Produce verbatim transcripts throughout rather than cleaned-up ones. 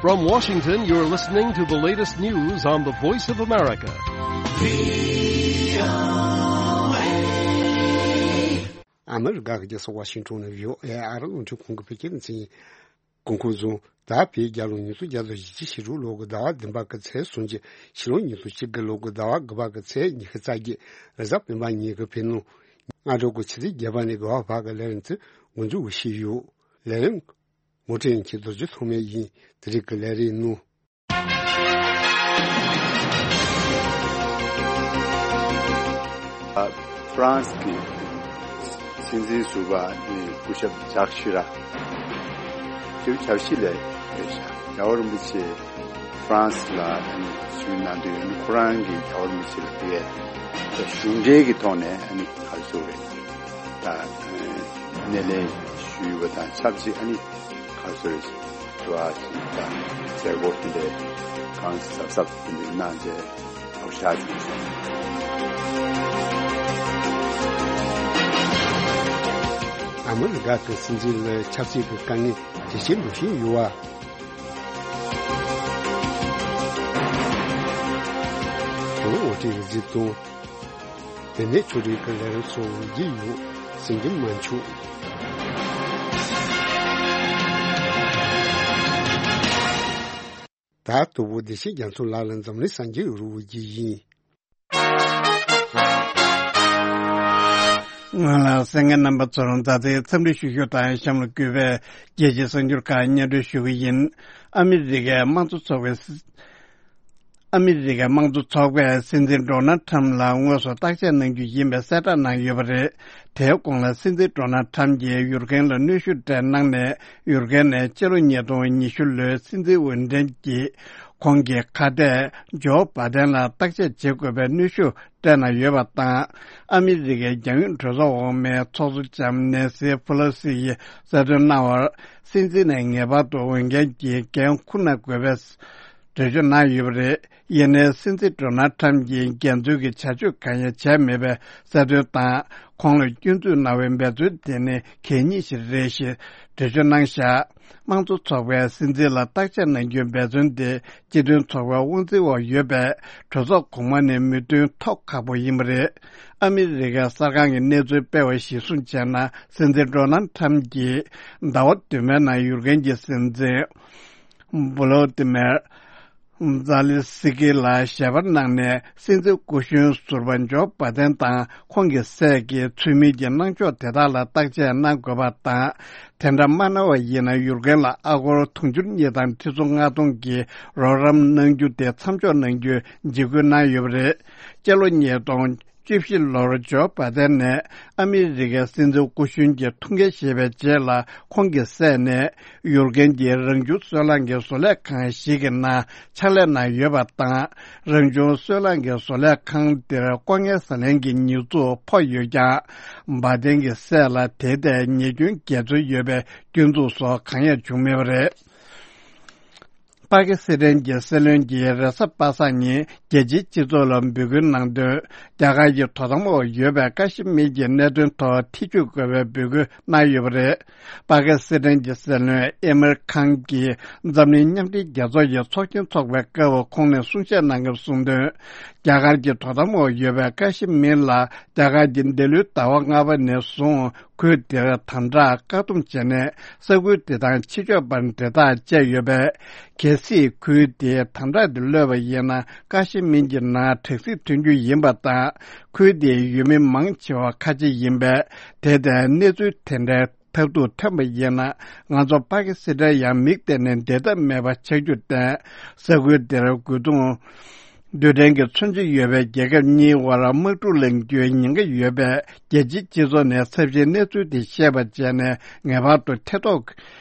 From Washington, you're listening to the latest news on the Voice of America. ཨ་མི་རི་ཀ་གི་རྒྱལ་ས་ཝ་ཤིང་ཊོན་ནས་བྷི་ཨོ་ཨེ་ཨ་རི་རླུང་འཕྲིན་ཁང་གི་བོད་སྐད་སྡེ་ཚན་ཡིན། གོང་འཁོད་བཟུང་། ད་བོད་རྒྱལ་ལོ་ཉིས་སྟོང་བརྒྱ་དང་བཞི་བཅུ་ཞེ་དྲུག་ལོ་གི་ཟླ་བ་བདུན་པ་གི་ཚེས་སུམ་ཅུ། ཕྱི་ལོ་ཉིས་སྟོང་གཅིག་གི་ལོ་གི་ཟླ་བ་དགུ་པ་གི་ཚེས་ཉི་ཤུ་རྩ་བརྒྱད། རེས་གཟའ་སྤེན་པ་ཉིན་གྱི་བོད་ནང་སྔ་དྲོ་གི་ཆུ་ཚོད་བརྒྱད་པ་ནས་དགུ་པ་བར་གྱི་ལས་རིམ་ཚོ་མགོ་འཛུགས་ཞུས་ཡོད། ལས་རིམ་ངོ་སྤྲོད་མཁན་རྡོ་རྗེ་ཐོགས་མེད་ཡིན། དེ་རིང་གི་ལས་རིམ་ནང་། ཧྥ་རན་སི་གི་སྲིད་འཛིན་ཟུར་པ་ནི་སྐུ་ཞབས་ཇག་ཤི་ར་ཏེའུ་ཆར་ཤི་ལས་རེད་ཤག་རྒྱལ་བ་རིན་པོ་ཆེ་ཧྥ་རན་སི་ལ་ཨ་ནི་བཞུགས་གནང་དུས་ཨ་ནི་ཁོ་རང་གིས་རྒྱལ་བ་རིན་པོ་ཆེ་ལ་ཕུལ་བའི་གཞུང་འབྲེལ་གྱི་ཐོག་ནས་ཨ་ནི་ག་རེ་ཟེར་དགོས་རེད། ད་སྣེ་ལེན་ཞུས་པ་དང་ཆབས་ཅིག་ཨ་ནི་ག་རེ་ཟེར་དགོས་རེད། དྲི་བ་ཞིག་དང་མཛད་སྒོ་དེ་འདྲའི་གང་གཟབ་གཟབ་དེ་འདྲ་གནང་རྗེས་ལོ་ཤས་བྱུང་སོང་། ཨ་མི་རི་ཀ་གི་སྲིད་འཛིན་ལ་ཆབ་སྲིད་ཀྱི་དཀའ་ངལ་ཇེ་ཆེར་འགྲོ་བཞིན་ཡོད་པ། གོ་ལ་ངོ་སྤྲོད་རིག་འཛིན་དང་། དེ་ནས་ཆོས་རིག་གི་ལས་རིམ་སོགས་འོང་གི་ཡོད། ཟིན་གྱི་མ་འཆུག་ད་དུ་བོ་བདེ་ཆེན་རྒྱ་མཚོ་ལགས་ལ་འཛམ་གླིང་གསར་འགྱུར་རུ་བོ་རྒྱུ་ཡིན། སྔོན་ལ་གསན་མཁན་རྣམ་པ་ཚོར་མཛའ་བརྩེའི་འཚམས་འདྲི་ཞུ་རྒྱུ་དང་གཤམ་ལ་གུས་པས་རྒྱལ་སྤྱིའི་གསར་འགྱུར་ཁག་སྙན་སྒྲོན་ཞུ་གི་ཡིན། ཨ་མི་རི་ཀའི་དམངས་གཙོ་ཚོགས་པའི་སྲིད། ཨ་མི་རི་ཀའི་དམངས་གཙོ་ཚོགས་པས་སྲིད་འཛིན་ཌོ་ནལ་ཁྲམ་ལ་དངོས་སུ་བརྟག་དཔྱད་གནང་རྒྱུ་ཡིན་པའི་གསལ་བསྒྲགས་གནང་ཡོད་པ་རེད། དེའི་གོང་ལ་སྲིད་འཛིན་ཌོ་ནལ་ཁྲམ་གྱིས་ཡུར་གན་ལ་གནོན་ཤུགས་སྤྲད་གནང་ནས་ཡུར་གན་ནས་སྤྱི་ལོ་ཉིས་སྟོང་ཉི་ཤུ་ལོའི་སྲིད་འཛིན་འོས་འགྲན་གྱི་ཁོང་གི་ཁ་གཏད་ཇོ་བྷ་དན་ལ་བརྟག་དཔྱད་བྱེད་དགོས་པའི་གནོན་ཤུགས་སྤྲད་གནང་ཡོད་པ་དང་། ཨ་མི་རི་ཀའི་རྒྱང་ཡོད་གྲོས་ཚོགས་འོག་མའི་ཚོགས་གཙོ་ལྕམ་ནེན་སི་ཕུ་ལོ་སི་ཡིས་གསལ་སྟོན་གནང་བར། སྲིད་འཛིན་ནས་ངེས་པར་དུ་འོས་འགན་གྱི་འགན་འཁུར་གནང་དགོས་པའི་འགྲེལ་བརྗོད་གནང་ཡོད་པ་རེད། ཡིན་ནའི་སྲིད་འཛིན་ཌོ་ནལ་ཁྲམ་གྱིས་འགལ་འཛོལ་གྱི་བྱ་སྤྱོད་གང་ཡང་བྱས་མེད་པའི་གསལ་སྟོན་དང་། ཁོང་ལ་སྐྱོན་འཛུགས་གནང་བའི་འབད་བརྩོན་དེ་ནི་གད་སྙིགས་ཤིག་རེད་ཞེས་འགྲེལ་བརྗོད་གནང་བཞག་དམངས་གཙོ་ཚོགས་པའི་སྲིད་འཛིན་ལ་བརྟག་དཔྱད་གནང་རྒྱུའི་འབད་བརྩོན་དེ་སྤྱི་མཐུན་ཚོགས་པའི་དབང་འཛིན་འོག་ཡོད་པས་གྲོས་ཚོགས་གོང་མ་ནས་མོས་མཐུན་ཐོབ་ཁག་པོ་ཡིན་པ་རེད། ཨ་མི་རི་ཀའི་གསར་ཁང་གི་གནས་ཚུལ་སྤེལ་བ་གཞིར་བཟུང་བྱས་ན། སྲིད་འཛིན་ཌོ་ནལ་ཁྲམ་གྱིས་ཟླ་བ་བདུན་པའི་ནང་ཡུར་གན་གྱི་སྲིད་འཛིན་བྷོ་ལོ་ཏི་མེར་ཛ་ལི་སི་ཀི་ལ་ཞལ་པར་གནང་ནས། སྲིད་འཛིན་སྐུ་གཞོན་ཟུར་པ་ཇོ་བྷ་དན་དང་ཁོང་གི་སྲས་ཀྱི་ཚུལ་མིན་གྱི་གནང་ཕྱོགས་དེ་དག་ལ་བརྟག་དཔྱད་གནང་དགོས་པ་དང་། དེ་འདྲ་མ་གནང་བ་ཡིན་ན་ཡུར་གན་ལ་ཨ་སྒོར་དུང་ཕྱུར་གཉིས་དང་ཁྲི་ཚོ་ལྔ་སྟོང་གི་རོགས་རམ་གནང་རྒྱུ་དེ་མཚམས་འཇོག་གནང་རྒྱུའི་འཇིགས་སྐུལ་གནང་ཡོད་པ་རེད། སྤྱི་ལོ་ཉིས་སྟོང་བཅུ་བཞི་ལོར་ཇོ་བྷ་དན་ནས་ཨ་མི་རི་ཀའི་སྲིད་འཛིན་སྐུ་གཞོན་གྱི་ཐུགས་འགན་བཞེས་པའི་རྗེས་ལ། ཁོང་གི་སྲས་ནས་ཡུར་གན་གྱི་རང་བྱུང་སོལ་རླངས་ཀྱི་བཟོ་ལས་ཁང་ཞིག་གི་ནང་ཕྱག་ལས་གནང་ཡོད་པ་དང་། རང་བྱུང་སོལ་རླངས་ཀྱི་བཟོ་ལས་ཁང་དེར་ལྐོག་རྔན་ཟ་ལེན་གྱི་ཉེས་འཛུགས་ཕོག་ཡོད་ཀྱང་། བྷ་དན་གྱི་སྲས་ལ་དེའི་ཐད་ཉེས་སྐྱོན་འགལ་འཛོལ་ཡོད་པའི་སྐྱོན་འཛུགས་སོགས་གང་ཡང་བྱུང་མེད་པ་རེད། པ་ཀི་སི་ཐན་གྱི་སྲིད་བློན་གྱིས་རེས་གཟའ་པ་སངས་ཉིན་རྒྱལ་སྤྱིའི་སྤྱི་ཚོགས་ལ་འབོད་སྐུལ་གནང་དོན། རྒྱ་གར་གྱི་དོ་དམ་འོག་ཡོད་པའི་ཀ་ཤི་མིར་གྱི་གནད་དོན་ཐོག་ཐེ་བྱུས་དགོས་པའི་འབོད་སྐུལ་གནང་ཡོད་པ་རེད། པ་ཀི་སི་ཐན་གྱི་སྲིད་བློན་ཨི་མིར་ཁཱན་གྱིས་འཛམ་གླིང་མཉམ་འབྲེལ་རྒྱལ་ཚོགས་ཀྱི་ཚོགས་ཆེན་འཚོགས་པའི་སྐབས་ཁོང་ནས་གསུང་བཤད་གནང་སྐབས་གསུངས་དོན། རྒྱ་གར་གྱི་དོ་དམ་འོག་ཡོད་པའི་ཀ་ཤི་མིར་ལ་རྒྱ་གར་གྱིས་འདི་ལོའི་ཟླ་བ་ལྔ་པ་ནས་བཟུང་། ཁུལ་དེར་དམ་དྲག་བཀག་སྡོམ་བྱས་ནས། ས་ཁུལ་དེ་དང་ཕྱི་ཕྱོགས་བར་འབྲེལ་ཐག་བཅད་ཡོད་པས། གལ་སྲིད་ཁུལ་དེའི་དམ་དྲག་དེ་གློད་པ་ཡིན་ན། ཀ་ཤི་མིར་གྱི་ནང་དྲག་ཟིང་ཐོན་རྒྱུ་ཡིན་པ་དང་། ཁུལ་དེའི་ཡུལ་མི་མང་ཆེ་བ་ཁ་ཆེ་ཡིན་པས། དེ་ལྟའི་གནས་ཚུལ་དེ་འདྲའི་ཐབས་སྡུག་ཐོན་པ་ཡིན་ན། ང་ཚོ་པ་ཀི་སི་ཐན་ཡང་མིག་གཏད་ནས་བསྡད་ཐབས་མེད་པ་ཆགས་རྒྱུར་བརྟེན། ས་ཁུལ་དེར་རྒོལ་རྡུང་རྡུལ་ཕྲན་གྱི་མཚོན་ཆ་ཡོད་པའི་རྒྱལ་ཁབ་གཉིས་དབར་དམག་འཁྲུག་ལངས་རྒྱུའི་ཉེན་ཁ་ཡོད་པས། རྒྱལ་སྤྱིའི་སྤྱི་ཚོགས་ནས་ཚབས་ཆེའི་གནས་ཚུལ་དེ་ཤེས་པ་བྱས་ནས། ངེས་པར་དུ་ཐེ་གཏོགས་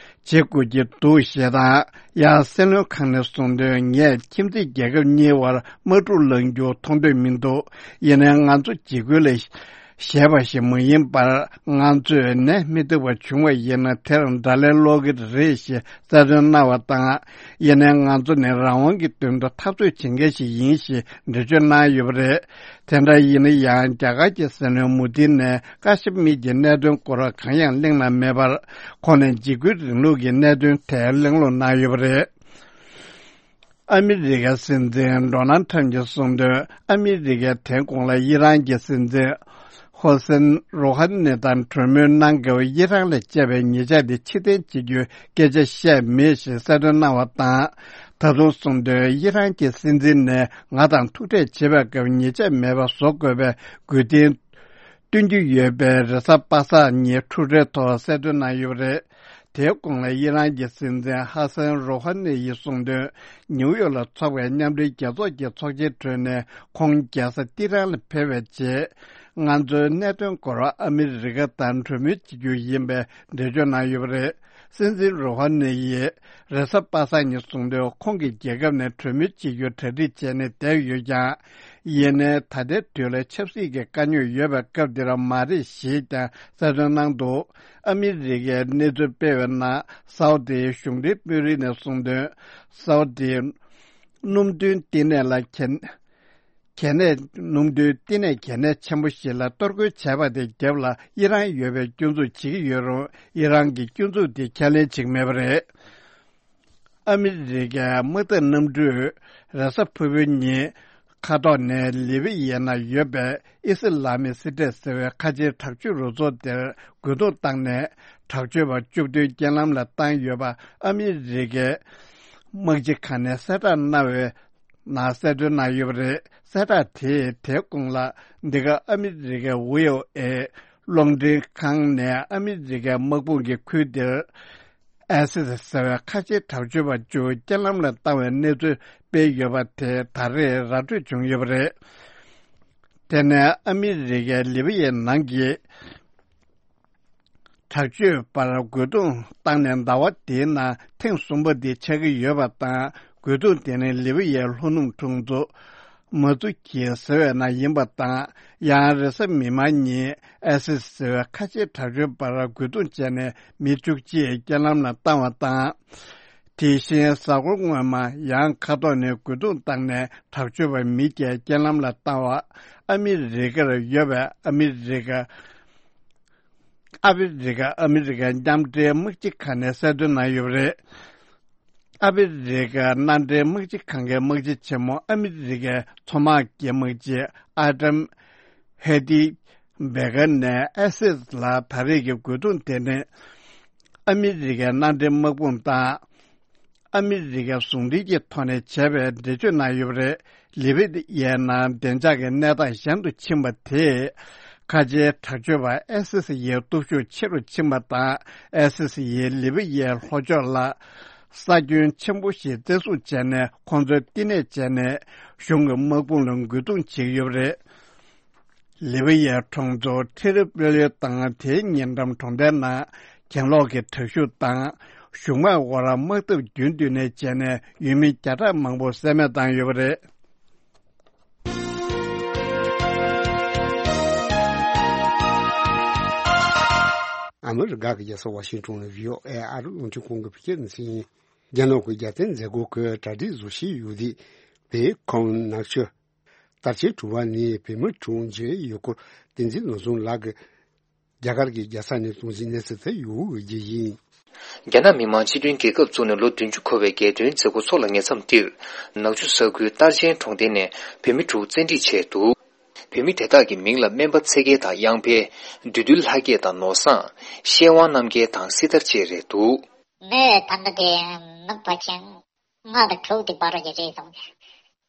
བྱེད་དགོས་ཀྱི་འདུག་ཞེས་དང་། ཡང་སྲིད་བློན་ཁང་ནས་གསུངས་དོན། ངས་ཁྱིམ་མཚེས་རྒྱལ་ཁབ་གཉིས་དབར་དམག་འཁྲུག་ལངས་རྒྱུ་མཐོང་འདོད་མི་འདུག་ཡིན་ནའི་ང་ཚོ་འཇིགས་སྐུལ་ལ་བཞེས་པ་ཞིག་མ་ཡིན་པར། ང་ཚོས་ནད་མི་ཐུབ་པ་བྱུང་བ་ཡིན་ན། དེར་དགྲ་ལན་སློག་གི་རེད་ཞེས་གསལ་སྟོན་གནང་བ་དང་། ཡིན་ནའི་ང་ཚོ་ནི་རང་དབང་གི་དོན་དུ་འཐབ་རྩོད་བྱེད་མཁན་ཞིག་ཡིན་ཞེས་འགྲེལ་བརྗོད་གནང་ཡོད་པ་རེད། དེ་འདྲ་ཡིན་ན་ཡང་། རྒྱ་གར་གྱི་སྲིད་བློན་མུ་དྷི་ནས་ཀ་ཤི་མིར་གྱི་གནད་དོན་སྐོར་གང་ཡང་གླེང་གནང་མེད་པར། ཁོང་ནས་འཇིགས་སྐུལ་རིང་ལུགས་ཀྱི་གནད་དོན་དེ་གླེང་སློང་གནང་ཡོད་པ་རེད། ཨ་མི་རི་ཀའི་སྲིད་འཛིན་ཌོ་ནལ་ཁྲམ་གྱིས་གསུངས་དོན། ཨ་མི་རི་ཀས་དེའི་གོང་ལ་ཨི་རན་གྱི་སྲིད་འཛིན་ཧོ་སན་རོ་ཧ་ནི་དང་གྲོས་མོལ་གནང་སྐབས། ཨི་རན་ལ་བཅད་པའི་ཉེས་ཆད་དེ་ཕྱིར་འཐེན་བྱེད་རྒྱུའི་སྐད་ཆ་བཤད་མེད་ཞེས་གསལ་སྟོན་གནང་བ་དང་། ད་དུང་གསུངས་དོན། ཨི་རན་གྱི་སྲིད་འཛིན་ནས་ང་དང་ཐུག་འཕྲད་བྱེད་པའི་སྐབས་ཉེས་ཆད་མེད་པ་བཟོ་དགོས་པའི་དགོས་འདུན་བཏོན་རྒྱུ་ཡོད་པའི་རེས་གཟའ་པ་སངས་ཉིན་འཁྲུག་རེས་ཐོག་གསལ་སྟོན་གནང་ཡོད་པ་རེད། དེའི་གོང་ལ་ཨི་རན་གྱི་སྲིད་འཛིན་ཧ་སན་རོ་ཧ་ནི་ཡིས་གསུངས་དོན། ནིའུ་ཡོག་ལ་འཚོགས་པའི་མཉམ་འབྲེལ་རྒྱལ་ཚོགས་ཀྱི་ཚོགས་ཆེན་གྲོལ་ནས་ཁོང་རྒྱལ་ས་ཏི་ཧྲན་ལ་ཕེབས་པའི་རྗེས། ང་ཚོའི་གནད་དོན་སྐོར་ཨ་མི་རི་ཀ་དང་གྲོས་མོལ་བྱེད་རྒྱུ་ཡིན་པའི་འགྲེལ་བརྗོད་གནང་ཡོད་པ་རེད། སྲིད་འཛིན་རོ་ཧ་ནི་ཡིས་རེས་གཟའ་པ་སངས་ཉིན་གསུངས་དོན། ཁོང་གིས་རྒྱལ་ཁབ་ནས་གྲོས་མོལ་བྱེད་རྒྱུར་གྲ་སྒྲིག་བྱས་ནས་བསྡད་ཡོད་ཀྱང་། ཡིན་ནའི་ད་ལྟའི་དུས་ལ་ཆབ་སྲིད་ཀྱི་དཀའ་རྙོག་ཡོད་པའི་སྐབས་འདིར་མ་རེད་ཞེས་ཀྱང་གསལ་སྟོན་གནང་འདུག་ཨ་མི་རི་ཀས་གནས་ཚུལ་སྤེལ་བའི་ནང་། སའུ་ཏིའི་གཞུང་འབྲེལ་དཔོན་རིགས་ནས་གསུངས་དོན། སའུ་ཏིའི་སྣུམ་འདུན་བསྟི་གནས་ལ་གལ་གལ་གནད། སྣུམ་འདུན་བསྟི་གནས་གལ་གནད་ཆེན་པོ་ཞིག་ལ་གཏོར་རྒོལ་བྱས་པ་དེ་རྒྱབ་ལ་ཨི་རན་ཡོད་པའི་སྐྱོན་འཛུགས་བྱེད་ཀྱི་ཡོད་རུང་། ཨི་རན་གྱི་སྐྱོན་འཛུགས་དེ་ཁས་ལེན་བྱེད་ཀྱི་མེད་པ་རེད། ཨ་མི་རི་ཀའི་དམག་འཐབ་གནམ་གྲུས་རེས་གཟའ་ཕུར་བུའི་ཉིན་མཁའ་ཐོག་ནས་ལི་བི་ཡའི་ནང་ཡོད་པའི་ཨི་སི་ལ་མིག་སི་ཏེཊ་ཟེར་བའི་ཁ་ཆེའི་དྲག་སྤྱོད་རུ་ཚོགས་དེར་རྒོལ་རྡུང་བཏང་ནས། དྲག་སྤྱོད་པ་བཅུ་བདུན་རྐྱེན་ལམ་ལ་བཏང་ཡོད་པ་ཨ་མི་རི་ཀའི་དམག་སྤྱི་ཁང་ནས་གསལ་བསྒྲགས་གནང་བའི་ནང་གསལ་སྟོན་གནང་ཡོད་པ་རེད། གསལ་བསྒྲགས་དེས་དེའི་གོང་ལ། འདི་ག་ཨ་མི་རི་ཀའི་ཝི་ཨོ་ཨེ་རླུང་འཕྲིན་ཁང་ནས་ཨ་མི་རི་ཀའི་དམག་དཔུང་གི་ཁུལ་དེར་ཨའི་སི་ཟེར་བའི་ཁ་ཆེའི་དྲག་སྤྱོད་པ་བཅུ་རྐྱེན་ལམ་ལ་བཏང་བའི་གནས་ཚུལ་སྤེལ་ཡོད་པ་དེ་ད་རེས་ར་སྤྲོད་བྱུང་ཡོད་པ་རེད། དེ་ནས་ཨ་མི་རི་ཀའི་ལི་བི་ཡའི་ནང་གི་དྲག་སྤྱོད་པར་རྒོལ་རྡུང་བཏང་ནས་ཟླ་བ་འདིའི་ནང་ཐེངས་གསུམ་པ་འདི་ཆགས་ཀྱི་ཡོད་པ་དང་། རྒོལ་རྡུང་དེ་ནི་ལི་བི་ཡའི་ལྷོ་ནུབ་གྲོང་ཚོ་མ་ཙུ་ཀི་ཟེར་བའི་ནང་ཡིན་པ་དང་། ཡང་རེས་གཟའ་མིག་དམར་ཉིན་ཨའི་སི་ཟེར་བའི་ཁ་ཆེའི་དྲག་སྤྱོད་པར་རྒོལ་རྡུང་བྱས་ནས་མི་བཅུ་གཅིག་རྐྱེན་ལམ་ལ་བཏང་བ་དང་། དེ་བཞིན་གཟའ་འཁོར་སྔོན་མ་ཡང་མཁའ་ཐོག་ནས་རྒོལ་རྡུང་བཏང་ནས་དྲག་སྤྱོད་པ་མི་བརྒྱད་རྐྱེན་ལམ་ལ་བཏང་བ། ཨ་མི་རི་ཀར་ཡོད་པའི་ཨ་མི་རི་ཀ་ཨ་ཕི་རི་ཀ་ཨ་མི་རི་ཀའི་མཉམ་འབྲེལ་དམག་སྤྱི་ཁང་ནས་གསལ་སྟོན་གནང་ཡོད་པ་རེད། ཨ་ཕི་རི་ཀ་མཉམ་འབྲེལ་དམག་སྤྱི་ཁང་གི་དམག་སྤྱི་ཆེན་མོ་ཨ་མི་རི་ཀའི་མཚོ་དམག་གི་དམག་སྤྱི་ཨ་ཏམ་ཧེ་ཏི་བེ་ཀར་ནས་ཨེ་སིས་ལ་ད་རེས་ཀྱི་རྒོལ་རྡུང་དེ་ནི་ཨ་མི་རི་ཀའི་མཉམ་འབྲེལ་དམག་དཔུང་དང་། ཨ་མི་རི་ཀའི་ཟུང་འབྲེལ་གྱི་ཐོག་ནས་བྱས་པའི་འགྲེལ་བརྗོད་གནང་ཡོད་པ་རེད། ལི་བི་ཡའི་ནང་བདེ་འཇགས་ཀྱི་གནས་སྟངས་ཞན་དུ་ཕྱིན་པ་དེས། ཁ་ཆེའི་དྲག་སྤྱོད་པ་ཨེ་སི་སི་ཡི་སྟོབས་ཤུགས་ཆེ་རུ་ཕྱིན་པ་དང་། ཨེ་སི་སི་ཡིས་ལི་བི་ཡའི་ལྷོ་ཕྱོགས་ལ་ས་ཁྱོན་ཆེན་པོ་ཞིག་བཙན་བཟུང་བྱས་ནས། ཁོང་ཚོའི་བསྟི་གནས་བྱས་ནས་གཞུང་གི་དམག་དཔུང་ལ་རྒོལ་རྡུང་བྱེད་ཀྱི་ཡོད་པ་རེད། ལི་བི་ཡའི་གྲོང་ཚོ་ཏི་རི་པོ་ལི་དང་དེའི་ཉེ་འགྲམ་གྲོང་རྡལ་ནང་གྱེན་ལོག་གི་དྲག་ཤུགས་དང་གཞུང་དམག་དབར་དམག་འཐབ་རྒྱུན་མཐུད་ནས་བྱས་ནས་ཡུལ་མི་བརྒྱ་ཕྲག་མང་པོ་བསད་རྨས་བཏང་ཡོད་པ་རེད། ཨ་མི་རི་ཀ་གི་རྒྱལ་ས་ཝ་ཤིང་ཊོན་ནས་བྷི་ཨོ་ཨེ་ཨ་རི་རླུང་འཕྲིན་ཁང་གི་བོད་སྐད་སྡེ་ཚན་ཡིན། རྒྱ་ནག་གི་རྒྱལ་བསྟན་མཛད་སྒོ་གི་གྲ་སྒྲིག་བཟོ་བྱེད་ཡུལ་དེ་བྷེ་ཁོང་ནག་ཆུ། དར་ཆེན་གྲུ་པ་ནས་བོད་མི་དྲུག་མཇལ་ཡོད་སྐོར་བསྟན་འཛིན་ནོར་བཟང་ལགས་ཀྱིས་རྒྱ་གར་གྱི་རྒྱལ་ས་ནས་གཏོང་ཟིན་གནས་ཚུལ་དེ་ཡོད་འོས་ཀྱི་ཡིན། རྒྱ་ནག་མི་དམངས་སྤྱི་མཐུན་རྒྱལ་ཁབ་བཙུགས་ནས་ལོ་བདུན་ཅུ་འཁོར་བའི་རྒྱལ་སྟོན་མཛད་སྒོ་འཚོགས་ལ་ཉེ་མཚམས་འདིར། ནག་ཆུ་ས་ཁུལ་རྟར་ཆེན་གྲོང་རྡལ་ནས་བོད་མི་དྲུག་བཙན་ཁྲིད་བྱས་འདུག་བོད་མི་དེ་དག་གི་མིང་ལ་སྨན་པ་ཚེ་རྒྱལ་དང་གཡང་འཕེལ། བདུད་འདུལ་ལྷ་སྐྱིད་དང་ནོར་བཟང་། ཤེས་དབང་རྣམ་རྒྱལ་དང་སྲི་ཐར་བཅས་རེད་འདུག་མི་ད་ལྟ་དེ་མི་ཕལ་ཆེར་ལྔ་དང་དྲུག་དེ་བར་རེད་བསམ་གི།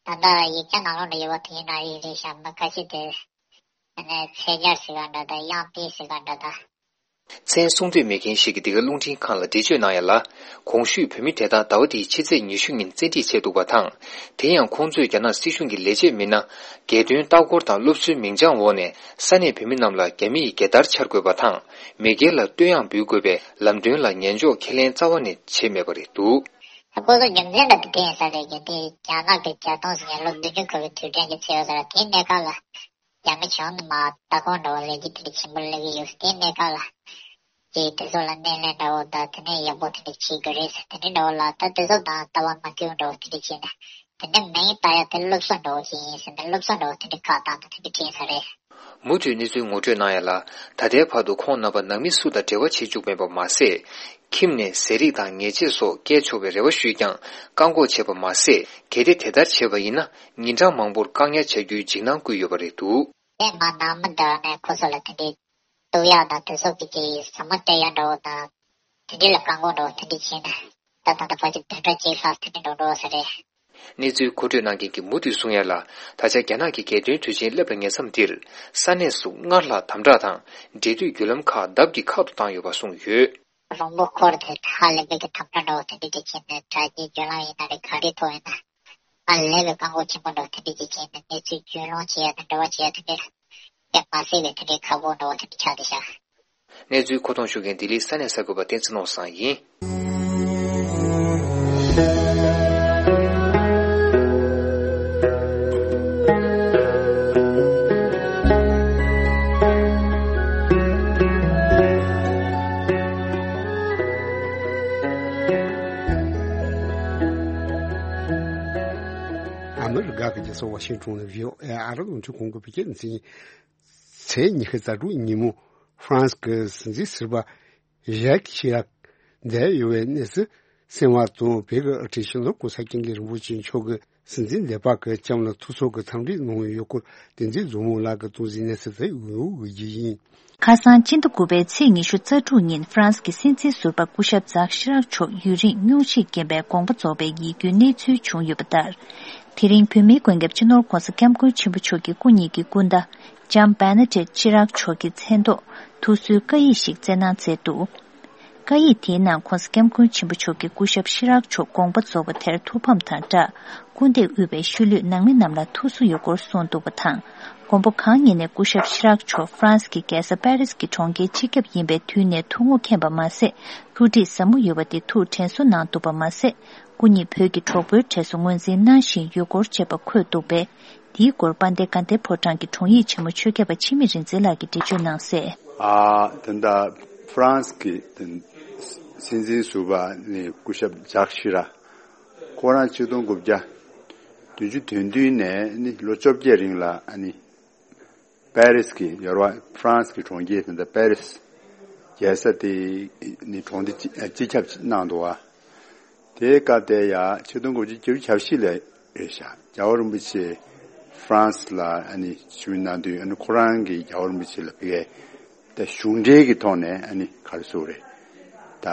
ད་ལྟ་ཡིག་ཆ་ནང་ལོགས་ནས་ཡོད་པ་དེ་ཡིན་ན་རེད་རེད་ཤག་མི་ཁ་ཤས་དེ་ཨ་ནི་ཚེ་རྒྱལ་ཟེར་ག་འདྲ་དང་གཡང་འཕེལ་ཟེར་ག་འདྲ་དང་། མཚན་གསུང་འདོད་མེད་མཁན་ཞིག་གིས་འདི་ག་རླུང་འཕྲིན་ཁང་ལ་འགྲེལ་བརྗོད་གནང་ཡ་ལ། གོང་ཞུས་བོད་མི་དེ་དག་ཟླ་བ་འདིའི་ཕྱི་ཚེས་ཉི་ཤུ་ཉིན་བཙན་ཁྲིད་བྱས་འདུག་པ་དང་། དེ་ཡང་ཁོང་ཚོས་རྒྱ་ནག་སྲིད་གཞུང་གི་ལས་བྱེད་མི་སྣ། རྒྱལ་དོན་ལྟ་སྐོར་དང་སློབ་གསོའི་མིང་བྱང་འོག་ནས་ས་གནས་བོད་མི་རྣམས་ལ་རྒྱ་མི་ཡི་རྒྱལ་དར་འཕྱར་དགོས་པ་དང་། མེས་རྒྱལ་ལ་བསྟོད་དབྱངས་འབུལ་དགོས་པའི་ལམ་སྟོན་ལ་ཉན་འཇོག་ཁས་ལེན་རྩ་བ་ནས་བྱས་མེད་པ་རེད་འདུག་ཁོ་ཚོ་རྒྱུ་མཚན་འདྲ་དེ་དེ་ཡིན་ས་རེད། རྒྱུ་དེ་རྒྱ་ནག་གི་རྒྱ་སྟོང་ཟེར་མཁན་ལོ་བདུན་ཅུ་འཁོར་བའི་དུས་དྲན་གྱི་ཚེས་ཡོད་ས་རེད། དེའི་གནས་སྐབས་ལ་རྒྱ་མི་གཞུང་ནས་མར་ལྟ་སྐོར་འདྲ་བོ་ལས་རྒྱུ་དེ་འདྲ་ཆེན་པོ་སླེབས་ཀྱི་ཡོད། དེའི་གནས་སྐབས་ལ་ཅིག་དེ་ཚོ་ལ་སྣེ་ལེན་འདྲ་བོ་དང་། དེ་ནས་ཡག་པོ་དེ་འདྲ་བྱེད་དགོས་རེད་ཟེར། དེ་འདྲ་འདྲ་བོ་ལ་ད་དེ་ཚོ་དང་ལྟ་བ་མ་མཐུན་འདྲ་བོ་དེ་འདྲ་བྱས་ནས། དེ་འདྲ་མིང་བཏགས་ཡ་དེ་སློབ་གསོ་འདྲ་བོ་ཞིག་ཡིན་ཟེར་ནས་སློབ་གསོ་འདྲ་བོ་དེ་འདྲ་བཀག་བཏང་ནས་དེ་འདྲ་བྱས་ས་རེད། མུ་མཐུད་གནས་ཚུལ་ངོ་སྤྲོད་གནང་ཡ་ལ། ད་ལྟའི་བར་དུ་ཁོང་རྣམ་པ་ནང་མི་སུ་དང་འབྲེལ་བ་བྱེད་བཅུག་མེད་པ་མ་ཟད། ཁྱིམ་ནས་ཟས་རིགས་དང་ཉལ་ཆས་སོགས་བསྐྱལ་ཆོག་པའི་རེ་བ་ཞུས་ཀྱང་བཀག་འགོག་བྱས་པ་མ་ཟད། གལ་ཏེ་དེ་ལྟར་བྱས་པ་ཡིན་ན། ཉིན་གྲངས་མང་པོར་བཀག་ཉར་བྱ་རྒྱུའི་འཇིགས་སྣང་བསྐུལ་ཡོད་པ་རེད་འདུག། དེ་མ་ནང་མི་འདྲ་ནས་ཁོ་ཚོ་ལ་དེ་འདྲའི་གཏུག་ཡག་དང་དེ་སོགས་ཀྱི་ཟ་མ་སྤྲད་ཡག་འདྲ་བོ་དང་། དེ་འདྲའི་ལ་བཀག་འགོག་འདྲ་བོ་དེ་འདྲའི་བྱས་ན། ད་ད་ལྟ་ཕལ་ཆེར་བདུན་ཕྲག་གཅིག་ལྷག་དེ་འདྲའི་འགྲོ་འགྲོ་ས་རེད། གནས་ཚུལ་མཁོ་སྤྲོད་གནང་མཁན་གྱིས་མུ་མཐུད་གསུང་ཡ་ལ། ད་ཆ་རྒྱ་ནག་གི་རྒྱལ་དོན་དུས་ཆེན་སླེབས་པའི་ཉེ་མཚམས་འདིར། ས་གནས་སུ་སྔར་ལྷག་དམ་དྲག་དང་འབྲེལ་མཐུད་བརྒྱུད་ལམ་ཁག་ལྡབ་ཀྱིས་ཁག་ཏུ་བཏང་ཡོད་པ་གསུངས་ཡོད། རོང་པོ་འཁོར་དེ་ཧ་ལས་པའི་གི་དམ་དྲག་འདྲ་བོ་དེ་འདྲ་དེ་བྱས་ནས་དྲ་རྒྱའི་བརྒྱུད་ལམ་ཡིན་ན་རེད། ག་རེ་ཐོག་ཡིན་ན། ཧ་ལས་པའི་བཀག་འགོག་ཆེན་པོ་འདྲ་བོ་དེ་འདྲ་དེ་བྱས་ནས་གནས་ཚུལ་རྒྱུས་ལོན་བྱེད་ཡ་དང་འབྲེལ་བ་བྱེད་ཡ་དེ་འདྲ་དཔེ་མ་སྲིད་པའི་དེ་འདྲའི་ཁག་པོ་འདྲ་བོ་དེ་འདྲ་ཆགས་བསྡད་ཤག། གནས་ཚུལ་མཁོ་གཏོང་ཞུ་མཁན་ལྡི་ལིའི་ས་གནས་གསར་འགོད་པ་བསྟན་འཛིན་ནོར་བཟང་ཡིན། ཨ་མི་རི་ཀ་གི་རྒྱལ་ས་ཝ་ཤིང་ཊོན་ནས་བྷི་ཨོ་ཨེ་ཨ་རི་རླུང་འཕྲིན་ཁང་གི་བོད་སྐད་སྡེ་ཚན། ཚེས་ཉི་ཤུ་རྩ་དྲུག་ཉིན་མོ་ཧྥ་རན་སི་གི་སྲིད་འཛིན་ཟུར་པ་ཞེག་ཤི་རག་འདས་ཡོད་པའི་གནས་ཚུལ་གསན་པ་དང་། བོད་ཀྱི་དབུ་ཁྲིད་སྤྱི་ནོར་༸གོང་ས་༸སྐྱབས་མགོན་རིན་པོ་ཆེ་མཆོག་གིས་སྲིད་འཛིན་སྡེ་པ་གི་ལྕམ་ལ་ཐུགས་གསོ་གི་འཚམས་འདྲི་གནང་ཡོད་སྐོར། བསྟན་འཛིན་མཛོ་མོ་ལགས་ཀྱིས་གཏོང་གཟིགས་གནས་ཚུལ་དེ་འོད་འོད་ཀྱིས་ཡིན། ཁ་སང་སྤྱི་ཟླ་དགུ་པའི་ཚེས་ཉི་ཤུ་རྩ་དྲུག་ཉིན་ཧྥ་རན་སི་གི་སྲིད་འཛིན་ཟུར་པ་སྐུ་ཞབས་ཛག་ཤི་རག་མཆོག་ཡུན་རིང་སྙུང་གཞིས་རྐྱེན་པས་དགོངས་པ་རྫོགས་པའི་ཡིད་སྐྱོའི་གནས་ཚུལ་བྱུང་ཡོད་པ་ལྟར། དེ་རིང་བོད་མིའི་མགོན་སྐྱབས་སྤྱི་ནོར་༸གོང་ས་༸སྐྱབས་མགོན་ཆེན་པོ་མཆོག་གི་སྐུ་ཉིད་ཀྱི་སྐུ་ཟླ་ལྕམ་བེ་ན་ཌེཊ་ཤི་རག་མཆོག་གི་མཚན་ཐོག་ཐུགས་གསོའི་བཀའ་ཡིག་ཞིག་བསྩལ་གནང་མཛད་འདུག། བཀའ་ཡིག་དེའི་ནང་༸གོང་ས་༸སྐྱབས་མགོན་ཆེན་པོ་མཆོག་གིས་སྐུ་ཞབས་ཤི་རག་མཆོག་དགོངས་པ་རྫོགས་པ་དེར་ཐུགས་ཕམ་དང་སྦྲགས། སྐུ་འདས་དབུས་པའི་ཤུལ་ལུས་ནང་མི་རྣམས་ལ་ཐུགས་གསོ་ཡོད་སྐོར་གསུངས་འདུག་པ་དང་། མགོན་པོ་གང་ཉིད་ནས་སྐུ་ཞབས་ཤི་རག་མཆོག་ཧྥ་རན་སི་གི་རྒྱལ་ས་པེ་རིས་ཀྱི་གྲོང་ཁྱེར་སྤྱི་ཁྱབ་ཡིན་པའི་དུས་ནས་ཐུགས་དངོས་མཁྱེན་པ་མ་ཟད། ཐུགས་འདྲིས་ཟབ་མོ་ཡོད་པ་དེ་ཐུགས་དྲན་གསོ་གནང་འདུག་པ་མ་ཟད། སྐུ་ཉིད་བོད་ཀྱི་གྲོགས་པོའི་གྲས་སུ་ངོས་འཛིན་གནང་བཞིན་ཡོད་སྐོར་བཅས་པ་འཁོད་འདུག་པས། འདིའི་སྐོར་དཔལ་ལྡན་དགའ་ལྡན་ཕོ་བྲང་གི་དྲུང་ཡིག་ཆེན་མོ་ཆོས་སྐྱབས་པ་འཆི་མེད་རིག་འཛིན་ལགས་ཀྱིས་འགྲེལ་བརྗོད་གནང་གསལ། ཨ། ད་ལྟ་ཧྥ་རན་སི་གི་སྲིད་འཛིན་ཟུར་པ་ནི་སྐུ་ཞབས་ཇག་ཤི་ར། ཁོ་རང་ཆིག་སྟོང་དགུ་བརྒྱ་བདུན་ཅུ་དོན་བདུན་ནས་ནི་ལོ་བཅོ་བརྒྱད་རིང་ལ་ཨ་ནི་པེ་རིས་ཀྱི་ཡོ་རོབ་ཧྥ་རན་སི་གི་གྲོང་ཁྱེར་དེ་འདྲ་པེ་རིས་རྒྱལ་ས་དེ་ནི་གྲོང་སྡེ་སྤྱི་སྤྱི་ཁྱབ་གནང་འདུག་བ། དེའི་སྐབས་དེ་ཡ་ཆིག་སྟོང་དགུ་བརྒྱ་བརྒྱད་ཅུ་གྱ་བཞི་ལ་རེད་ཤག། རྒྱལ་བ་རིན་པོ་ཆེ་ཧྥ་རན་སི་ལ་ཨ་ནི་ཞུ་གནང་དུས། ཨ་ནི་ཁོ་རང་གིས་རྒྱལ་བ་རིན་པོ་ཆེ་ལ་ཕ་གིའི་ད་གཞུང་འབྲེལ་གྱི་ཐོག་ནས་ཨ་ནི་ག་རེ་ཟེར་དགོས་རེད། ད་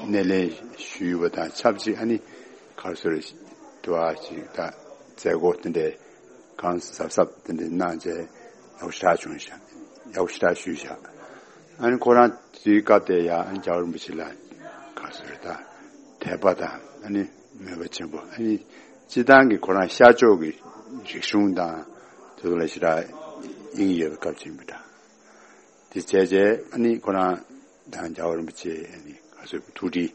སྣེ་ལེན་ཞུས་པ་དང་ཆབས་ཅིག་ཨ་ནི་ག་རེ་ཟེར་དགོས་རེད། དུ་བ་ཅིག་ད་མཛད་སྒོ་དེ་འདྲའི་གང་གཟབ་གཟབ་དེ་འདྲ་གནང་བྱས་ཡག་པོ་ཞེ་དྲག་བྱུང་ཤག། ཡག་པོ་ཞེ་དྲག་ཞུས་ཤག། ཨ་ནི་ཁོ་རང་དུས་སྐབས་དེ་ཡ་ཨ་ནི་རྒྱལ་བ་རིན་པོ་ཆེ་ལ་ག་རེ་ཟེར་དགོས་རེད། ད་དད་པ་དང་ཨ་ནི་མོས་པ་ཆེན་པོ། ཨ་ནི་སྤྱི་བཏང་གི་ཁོ་རང་ཤར་ཕྱོགས་ཀྱི་རིག་གཞུང་དང་དེ་ཚོ་ལ་ཞེ་དྲག་དབྱིངས་ཡོད་པའི་སྐབས་ཅིག་ཡིན་པ་འདྲ། དེ་བྱས་རྗེས་ཨ་ནི་ཁོ་རང་དང་རྒྱལ་བ་རིན་པོ་ཆེ་ཨ་ནི་ག་ཚོད་ཐུགས་འདྲིས་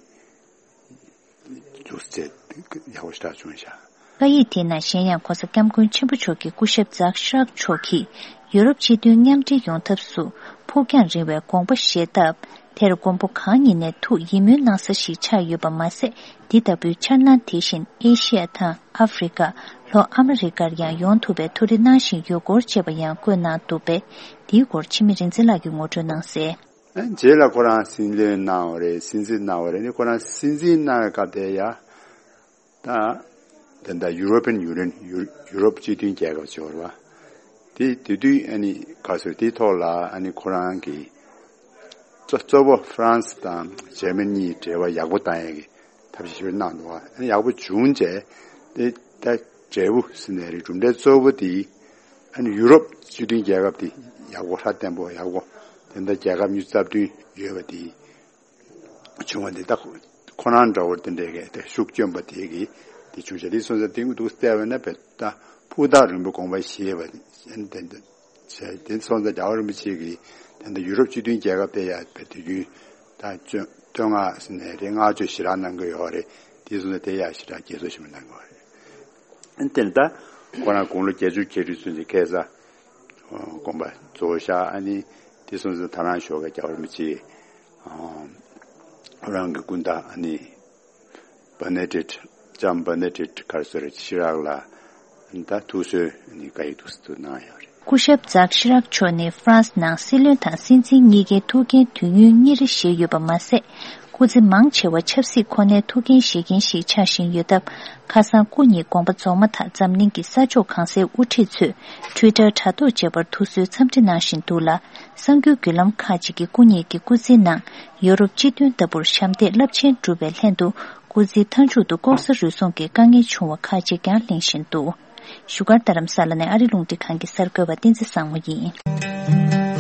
འདུག་ཟེར་ཡག་པོ་ཞེ་དྲག་བྱུང་ཤག། བཀའ་ཡིག་དེའི་ནང་གཞན་ཡང་༸གོང་ས་༸སྐྱབས་མགོན་ཆེན་པོ་མཆོག་གིས་སྐུ་ཞབས་ཛག་ཤི་རག་མཆོག་གིས་ཡུ་རོབ་སྤྱི་མཐུན་མཉམ་འབྲེལ་ཡོང་ཐབས་སུ་ཕུགས་རྒྱང་རིང་བའི་དགོངས་པ་བཞེས་སྟབས། དེར་མགོན་པོ་གང་ཉིད་ནས་ཐུགས་ཡིད་སྨོན་གནང་ས་ཞིག་ཆགས་ཡོད་པ་མ་ཟད། འདི་ལྟ་བུའི་འཆར་སྣང་དེ་བཞིན་ཨེ་ཤི་ཡ་དང་ཨ་ཧྥེ་རི་ཀ། ལྷོ་ཨ་མི་རི་ཀར་ཡང་ཡོང་ཐུབ་པའི་ཐུགས་རེ་གནང་བཞིན་ཡོད་སྐོར་བཅས་པ་ཡང་བཀོད་གནང་འདུག་པས། འདིའི་སྐོར་འཆི་མེད་རིག་འཛིན་ལགས་ཀྱིས་ངོ་སྤྲོད་གནང་གསལ། རྗེས་ལ་ཁོ་རང་སྲིད་བློན་གནང་བ་རེད། སྲིད་འཛིན་གནང་བ་རེད། ཨ་ནི་ཁོ་རང་སྲིད་འཛིན་གནང་བའི་སྐབས་དེ་ཡ། ད་དེ་འདྲ་ཡུ་རོ་པན་ཡུ་ནི་ཡན། ཡུ་ཡུ་རོབ་སྤྱི་མཐུན་རྒྱལ་ཁབ་ཅིག་ཡོད་རེད་བ། དེ་དེ་དུས་ཨ་ནི་ག་ཚོད་དེའི་ཐོག་ལ་ཨ་ནི་ཁོ་རང་གིས་གཙོ་གཙོ་བོ་ཧྥ་རན་སི་དང་འཇར་མ་ནི་གཉིས་འབྲེལ་བ་ཡག་པོ་བཏང་ཡས་ཀྱི་ཐབས་ཤེས་ཞིག་གནང་འདུག་བ། ཨ་ནི་ཡག་པོ་བྱུང་རྗེས་དེ་ད་འབྲས་བུ་ཟེར་ནའི་རེད། གྲུབ་འབྲས་གཙོ་བོ་དེ་ཨ་ནི་ཡུ་རོབ་སྤྱི་མཐུན་རྒྱལ་ཁབ་དེ་ཡག་པོ་སྲ་བརྟན་པོ་ཡག་པོ་དེ་འདྲ་རྒྱལ་ཁབ་ཉི་ཤུ་རྩ་བདུན་ཡོད་པ་དེ། བྱུང་བ་འདི་ད་ཁོ་ཁོ་རང་འདྲ་བོ་དེ་འདྲའི་གི་དེ་ཤུགས་བསྐྱོན་པ་དེ་གི་དེ་བྱུང་ཤག། དེ་སོང་ཙང་དེང་དུ་བལྟས་པ་ན་བས་ད་ཕུགས་ཐག་རིང་པོ་དགོངས་པ་བཞེས་པ་ཨ་ནི་དེ་འདྲ་བྱས། དེ་སོང་ཙང་རྒྱལ་བ་རིན་པོ་ཆེ་གིས་དེ་འདྲ་ཡུ་རོབ་སྤྱི་མཐུན་རྒྱལ་ཁབ་དེ་ཡ་བས་དུས་རྒྱུན་ད་བསྟོད་བསྟོད་བསྔགས་ཟེར་ནའི་རེད། བསྔགས་བརྗོད་ཞེ་དྲག་གནང་གི་ཡོད་རེད། དེ་སོང་ཙང་དེ་ཡ་ཞེ་དྲག་དགྱེས་གཟོ་ཞེ་པོ་གནང་གི་ཡོད་རེད། ཨ་ནི་དེ་ནི་ད་ཁོ་རང་དགུང་ལོ་བརྒྱད་ཅུ་གྱ་དྲུག་ཚུན་ཆད་ཁ་སང་དགོངས་པ་རྫོགས་ཤག། ཨ་ནི་དེ་སོང་ཙང་ད་རང་ཞོགས་ཀས་རྒྱལ་བ་རིན་པོ་ཆེ་ཨ་རང་གི་སྐུ་ཟླ་ཨ་ནི་བེ་ནེ་ཌིག་ལྕམ་བེ་ནེ་ཌིག་ག་རེ་ཟེར་ཤི་རག་ལ་ད་ཐུགས་གསོའི་ཨ་ནི་བཀའ་ཡིག་ཏོག་ཙམ་གནང་ཡོད་རེད། སྐུ་ཞབས་ཛག་ཤི་རག་མཆོག་ནི་ཧྥ་རན་སི་ནང་སྲིད་བློན་དང་སྲིད་འཛིན་གཉིས་ཀའི་ཐུགས་འགན་དུས་ཡུན་གཉིས་རེ་བཞེས་ཡོད་པ་མ་ཟད། སྐུ་ཚེ་མང་ཆེ་བ་ཆབ་སྲིད་ཁོ་ནའི་ཐུགས་འགན་བཞེས་མཁན་ཞིག་ཆགས་བཞིན་ཡོད་སྟབས། ཁ་སང་སྐུ་ཉིད་དགོངས་པ་རྫོགས་མ་ཐག་འཛམ་གླིང་གི་ས་ཕྱོགས་གང་སའི་དབུ་ཁྲིད་ཚོས་Twitter་དྲ་ཐོག་བཅས་པར་ཐུགས་གསོའི་འཚམས་འདྲི་གནང་བཞིན་འདུག་ལ། གསར་འགྱུར་བརྒྱུད་ལམ་ཁག་ཅིག་གིས་སྐུ་ཉིད་ཀྱི་སྐུ་ཚེའི་ནང་ཡོ་རོབ་སྤྱི་མཐུན་ལྟ་བུར་ཞབས་འདེགས་རླབས་ཆེན་བསྒྲུབས་པའི་ལྷན་དུ། སྐུ་ཚེའི་མཐའ་མཇུག་ཏུ་ལྐོག་ཟ་རུལ་སུངས་ཀྱི་དཀའ་ངལ་བྱུང་བ་ཁག་ཅིག་ཀྱང་གླེང་བཞིན་འདུག་བཞུགས་སྒར་རྡ་རམ་ས་ལ་ནས་ཨ་རི་རླུང་འཕྲིན་ཁང་གི་གསར་འགོད་པ་བསྟན་འཛིན་བཟང་མོ་ཡིན།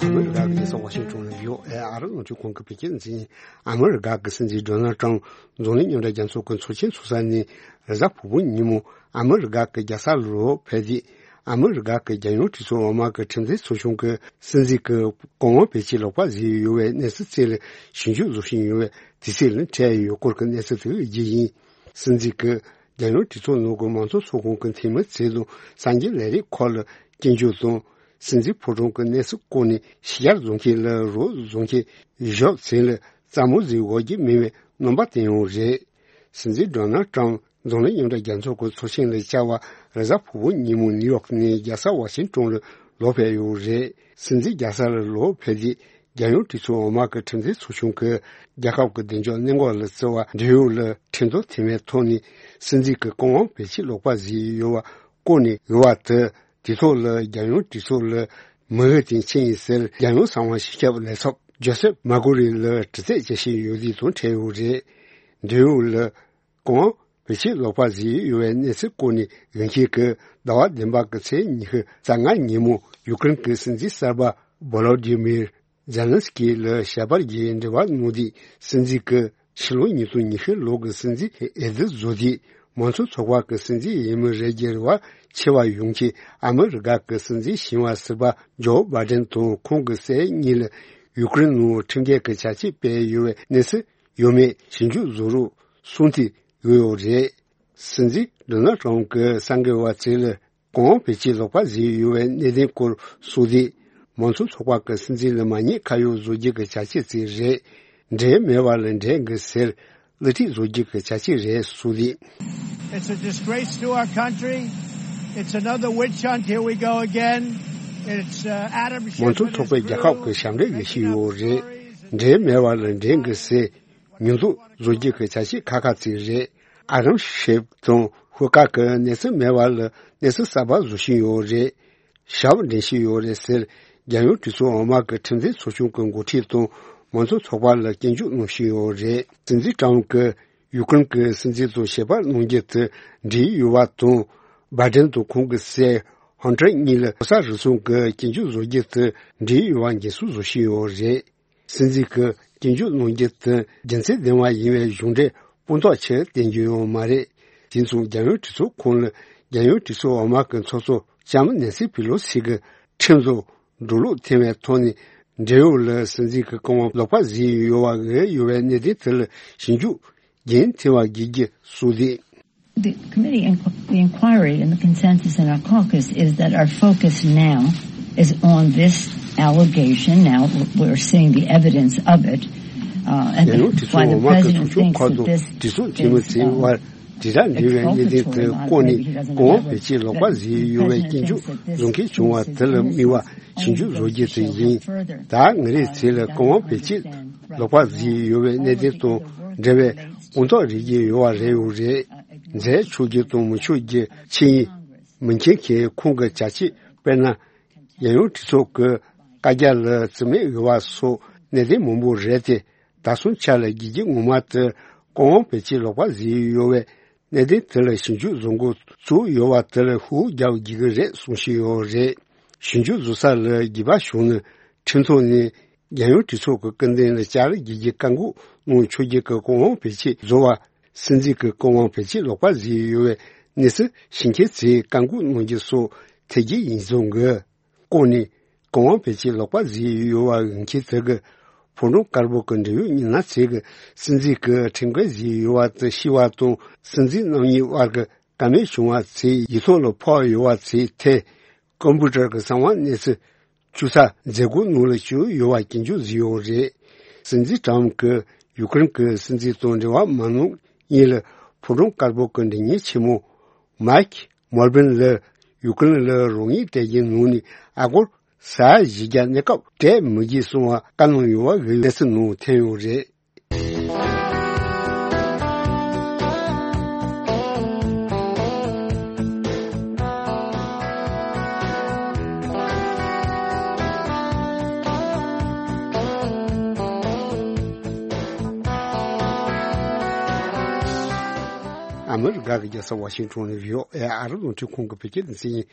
ཨ་མི་རི་ཀ་གི་རྒྱལ་ས་ཝ་ཤིང་ཊོན་ལ་ཡོད། ཨ་རི་རླུང་འཕྲིན་ཁང་གི་བོད་སྐད་འཛིན། ཨ་མི་རི་ཀ་གི་སྲིད་འཛིན་ཌོ་ནལ་ཊམ་འཛམ་གླིང་མཉམ་འབྲེལ་རྒྱལ་ཚོགས་ཀྱི་ཚོགས་ཆེན་ཚོགས་ས་ནས་རེས་གཟའ་ཕུར་བུ་ཉིན་མོ་ཨ་མི་རི་ཀ་གི་རྒྱལ་ས་ལ་ལོག་ཕེབས་རྗེས། ཨ་མི་རི་ཀ་གི་རྒྱལ་ཡོངས་གྲོས་ཚོགས་འོག་མ་གི་ཁྲིམས་འཛིན་ཚོགས་ཆུང་གི་སྲིད་འཛིན་གྱི་བཀའ་དབང་བེད་སྤྱོད་ལོག་པ་བཟོས་ཡོད་པའི་གནས་ཚུལ་ཐད་ལ་ཞིབ་འཇུག་བཟོ་བཞིན་ཡོད་པའི་དུས་ཚོད་ལ་འཕྲད་ཡོད་སྐོར་གྱི་གནས་ཚུལ་དེ་བརྗོད་ཡིན། སྲིད་འཛིན་གྱི་རྒྱལ་ཡོངས་གྲོས་ཚོགས་ནང་གི་མང་གཙོ་ཚོགས་ཁང་གི་འཐུས་མི་ཚོས་དང་གསར་འགྱུར་ལས་རིགས་ཁག་ལ་སྐྱོན་བརྗོད་དང་། སྲིད་འཛིན་ཕོ་བྲང་གི་གནས་ཚུལ་སྐོར་ནས་ཤེས་བྱར་བཟུང་མཁན་ལ་རོགས་བཟོ་མཁན་ཞབས་ཚད་ལ་རྩ་མོ་ཟིག་འོག་གི་མེད་པའི་རྣམ་པ་བསྟན་ཡོད་རེད། སྲིད་འཛིན་ཌོ་ནལ་ཊམ་འཛམ་གླིང་མཉམ་འབྲེལ་རྒྱལ་ཚོགས་ཀྱི་ཚོགས་ཆེན་ལ་བཅར་བར་རེས་གཟའ་ཕུར་བུ་ཉིན་མོ་ནིའུ་ཡོག་ནས་རྒྱལ་ས་ཝ་ཤིང་ཊོན་ལ་ལོག་ཕེབས་ཡོད་རེད། སྲིད་འཛིན་རྒྱལ་ས་ལ་ལོག་ཕེབས་རྗེས། རྒྱལ་ཡོངས་གྲོས་ཚོགས་འོག་མ་གི་ཁྲིམས་འཛིན་ཚོགས་ཆུང་གིས་རྒྱལ་ཁབ་ཀྱི་བདེ་འཇགས་གནད་འགག་ལ་བརྩི་བ་འབྲེལ་ཡོད་ལ་ཁྲིམས་ཐོག་མཐུན་མའི་ཐོག་ནས་སྲིད་འཛིན་གྱི་བཀའ་དབང་བེད་སྤྱོད་ལོག་པ་བཟོས་ཡོད་པ་བཀོད་ནས་ཡོད་པ་དེ། དེ་ཐོག་ལ་རྒྱལ་ཡོངས་གྲོས་ཚོགས་ལ་མི་འོས་དོན་ཆེད་ཡིན་ཟེར། རྒྱལ་ཡོངས་གསང་བ་སྤྱི་ཁྱབ་ལས་ཚབ་ཇོ་སེབ་མཱ་ཀོ་རི་ལ་དྲི་རྩད་བྱེད་བཞིན་ཡོད་ལུགས་དང་འཕྲད་ཡོད་རེད། འབྲེལ་ཡོད་ལ་བཀའ་དབང་བེད་སྤྱོད་ལོག་པ་བཟོས་ཡོད་པའི་གནས་ཚུལ་སྐོར་ནས་འོས་འཁྱེར་གྱི་ཟླ་བ་བདུན་པ་གི་ཚེས་ཉི་ཤུ་རྩ་ལྔ་ཉིན་མོ་ཡུ་ཀེ་རེན་གྱི་སྲིད་འཛིན་གསར་པ་བོ་ལོ་ཌི་མིར་ཛེ་ལན་སི་ཀི་ལ་ཞལ་པར་བརྒྱུད་འབྲེལ་བ་གནང་དུས། སྲིད་འཛིན་གྱིས་ཕྱི་ལོ་ཉིས་སྟོང་ཉི་ཤུ་ལོ་གི་སྲིད་འཛིན་འོས་བསྡུ་བཟོ་དུས་མང་གཙོ་ཚོགས་པ་གི་སྲིད་འཛིན་ཡིན་མི་རེད་ཀྱི་རེ་བ་ཆེ་བ་ཡོང་ཆེད། ཨ་མི་རི་ཀ་གི་སྲིད་འཛིན་ཞིང་བ་ཟུར་པ་ཇོ་བྷའི་ཌེན་དང་ཁོང་གི་སྲས་གཉིས་ལ་ཡུ་ཀེ་རེན་ནང་ཁྲིམས་འགལ་གྱི་བྱ་སྤྱོད་སྤེལ་ཡོད་པའི་གནས་ཚུལ་ཡོད་མེད་ཞིབ་འཇུག་བཟོ་རོགས་གསུང་དུ་ཡོད་ཡོད་རེད། སྲིད་འཛིན་ཌོ་ནལ་ཊམ་གྱི་གསར་འགོད་པ་ཚོས་ལ། བཀའ་དབང་བེད་སྤྱོད་ལོག་པ་བཟོས་ཡོད་པའི་གནད་དོན་སྐོར་གསུངས་ཏེ། མང་གཙོ་ཚོགས་པ་གི་སྲིད་འཛིན་ལ་མ་ཉེས་ཁ་གཡོགས་བཟོ་རྒྱུ་གི་བྱ་སྤྱོད་ཅིག་རེད། འབྲེལ་མེད་པ་ལ་འབྲེལ་དགོས་ཟེར་གླུ་ཁྲིད་བཟོ་རྒྱུ་གི་བྱ་སྤྱོད་རེད་གསུངས་ཏེ། It's a disgrace to our country. It's another witch hunt. Here we go again. It's, uh, Adam Schiff མང་གཙོ་ཚོགས་པས་རྒྱལ་ཁབ་ཀྱི་ཞབས་འདྲེན་ལས་བྱས་ཡོད་རེད། འབྲེལ་མེད་པ་ལ་འབྲེལ་དགོས་ཟེར། མྱོང་ཚོར་བཟོ་རྒྱུ་གི་བྱ་སྤྱོད་ཁག་ཁག་ཅིག་རེད། ཨ་རམ་ཤེབ་དང་ཧུ་ཀ་གི་གནས་ཚུལ་མེད་པ་ལ་གནས་ཚུལ་གསར་པ་བཟོ་བཞིན་ཡོད་རེད། ཞབས་འདྲེན་བཞིན་ཡོད་རེད་ཟེར། རྒྱལ་ཡོངས་གྲོས་ཚོགས་འོག་མ་གི་ཁྲིམས་འཛིན་ཚོགས་ཆུང་གི་འགོ་ཁྲིད་དང་མང་གཙོ་ཚོགས་པ་ལ་སྐྱོན་བརྗོད་གནང་བཞིན་ཡོད་རེད། སྲིད་འཛིན་ཀྲམ་གྱིས་ཡུ་ཀེ་རེན་གྱི་སྲིད་འཛིན་དང་ཞལ་པར་གནང་རྒྱུ་དེ་འགྲིག་ཡོད་པ་དང་། བྷའི་ཌེན་དང་ཁོང་གི་སྲས་ཧན་ཊར་གཉིས་ལ་ལྐོག་ཟ་རུལ་སུངས་ཀྱི་སྐྱོན་བརྗོད་བཟོ་རྒྱུ་དེ་འགྲིག་ཡོད་པ་འགྲེལ་བཤད་བཟོ་བཞིན་ཡོད་རེད། སྲིད་འཛིན་གྱིས་སྐྱོན་བརྗོད་གནང་རྒྱུ་དེ་རྒྱུ་མཚན་ལྡན་པ་ཡིན་པའི་གཞུང་འབྲེལ་དཔང་རྟགས་ཆེར་བསྟན་རྒྱུ་ཡོད་མ་རེད། དེ་མཚུངས་རྒྱལ་ཡོངས་གྲོས་ཚོགས་ཁོངས་ལ་རྒྱལ་ཡོངས་གྲོས་ཚོགས་འོག་མ་གི་ཚོགས་གཙོ་ལྕམ་ནེན་སི་པི་ལོ་སི་གི་ཁྲིམས་བཟོ་འགྲོ་ལུགས་འཐེན་པའི་ཐོག་ནས་འབྲེལ་ཡོད་ལ་སྲིད་འཛིན་གྱི་བཀའ་དབང་ལོག་པ་བཟོས་ཡོད་པ་འོས་ཡོད་པའི་གནད་དོན་དེ་ལ་ཞིབ་འཇུག་རྒྱུན་མཐུད་པ་དགོས་རྒྱུ་གསུངས་ཏེ། The committee inqu- the inquiry and the consensus in our caucus is that our focus now is on this allegation. Now we're seeing the evidence of it. Uh, and རྒྱལ་ཡོངས་གྲོས་ཚོགས་འོག་མ་གི་ཚོགས་ཆུང་ཁག་དང་གྲོས་ཚོགས་འཐུས་མི་ཚོའི་དབར་དྲིལ་བསྒྲགས་འབྲེལ་བའི་གནད་དོན་དེ་བཀོད་ནས་གོང་འོག་བེད་སྤྱོད་ལོག་པ་བཟོས་ཡོད་པའི་སྐྱོན་བརྗོད་བཟོ་མཁན་བྱུང་བ་དེ་ལ་དམིགས་པ་ཞིབ་འཇུག་བཟོ་རྒྱུ་དེ་ཡིན། ད་ང་རའི་ཚེ་ལ་གོང་འོག་བེད་སྤྱོད་ལོག་པ་བཟོས་ཡོད་པའི་གནད་དོན་དང་འབྲེལ་བའི་དཔང་རྟགས་རིགས་ཀྱི་ཡོད་པ་རེད་ཡོད་རེད། མཛད་ཆོག་རྒྱུ་དང་མི་ཆོག་རྒྱུ་ཆེད་ཡིན་མི་མཁྱེན་མཁན་ཁོང་གི་བྱ་སྤྱོད། དཔེར་ན། རྒྱལ་ཡོངས་གྲོས་ཚོགས་ཀྱི་བཀའ་རྒྱ་ལ་རྩིས་མེད་འོས་པ་སོགས་གནད་དོན་མང་པོ་རེད་དེ། ད་སོང་ཆ་ལ་དགེ་རྒྱུ་ངོ་མ་དེ་གོང་འོག་བེད་སྤྱོད་ལོག་པ་བཟོས་ཡོད་པའི་གནད་དོན་དེ་ལ་ཞིབ་འཇུག་བཟོ་འགོ་བཙུགས་ཡོད་པ་དེ་ལ་ཤུགས་རྒྱག་དགོས་ཀྱི་རེད་གསུང་བཞིན་ཡོད་རེད། ཞིབ་འཇུག་བཟོ་ས་ལ་དགོས་པ་བྱུང་ན་ཁྲིམས་ཐོག་ནས་རྒྱལ་ཡོངས་གྲོས་ཚོགས་ཀྱི་སྐུ་མདུན་ལ་བཅར་དགོས་ཀྱི་བཀའ་འགུག་གནང་ཆོག་རྒྱུ་གི་གོང་འོག་བེད་སྤྱོད་བཟོ་བ། སྲིད་འཛིན་གྱི་བཀའ་དབང་བེད་སྤྱོད་ལོག་པ་བཟོས་ཡོད་པའི་གནས་ཚུལ་ཤེས་མཁན་ཚོས་བཀའ་འགུག་གནང་རྒྱུ་སོགས་ཐད་ཀའི་ཡིག་ཚང་གི་བཀོད་ནས་གོང་འོག་བེད་སྤྱོད་ལོག་པ་བཟོས་ཡོད་པ་འོས་འཁྱེར་དེ་གི་ཕོ་བྲང་དཀར་པོ་གི་འབྲེལ་ཡོད་མི་སྣ་ཚོས་གི་སྲིད་འཛིན་གྱིས་ཁྲིམས་འགལ་བཟོས་ཡོད་པ་དེ་ཤེས་པ་དང་སྲིད་འཛིན་རྣམ་གཉིས་དབར་གྱི་བཀའ་མོལ་བྱུང་བ་ཚོའི་ཡིག་ཐོག་ལ་ཕབ་ཡོད་པ་ཚོའི་ཐད་ཀམ་པུ་ཊར་གྱི་གསང་བ་གནས་ཚུལ་ བཅུ་རྩ་མཛད་སྒོའི་ནང་ལ་བཅུག་ཡོད་པ་སྐྱོན་བརྗོད་བཟོས་ཡོད་རེད། སྲིད་འཛིན་ཏྲམ་གྱིས་ཡུ་ཀེ་རེན་གྱི་སྲིད་འཛིན་དང་འབྲེལ་བ་མ་གནང་སྔོན་ལ་ཕོ་བྲང་དཀར་པོ་གི་མགྲིན་གཉེར་ཆེན་མོ་མཱིག་མོལ་བྷིན་ལ་ཡུ་ཀེ་རེན་ལ་རོགས་དངུལ་སྤྲད་རྒྱུའི་ནང་ནས་ཨ་སྒོར་ས་ཡ་བཞི་བརྒྱ་གནས་སྐབས་སྤྲད་མི་དགོས་གསུངས་པ་བཀའ་གནང་ཡོད་པ་གི་གནས་ཚུལ་ནང་ཐོན་ཡོད་རེད། ཨ་མི་རི་ཀ་གི་རྒྱལ་ས་ཝ་ཤིང་ཊོན་ནས་བྷི་ཨོ་ཨེ་ཨ་རི་རླུང་འཕྲིན་ཁང་གི་བོད་སྐད་སྡེ་ཚན་ཡིན།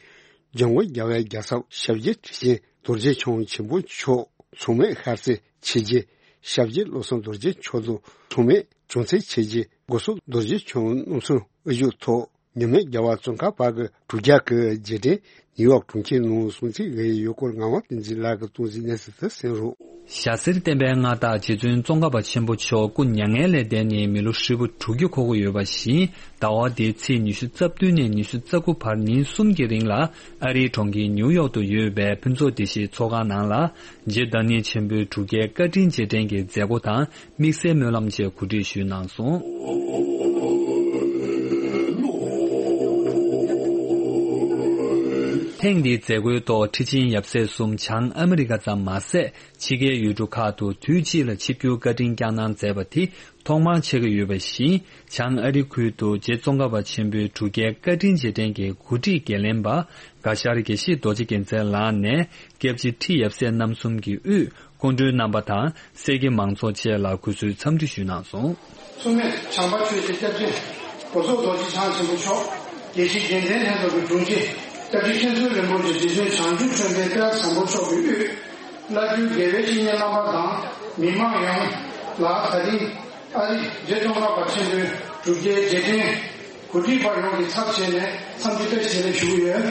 འཇམ་མགོན་རྒྱལ་བའི་རྒྱལ་ཚབ་ཞབས་རྗེ་ཁྲི་ཆེན་རྡོ་རྗེ་འཆང་ཆེན་པོ་མཆོག་མཚན་མོའི་ཤར་གསེང་ཆོས་རྗེ་ཞབས་རྗེ་བློ་བཟང་རྡོ་རྗེ་མཆོག་དང་མཚན་མོའི་བྱང་སེམས་ཆོས་རྗེ་སྒོ་གསུམ་རྡོ་རྗེ་འཆང་རྣམ་གསུམ་དབུ་བཞུགས་ཐོག་མཉམ་མེད་རྒྱལ་བ་ཙོང་ཁ་པ་གི་དྲུག་བརྒྱ་གི་རྗེས་དྲན་ནིའུ་ཡོག་གྲོང་ཁྱེར་ནང་སྲུང་བརྩི་ཞུས་ཡོད་སྐོར་ངག་དབང་བསྟན་འཛིན་ལགས་ཀྱིས་གཏོང་གཟིགས་གནས་ཚུལ་དེ་གསན་རོགས། ཞྭ་སེར་བསྟན་པའི་མངའ་བདག་རྗེ་བཙུན་ཙོང་ཁ་པ་ཆེན་པོ་མཆོག་སྐུ་མྱ་ངན་ལས་འདས་ནས་མི་ལོ་ཧྲིལ་པོ་དྲུག་ཅུ་འཁོར་གྱི་ཡོད་པ་བཞིན། ཟླ་བ་འདིའི་ཚེས་ཉི་ཤུ་རྩ་བདུན་ནས་ཉི་ཤུ་རྩ་དགུ་བར་ཉིན་གསུམ་གྱི་རིང་ལ་ཨ་རིའི་གྲོང་ཁྱེར་ནིའུ་ཡོག་ཏུ་ཡོད་པའི་ཕུན་ཚོགས་སྡེ་བཞིའི་ཚོགས་ཁང་ནང་ལ། རྗེ་བདག་ཉིད་ཆེན་པོའི་དྲུག་བརྒྱའི་བཀའ་དྲིན་རྗེས་དྲན་གྱི་མཛད་སྒོ་དང་དམིགས་བསལ་སྨོན་ལམ་བཅས་གོ་སྒྲིག་ཞུས་གནང་སོང་། ཐེངས་འདིའི་མཛད་སྒོའི་ཐོག་ཁྲི་ཆེན་ཡབ་སྲས་གསུམ་བྱང་ཨ་མི་རི་ཀ་ཙམ་མ་ཟད། ཕྱི་རྒྱལ་ཡུལ་གྲུ་ཁག་ཏུ་དུས་གཅིག་ལ་ཆིབས་བསྒྱུར་བཀའ་དྲིན་བསྐྱངས་གནང་མཛད་པ་དེ་ཐོག་མར་ཆགས་ཀྱི་ཡོད་པ་བཞིན། བྱང་ཨ་རི་ཁུལ་དུ་རྗེ་ཙོང་ཁ་པ་ཆེན་པོའི་དྲུག་བརྒྱའི་བཀའ་དྲིན་རྗེས་དྲན་གྱི་གོ་སྒྲིག་འགན་ལེན་པ་དགའ་ཤར་དགེ་བཤེས་རྡོ་རྗེ་རྒྱལ་མཚན་ལགས་ནས། སྐྱབས་རྗེ་ཁྲི་ཡབ་སྲས་རྣམ་གསུམ་གྱི་དབུས་སྐུ་མགྲོན་རྣམ་པ་དང་། སྲས་ཀྱི་མང་ཚོགས་བཅས་ལ་གུས་བསུའི་འཚམས་འདྲི་ཞུས་གནང་སོང་། མཚུངས་མེད་བྱམས་པ་ཆོས་ཀྱི་སྐྱབས་རྗེ་སྒོ་གསུམ་རྡོ་རྗེ་འཆང་ཆེན་པོ་མཆོག་དགེ་བཤེས་རྒྱལ་མཚན་ལྷན་ཚོགས་ཀྱི་དྲུང་ཆེ། སྐྱབས་རྗེ་མཁན་ཟུར་རིན་པོ་ཆེ་རྗེ་བཙུན་བྱང་ཆུབ་ཁྲོས་ལྡན་དཔལ་བཟང་པོ་མཆོག་གི་དབུས་བླ་སྤྲུལ་དགེ་བའི་བཤེས་གཉེན་རྣམ་པ་དང་མི་མང་ཡོངས་ལ་ད་རིང་ཨ་རི་རྗེ་ཙོང་ཁ་པ་ཆེན་པོའི་དྲུག་བརྒྱའི་རྗེས་དྲན་གོ་སྒྲིག་པ་ཡོངས་ཀྱི་ཚབ་བྱས་ནས་འཚམས་འདྲི་བཀྲ་ཤིས་བདེ་ལེགས་ཞུ་གི་ཡོད།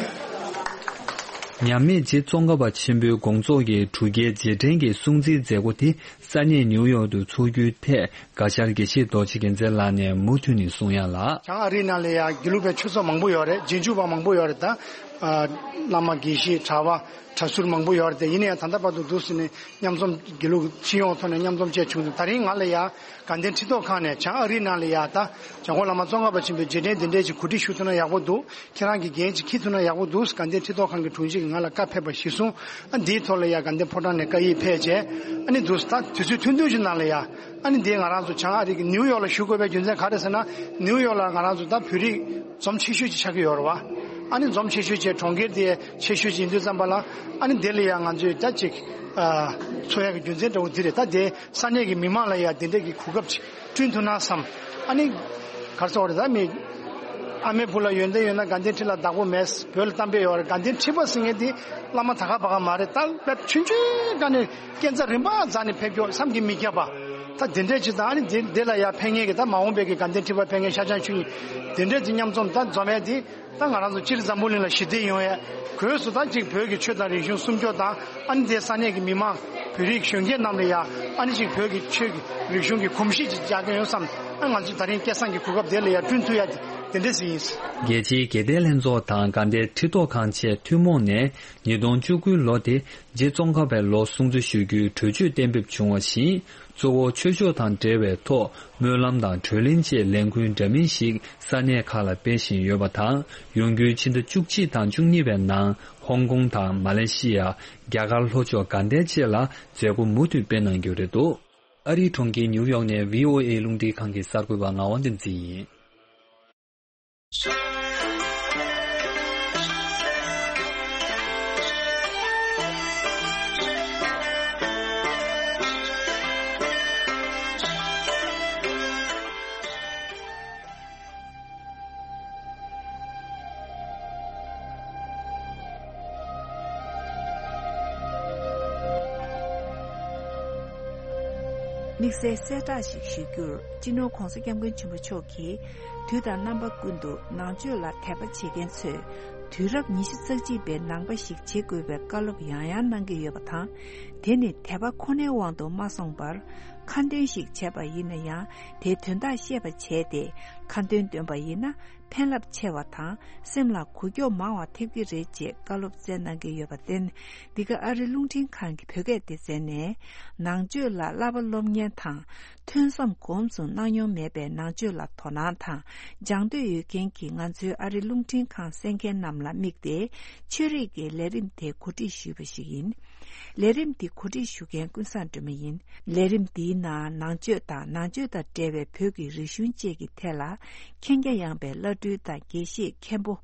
མཉམ་མེད་རྗེ་ཙོང་ཁ་པ་ཆེན་པོའི་དགོངས་རྫོགས་ཀྱི་དྲུག་བརྒྱའི་རྗེས་དྲན་གྱི་སྲུང་བརྩིའི་མཛད་སྒོ་དེ་ས་གནས་ནིའུ་ཡོག་ཏུ་འཚོགས་རྒྱུའི་ཐད་དགའ་ཤར་དགེ་བཤེས་རྡོ་རྗེ་རྒྱལ་མཚན་ལགས་ནས་མུ་མཐུད་ནས་གསུང་ཡ་ལ། བྱང་ཨ་རིའི་ནང་ལ་ཡང་དགེ་ལུགས་པའི་ཆོས་ཚོགས་མང་པོ་ཡོད་རེད། རྗེས་འཇུག་པ་མང་པོ་ཡོད་རེད་ད། ཨ། བླ་མ་དགེ་བཤེས་གྲྭ་པ་གྲྭ་ཟུར་མང་པོ་ཡོད་རེད་དེ། ཡིན་ན་ཡང་ད་ལྟ་བར་དུ་འདུག་ཟེར་ནས་མཉམ་འཛོམས་དགེ་ལུགས་སྤྱི་ཡོངས་ཐོག་ནས་མཉམ་འཛོམས་བཅས་བྱུང་འདུག་ད་རིང་ང་ལ་ཡ་དགའ་ལྡན་ཁྲི་ཐོག་ཁང་ནས་བྱང་ཨ་རིའི་ནང་ལ་ཡ་ད་བྱང་ཁོག་བླ་མ་ཙོང་ཁ་པ་ཆེན་པོའི་རྗེས་དྲན་འདི་འདྲས་ཀྱི་གོ་སྒྲིག་ཞུ་ཐུབ་ན་ཡག་པོ་འདུག་ཁྱེད་རང་གི་འགན་ཅིག་འཁྱེར་ཐུབ་ན་ཡག་པོ་འདུག་དགའ་ལྡན་ཁྲི་ཐོག་ཁང་གི་དྲུང་ཆེ་གིས་ང་ལ་བཀའ་ཕེབས་པ་གཞིར་བཟུང་། ཨ། འདིའི་ཐོག་ལ་ཡ་དགའ་ལྡན་ཕོ་བྲང་ནས་བཀའ་ཡིག་ཕེབས་རྗེས། ཨ་ནི་འདུག་ད་དུས་ཚོད་ཐུང་ཐུང་ཞིག་ནང་ལ་ཡ། ཨ་ནི་འདི་ང་རང་ཚོ་བྱང་ཨ་རི་གི་ནིའུ་ཡོག་ལ་བཞུགས་དགོས་པའི་རྒྱུ་མཚན་ག་རེ་ཟེར་ན། ནིའུ་ཡོག་ལ་ང་རང་ཚོ་ད་བོད་རིགས་འཛོམས་ཆེ་ཤོས་ཅིག་ཆགས་ཀྱི་ཡོད་རེད་བ། ཨ་ནི་འཛོམས་ཆེ་ཤོས་ཀྱི་གྲོང་ཁྱེར་དེ་ཆེ་ཤོས་ཅིག་ཡིན་དུས་ཙམ་པ་ལ། ཨ་ནི་འདི་ལ་ཡང་ང་ཚོས་ད་ཅིག་ཨ། འཚོགས་ཡག་གི་རྒྱུ་མཚན་འདྲ་བོ་འདི་རེད། ད་དེ་ས་གནས་ཀྱི་མི་མང་ལ་ཡང་འདི་འདྲ་གི་གོ་སྐབས་ཅིག་བསྐྲུན་ཐུབ་ན་བསམ། ཨ་ནི་ག་རེ་ཟེར་དགོས་རེད། ད་མི་ཨ་མའི་བུ་ལ་ཡོན་ཏན་ཡོད་ན་དགའ་ལྡན་ཁྲི་ལ་བདག་པོ་མེད། བོད་ལ་གཏམ་དཔེ་ཡོད་རེད། དགའ་ལྡན་ཁྲི་པ་ཟེར་མཁན་དེ་བླ་མ་ད་ག་པ་ག་མ་རེད། ད་དཔེ་ཆུང་ཆུང་སྒང་ནས་སྐས་འཛེག་རིམ་པ་འཛེགས་ནས་ཕེབས་ཀྱོག་བསམ་གྱིས་མི་ཁྱབ་པ། ད་དེ་འདྲས་ཅིག་དང་། ཨ་ནི་དེ་དེ་ལ་ཡང་ཕེབས་མཁན་གྱི་ད་མ་འོངས་པའི་གི་དགའ་ལྡན་ཁྲི་པ་ཕེབས་མཁན་ཤར་བྱང་ཆོས་གཉིས་དེ་འདྲས་ཀྱི་མཉམ་འཛོམས་ད་འཛོམས་ཡས་དེ། ད་ང་རང་ཚོ་སྤྱིར་འཛམ་བུ་གླིང་ལ་ཞི་བདེ་ཡོང་ཡས། སྒོས་སུ་ད་ཅིག་བོད་ཀྱི་ཆོས་དང་རིག་གཞུང་སྲུང་སྐྱོབ་དང་། ཨ་ནི་དེ་ས་གནས་ཀྱི་མི་མང་བོད་རིགས་གཞོན་སྐྱེས་རྣམས་ལ་ཡང་ཨ་ནི་ཅིག་བོད་ཀྱི་ཆོས་ཀྱི་རིག་གཞུང་གི་གོམས་གཤིས་ཅིག་རྒྱག་གི་ཡོང་བསམ། ཨ། ང་ཚོས་ད་རིང་སྐལ་བཟང་གི་གོ་སྐབས་དེ་ལ་ཡང་བསྐྲུན་ཐུབ་ཡ་དེ་འདྲས་ཞིག་ཡིན། རྒྱལ་སྤྱིའི་དགེ་ལྡན་ལྷན་ཚོགས་དང་དགའ་ལྡན་ཁྲི་ཐོག་ཁང་བཅས་ཐུན་མོང་ནས་ཉིས་སྟོང་བཅུ་དགུའི་ལོ་དེ་རྗེ་ཙོང་ཁ་པའི་ལོ་སྲུང་བརྩི་ཞུ་རྒྱུའི་གྲོས་ཆོད་གཏན་འབེབས་བྱུང་བ་བཞིན། གཙོ་བོ་ཆོས་ཕྱོགས་དང་འབྲེལ་བའི་ཐོག་སྨོན་ལམ་དང་གྲོས་གླེང་བཅས་ལས་འགུལ་འདྲ་མིན་ཞིག་ས་གནས་ཁག་ལ་སྤེལ་བཞིན་ཡོད་པ་དང་། ཡོང་རྒྱུའི་ཕྱི་ཟླ་བཅུ་གཅིག་དང་བཅུ་གཉིས་པའི་ནང་ཧོང་ཀོང་དང་མ་ལེ་ཤི་ཡ། རྒྱ་གར་ལྷོ་ཕྱོགས་དགའ་ལྡན་བཅས་ལ་མཛད་སྒོ་མུ་མཐུད་སྤེལ་གནང་རྒྱུ་རེད་འདུག་ཨ་རིའི་གྲོང་ཁྱེར་ནིའུ་ཡོག་ནས་བྷི་ཨོ་ཨེ་རླུང་འཕྲིན་ཁང་གི་གསར་འགོད་པ་ངག་དབང་བསྟན་འཛིན་ཡིན། དམིགས་བསལ་གསལ་བསྒྲགས་ཤིག་ཞུ་རྒྱུར། སྤྱི་ནོར་༧གོང་ས་༧སྐྱབས་མགོན་ཆེན་པོ་མཆོག་གིས་དུས་དང་རྣམ་པ་ཀུན་ཏུ་ནང་ཆོས་ལ་དད་པ་བྱེད་མཁན་ཚོས་དུས་རབས་ཉི་ཤུ་རྩ་གཅིག་པའི་ནང་པ་ཞིག་བྱེད་དགོས་པའི་བཀའ་སློབ་ཡང་ཡང་གནང་གི་ཡོད་པ་དང་། དེ་ནི་དད་པ་ཁོ་ནའི་དབང་དུ་མ་སོང་བར། ཁ་འདོན་ཞིག་བྱས་པ་ཡིན་ན་ཡང་། དེའི་དོན་དག་ཤེས་པ་བྱས་ཏེ། ཁ་འདོན་འདོན་པ་ཡིན་ན། ཕན་རླབས་ཆེ་བ་དང་། སེམས་ལ་འགུལ་སྐྱོད་མང་བ་ཐེབས་ཀྱི་རེད་ཅེས་བཀའ་སློབ་སྩལ་གནང་གི་ཡོད་པར་བརྟེན། འདི་ག་ཨ་རི་རླུང་འཕྲིན་ཁང་གི་བོད་སྐད་སྡེ་ཚན་ནས། ནང་ཆོས་ལ་བསླབ་པ་སློབ་མཁན་དང་། ཐོས་བསམ་སྒོམ་གསུམ་གནང་མྱོང་མེད་པའི་ནང་ཆོས་ལ་དོ་སྣང་དང་སྦྱང་འདོད་ཡོད་མཁན་གྱི་ང་ཚོའི་ཨ་རི་རླུང་འཕྲིན་ཁང་གསན་མཁན་རྣམས་ལ་དམིགས་ཏེ། ཆོས་རིག་གི་ལས་རིམ་དེ་གོ་སྒྲིག་ཞུས་པ་ཞིག་ཡིན། ལས་རིམ་འདི་གོ་སྒྲིག་ཞུ་མཁན་ཀུན་བཟང་སྒྲོལ་མ་ཡིན། ལས་རིམ་འདིའི་ནང་ནང་ཆོས་དང་ནང་ཆོས་དང་འབྲེལ་བའི་བོད་ཀྱི་རིག་གཞུང་བཅས་ཀྱི་ཐད་ལ། མཁྱེན་རྒྱ་ཡངས་པའི་བླ་སྤྲུལ་དང་དགེ་བཤེས་མཁན་པོ།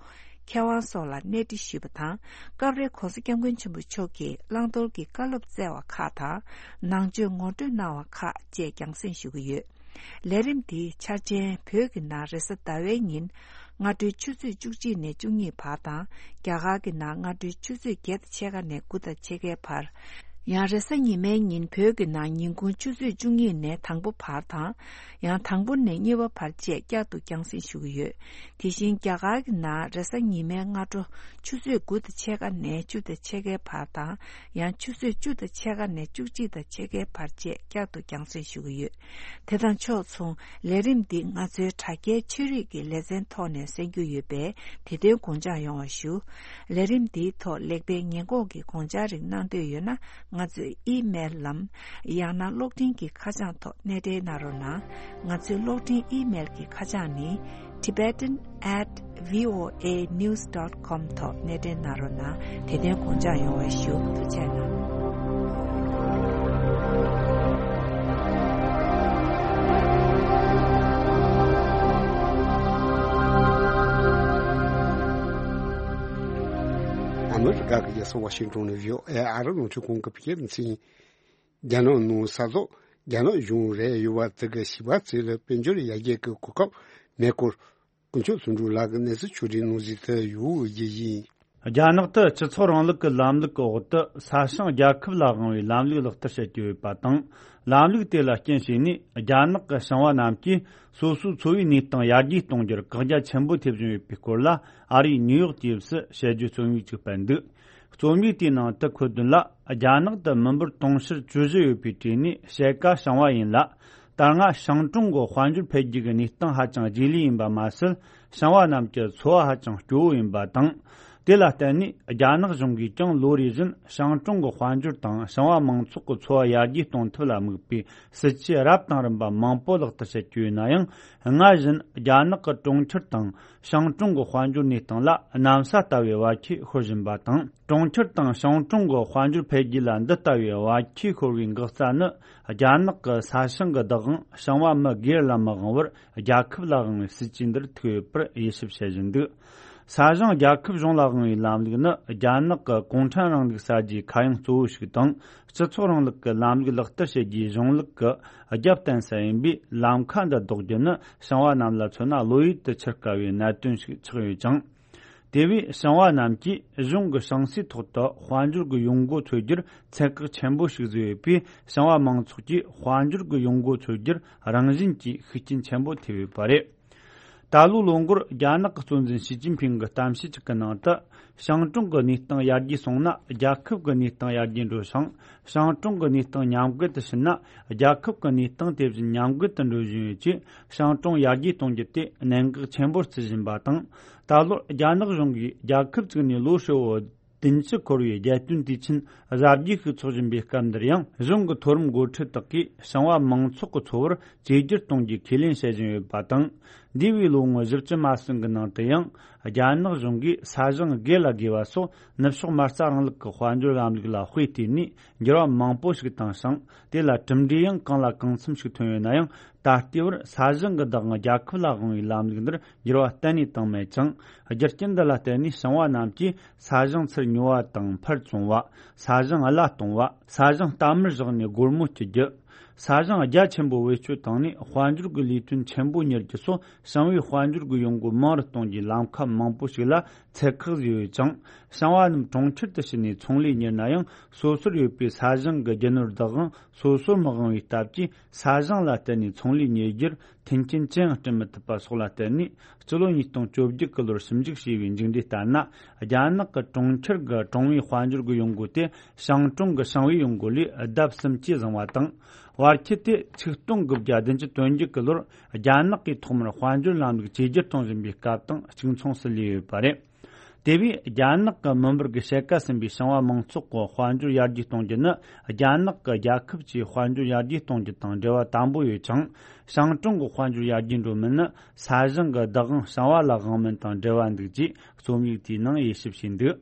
མཁས་དབང་སོགས་ལ་གནས་འདྲི་ཞུས་པ་དང་། སྐབས་རེ་༸གོང་ས་༸སྐྱབས་མགོན་ཆེན་པོ་མཆོག་གིས་བླང་དོར་གྱི་བཀའ་སློབ་སྩལ་བ་ཁག་དང་། ནང་ཆོས་ངོ་སྤྲོད་གནང་བ་ཁག་བཅས་རྒྱང་སྲིང་ཞུ་གི་ཡོད། ལས་རིམ་འདིའི་འཆར་ཅན། བོད་ཀྱི་ནང་རེས་གཟའ་ཟླ་བའི་ཉིན། སྔ་དྲོའི་ཆུ་ཚོད་བཅུ་གཅིག་ནས་བཅུ་གཉིས་བར་དང་། རྒྱ་གར་གྱི་ནང་སྔ་དྲོའི་ཆུ་ཚོད་བརྒྱད་དང་ཕྱེད་ཀ་ནས་དགུ་དང་ཕྱེད་ཀའི་བར། ཡང་རེས་གཟའ་ཉི་མའི་ཉིན་བོད་ཀྱི་ནང་ཉིན་གུང་ཆུ་ཚོད་བཅུ་གཉིས་ནས་དང་པོ་བར་དང་། ཡང་དང་པོ་ནས་གཉིས་པ་བར་བཅས་བསྐྱར་དུ་རྒྱང་སྲིང་ཞུ་གི་ཡོད། དེ་བཞིན་རྒྱ་གར་གྱི་ནང་རེས་གཟའ་ཉི་མའི་སྔ་དྲོ་ཆུ་ཚོད་དགུ་དང་ཕྱེད་ཀ་ནས་བཅུ་དང་ཕྱེད་ཀའི་བར་དང་། ཡང་ཆུ་ཚོད་བཅུ་དང་ཕྱེད་ཀ་ནས་བཅུ་གཅིག་དང་ཕྱེད་ཀའི་བར་བཅས་བསྐྱར་དུ་རྒྱང་སྲིང་ཞུ་གི་ཡོད། དེ་དང་ཕྱོགས་མཚུངས། ལས་རིམ་འདི་ང་ཚོའི་དྲ་རྒྱའི་ཆོས་རིག་གི་ལེ་ཚན་ཐོག་ནས་གསན་རྒྱུ་ཡོད་པས། དེ་དོན་དགོངས་འཇགས་ཡོང་བ་ཞུ། ལས་རིམ་འདིའི་ཐོག་ལེགས་སྤེལ་ཉེས་འགོག་གི་དགོངས་འཆར་རིགས་གནང་འདོད་ཡོད་ན། ང་ཚོའི་ཨི་མེལ་ལམ། ཡང་ན་གློག་འཕྲིན་གྱི་ཁ་བྱང་ཐོག་གནས་འབྲེལ་གནང་རོགས་གནང་། ང་ཚོའི་གློག་འཕྲིན་ཨི་མེལ་གྱི་ཁ་བྱང་ནི། tibetan at voanews.com ཐོག་གནས་འབྲེལ་གནང་རོགས་གནང་། དེ་དོན་དགོངས་འཇགས་ཡོང་བ་ཞུ། ཐུགས་རྗེ་གནང་། ཨ་མི་རི་ཀ་གི་རྒྱལ་ས་ཝ་ཤིང་ཏོན་ནས་བྷི་ཨོ་ཨེ་ཨ་རི་རླུང་འཕྲིན་ཁང་གི་བོད་སྐད་སྡེ་ཚན། རྒྱ་ནག་ནང་ས་ཐོག་རྒྱ་ནག་གཞུང་རེད་ཡོད་པ་དེ་གི་བྱིས་པ་ཚོ་ལ་དཔལ་འབྱོར་ཡར་རྒྱས་ཀྱི་གོ་སྐབས་མེད་སྐོར། དཀོན་མཆོག་བརྩོན་འགྲུས་ལགས་ཀྱིས་གནས་ཚུལ་ཕྱོགས་སྒྲིག་གནང་བཞིན་དུ་ཡོད་རྒྱུ་ཡིན། རྒྱ་ནག་ཏུ་སྤྱི་ཚོགས་རིང་ལུགས་ཀྱི་ལམ་ལུགས་ཀྱི་འོག་ཏུ་ས་ཞིང་རྒྱལ་ཁབ་ལ་དབང་བའི་ལམ་ལུགས་ལག་བསྟར་བྱེད་ཀྱི་ཡོད་པ་དང་། ལམ་ལུགས་དེ་ལ་རྐྱེན་བྱས་ནས་རྒྱ་ནག་གི་ཞིང་པ་རྣམས་ཀྱིས་སོ་སོའི་འཚོ་བའི་གནས་སྟངས་ཡར་རྒྱས་གཏོང་རྒྱུར་བཀག་རྒྱ་ཆེན་པོ་ཐེབས་བཞིན་ཡོད་པའི་སྐོར་ལ། ཨ་རིའི་ནིའུ་ཡོག་ཊེམ་སི་དཔྱད་བརྗོད་རྩོམ་ཡིག་ཅིག་སྤེལ་འདུག་རྩོམ་ཡིག་དེའི་ནང་དུ་འཁོད་དོན་ལ། རྒྱ་ནག་ཏུ་མི་འབོར་དུང་ཕྱུར་བཅུ་བཞི་ཡོད་པའི་གྲས་ནས་ཕྱེད་ཀ་ཞིང་པ་ཡིན་ལ། ད་སྔ་ཞིང་གྲོང་གི་དཔལ་འབྱོར་འཕེལ་རྒྱས་ཀྱི་གནས་སྟངས་ཧ་ཅང་རྗེས་ལུས་ཡིན་པ་མ་ཟད། ཞིང་པ་རྣམས་ཀྱི་འཚོ་བ་ཧ་ཅང་སྐྱོ་བོ་ཡིན་པ་དང་། དེ་ལ་བརྟེན་ནས་རྒྱ་ནག་གཞུང་གིས་ཀྱང་ལོ་རེ་བཞིན་ཞིང་གྲོང་གི་དཔལ་འབྱོར་དང་ཞིང་པ་མང་ཚོགས་ཀྱི་འཚོ་བ་ཡར་རྒྱས་གཏོང་ཐབས་ལ་དམིགས་པའི་སྲིད་ཇུས་རབ་དང་རིམ་པ་མང་པོ་ལག་བསྟར་བྱེད་ཀྱི་ཡོད་ན་ཡང་། སྔར་བཞིན་རྒྱ་ནག་གི་གྲོང་ཁྱེར་དང་ཞིང་གྲོང་གི་དཔལ་འབྱོར་གནས་སྟངས་ལ་གནམ་ས་ལྟ་བུའི་བར་ཁྱད་ཤོར་བཞིན་པ་དང་། གྲོང་ཁྱེར་དང་ཞིང་གྲོང་གི་དཔལ་འབྱོར་འཕེལ་རྒྱས་ལ་འདི་ལྟ་བུའི་བར་ཁྱད་ཤོར་བའི་འགག་རྩ་ནི། རྒྱ་ནག་གི་ས་ཞིང་གི་བདག་དབང་ཞིང་པ་མི་སྒེར་ལ་མི་དབང་བར་རྒྱལ་ཁབ་ལ་དབང་བའི་སྲིད་ཇུས་འདིར་ཐུག་ཡོད་པར་དབྱེ་ཞིབ་བྱེད་བཞིན་འདུག་ས་ཞིང་རྒྱལ་ཁབ་གཞུང་ལ་དབང་བའི་ལམ་ལུགས་ནི། རྒྱ་ནག་གི་གུང་ཁྲན་རིང་ལུགས་གསར་བརྗེའི་ཁ་གཡང་གཙོ་བོ་ཞིག་དང་། སྤྱི་ཚོགས་རིང་ལུགས་ཀྱི་ལམ་ལུགས་ལག་བསྟར་བྱེད་རྒྱུའི་གཞུང་ལུགས་ཀྱི་རྒྱབ་རྟེན་ས་ཡིན་པས། ལམ་ཁ་འདི་ལྡོག་རྒྱུ་ནི་ཞིང་པ་རྣམས་ལ་མཚོན་ན་བློ་ཡུལ་དུ་འཆར་དཀའ་བའི་གནད་དོན་ཞིག་ཆགས་ཡོད་ཅིང་། དེ་བས་ཞིང་པ་རྣམས་ཀྱིས་གཞུང་གི་ཞིང་སའི་ཐོག་ཏུ་དཔལ་འབྱོར་གྱི་ཡོང་སྒོ་འཚོལ་རྒྱུར་ཚད་བཀག་ཆེན་པོ་ཞིག་བཟོས་ཡོད་པས། ཞིང་པ་མང་ཚོགས་ཀྱིས་དཔལ་འབྱོར་གྱི་ཡོང་སྒོ་འཚོལ་རྒྱུར་རང་བཞིན་གྱིས་ཤུགས་རྐྱེན་ཆེན་པོ་ཐེབས་ཡོད་པ་རེད། ད་ལོའི་ལོ་འགོར་རྒྱ་ནག་གི་གཙོ་འཛིན་ཞི་ཅིན་ཕིང་གི་གཏམ་བཤད་ཅིག་གི་ནང་དུ། ཞིང་གྲོང་གི་གནས་སྟངས་ཡར་རྒྱས་སོང་ན་རྒྱལ་ཁབ་ཀྱི་གནས་སྟངས་ཡར་རྒྱས་འགྲོ་ཞིང་། ཞིང་གྲོང་གི་གནས་སྟངས་ཉམས་རྒུད་དུ་ཕྱིན་ན་རྒྱལ་ཁབ་ཀྱི་གནས་སྟངས་དེ་བཞིན་ཉམས་རྒུད་དུ་འགྲོ་བཞིན་ཡོད་ཅེས། ཞིང་གྲོང་ཡར་རྒྱས་གཏོང་རྒྱུ་དེ་གནད་འགག་ཆེན་པོར་བརྩི་བཞིན་པ་དང་། ད་ལོར་རྒྱ་ནག་གཞུང་གིས་རྒྱལ་ཁབ་བཙུགས་ནས་ལོ་ཧྲིལ་བོ་བདུན་ཅུ་འཁོར་བའི་རྒྱལ་སྟོན་དུས་ཆེན་གཟབ་རྒྱས་ཤིག་འཚོགས་བཞིན་པའི་སྐབས་འདིར་ཡང་། གཞུང་གི་མཐོ་རིམ་འགོ་ཁྲིད་དག་གིས་ཞིང་པ་མང་ཚོགས་ཀྱི་འཚོ་བར་བཅོས་བསྒྱུར་གཏོང་རྒྱུའི་ཁས་ལེན་བྱེད་བཞིན་ཡོད་པ་དང་། འདས་པའི་ལོ་ངོ་བཞི་བཅུ་མ་ཟིན་གྱི་ནང་དུ་ཡང་། རྒྱ་ནག་གཞུང་གིས་ས་ཞིང་སྒེར་ལ་དགོས་པ་སོགས་ནུབ་ཕྱོགས་མ་རྩ་རིང་ལུགས་ཀྱི་དཔལ་འབྱོར་ལམ་ལུགས་ལ་དཔེ་བལྟས་ནས་འགྱུར་བ་མང་པོ་ཞིག་བཏང་ཞིང་། དེ་ལ་གྲུབ་འབྲས་ཡང་གང་ལ་གང་འཚམ་ཞིག་ཐོན་ཡོད་ན་ཡང་། ད་ལྟའི་བར་ས་ཞིང་གི་བདག་དབང་རྒྱལ་ཁབ་ལ་དབང་བའི་ལམ་ལུགས་འདིར་འགྱུར་བ་གཏན་ནས་བཏང་མེད་ཅིང་། རྒྱུ་རྐྱེན་འདི་ལ་བརྟེན་ནས་ཞིང་པ་རྣམས་ཀྱིས་ས་ཞིང་ཚུར་ཉོ་བ་དང་ཕར་བཙོང་བ། ས་ཞིང་གླ་གཏོང་བ། ས་ཞིང་གཏའ་མར་བཞག་ནས་སྒོར་མོ་སྐྱི་རྒྱུ། ས་ཞིང་རྒྱ་ཆེན་པོ་བེད་སྤྱོད་བཏང་ནས་དཔལ་འབྱོར་གྱི་ལས་དོན་ཆེན་པོ་གཉེར་རྒྱུ་སོགས། ཞིང་པའི་དཔལ་འབྱོར་གྱི་ཡོང་སྒོ་མང་རུ་གཏོང་རྒྱུའི་ལམ་ཁ་མང་པོ་ཞིག་ལ་ ཚད་བཀག་བཟོས་ཡོད་ཅིང་། ཞིང་བ་རྣམས་གྲོང་ཁྱེར་དུ་ཕྱིན་ནས་ཚོང་ལས་གཉེར་ན་ཡང་། སོ་སོར་ཡོད་པའི་ས་ཞིང་གི་རྒྱུ་ནོར་བདག་དབང་སོ་སོར་མི་དབང་བའི་སྟབས་ཀྱིས། ས་ཞིང་ལ་བརྟེན་ནས་ཚོང་ལས་གཉེར་རྒྱུར་མཐུན་རྐྱེན་ཅི་ཡང་བསྐྲུན་མི་ཐུབ་པ་སོགས་ལ་བརྟེན་ནས། སྤྱི་ལོ་ཉིས་སྟོང་བཅོ་བརྒྱད་གི་ལོར་ཞིབ་འཇུག་བྱས་པའི་མཇུག་འབྲས་ལྟར་ན། རྒྱ་ནག་གི་གྲོང་ཁྱེར་གྱི་གྲོང་བའི་དཔལ་འབྱོར་གྱི་ཡོང་སྒོ་དེ་ཞིང་གྲོང་གི་ཞིང་བའི་ཡོང་སྒོ་ལས་ལྡབ་གསུམ་གྱིས་བཟང་བ་དང་། བར་ཁྱད་དེ་ཆིག་སྟོང་དགུ་བརྒྱ་བདུན་ཅུ་དོན་བརྒྱད་ཀྱི་ལོར་རྒྱ་ནག་གིས་ཐོག་མར་དཔལ་འབྱོར་ལམ་ལུགས་བཅོས་བསྒྱུར་གཏོང་བཞིན་པའི་སྐབས་དང་གཅིག་མཚུངས་སུ་ལུས་ཡོད་པ་རེད། དེ་བས་རྒྱ་ནག་གི་མི་འབོར་གྱི་ཕྱེད་ཀ་ཟིན་པའི་ཞིང་བ་མང་ཚོགས་ཀྱི་དཔལ་འབྱོར་ཡར་རྒྱས་གཏོང་རྒྱུ་ནི། རྒྱ་ནག་གི་རྒྱལ་ཁབ་ཀྱི་དཔལ་འབྱོར་ཡར་རྒྱས་གཏོང་རྒྱུ་དང་འབྲེལ་བ་དམ་པོ་ཡོད་ཅིང་། ཞིང་གྲོང་གི་དཔལ་འབྱོར་ཡར་རྒྱས་འགྲོ་མིན་ནི། ས་ཞིང་གི་བདག་དབང་ཞིང་བ་ལ་དབང་མིན་དང་འབྲེལ་བ་འདུག་ཅེས་རྩོམ་ཡིག་དེའི་ནང་དབྱེ་ཞིབ་བྱས་འདུག།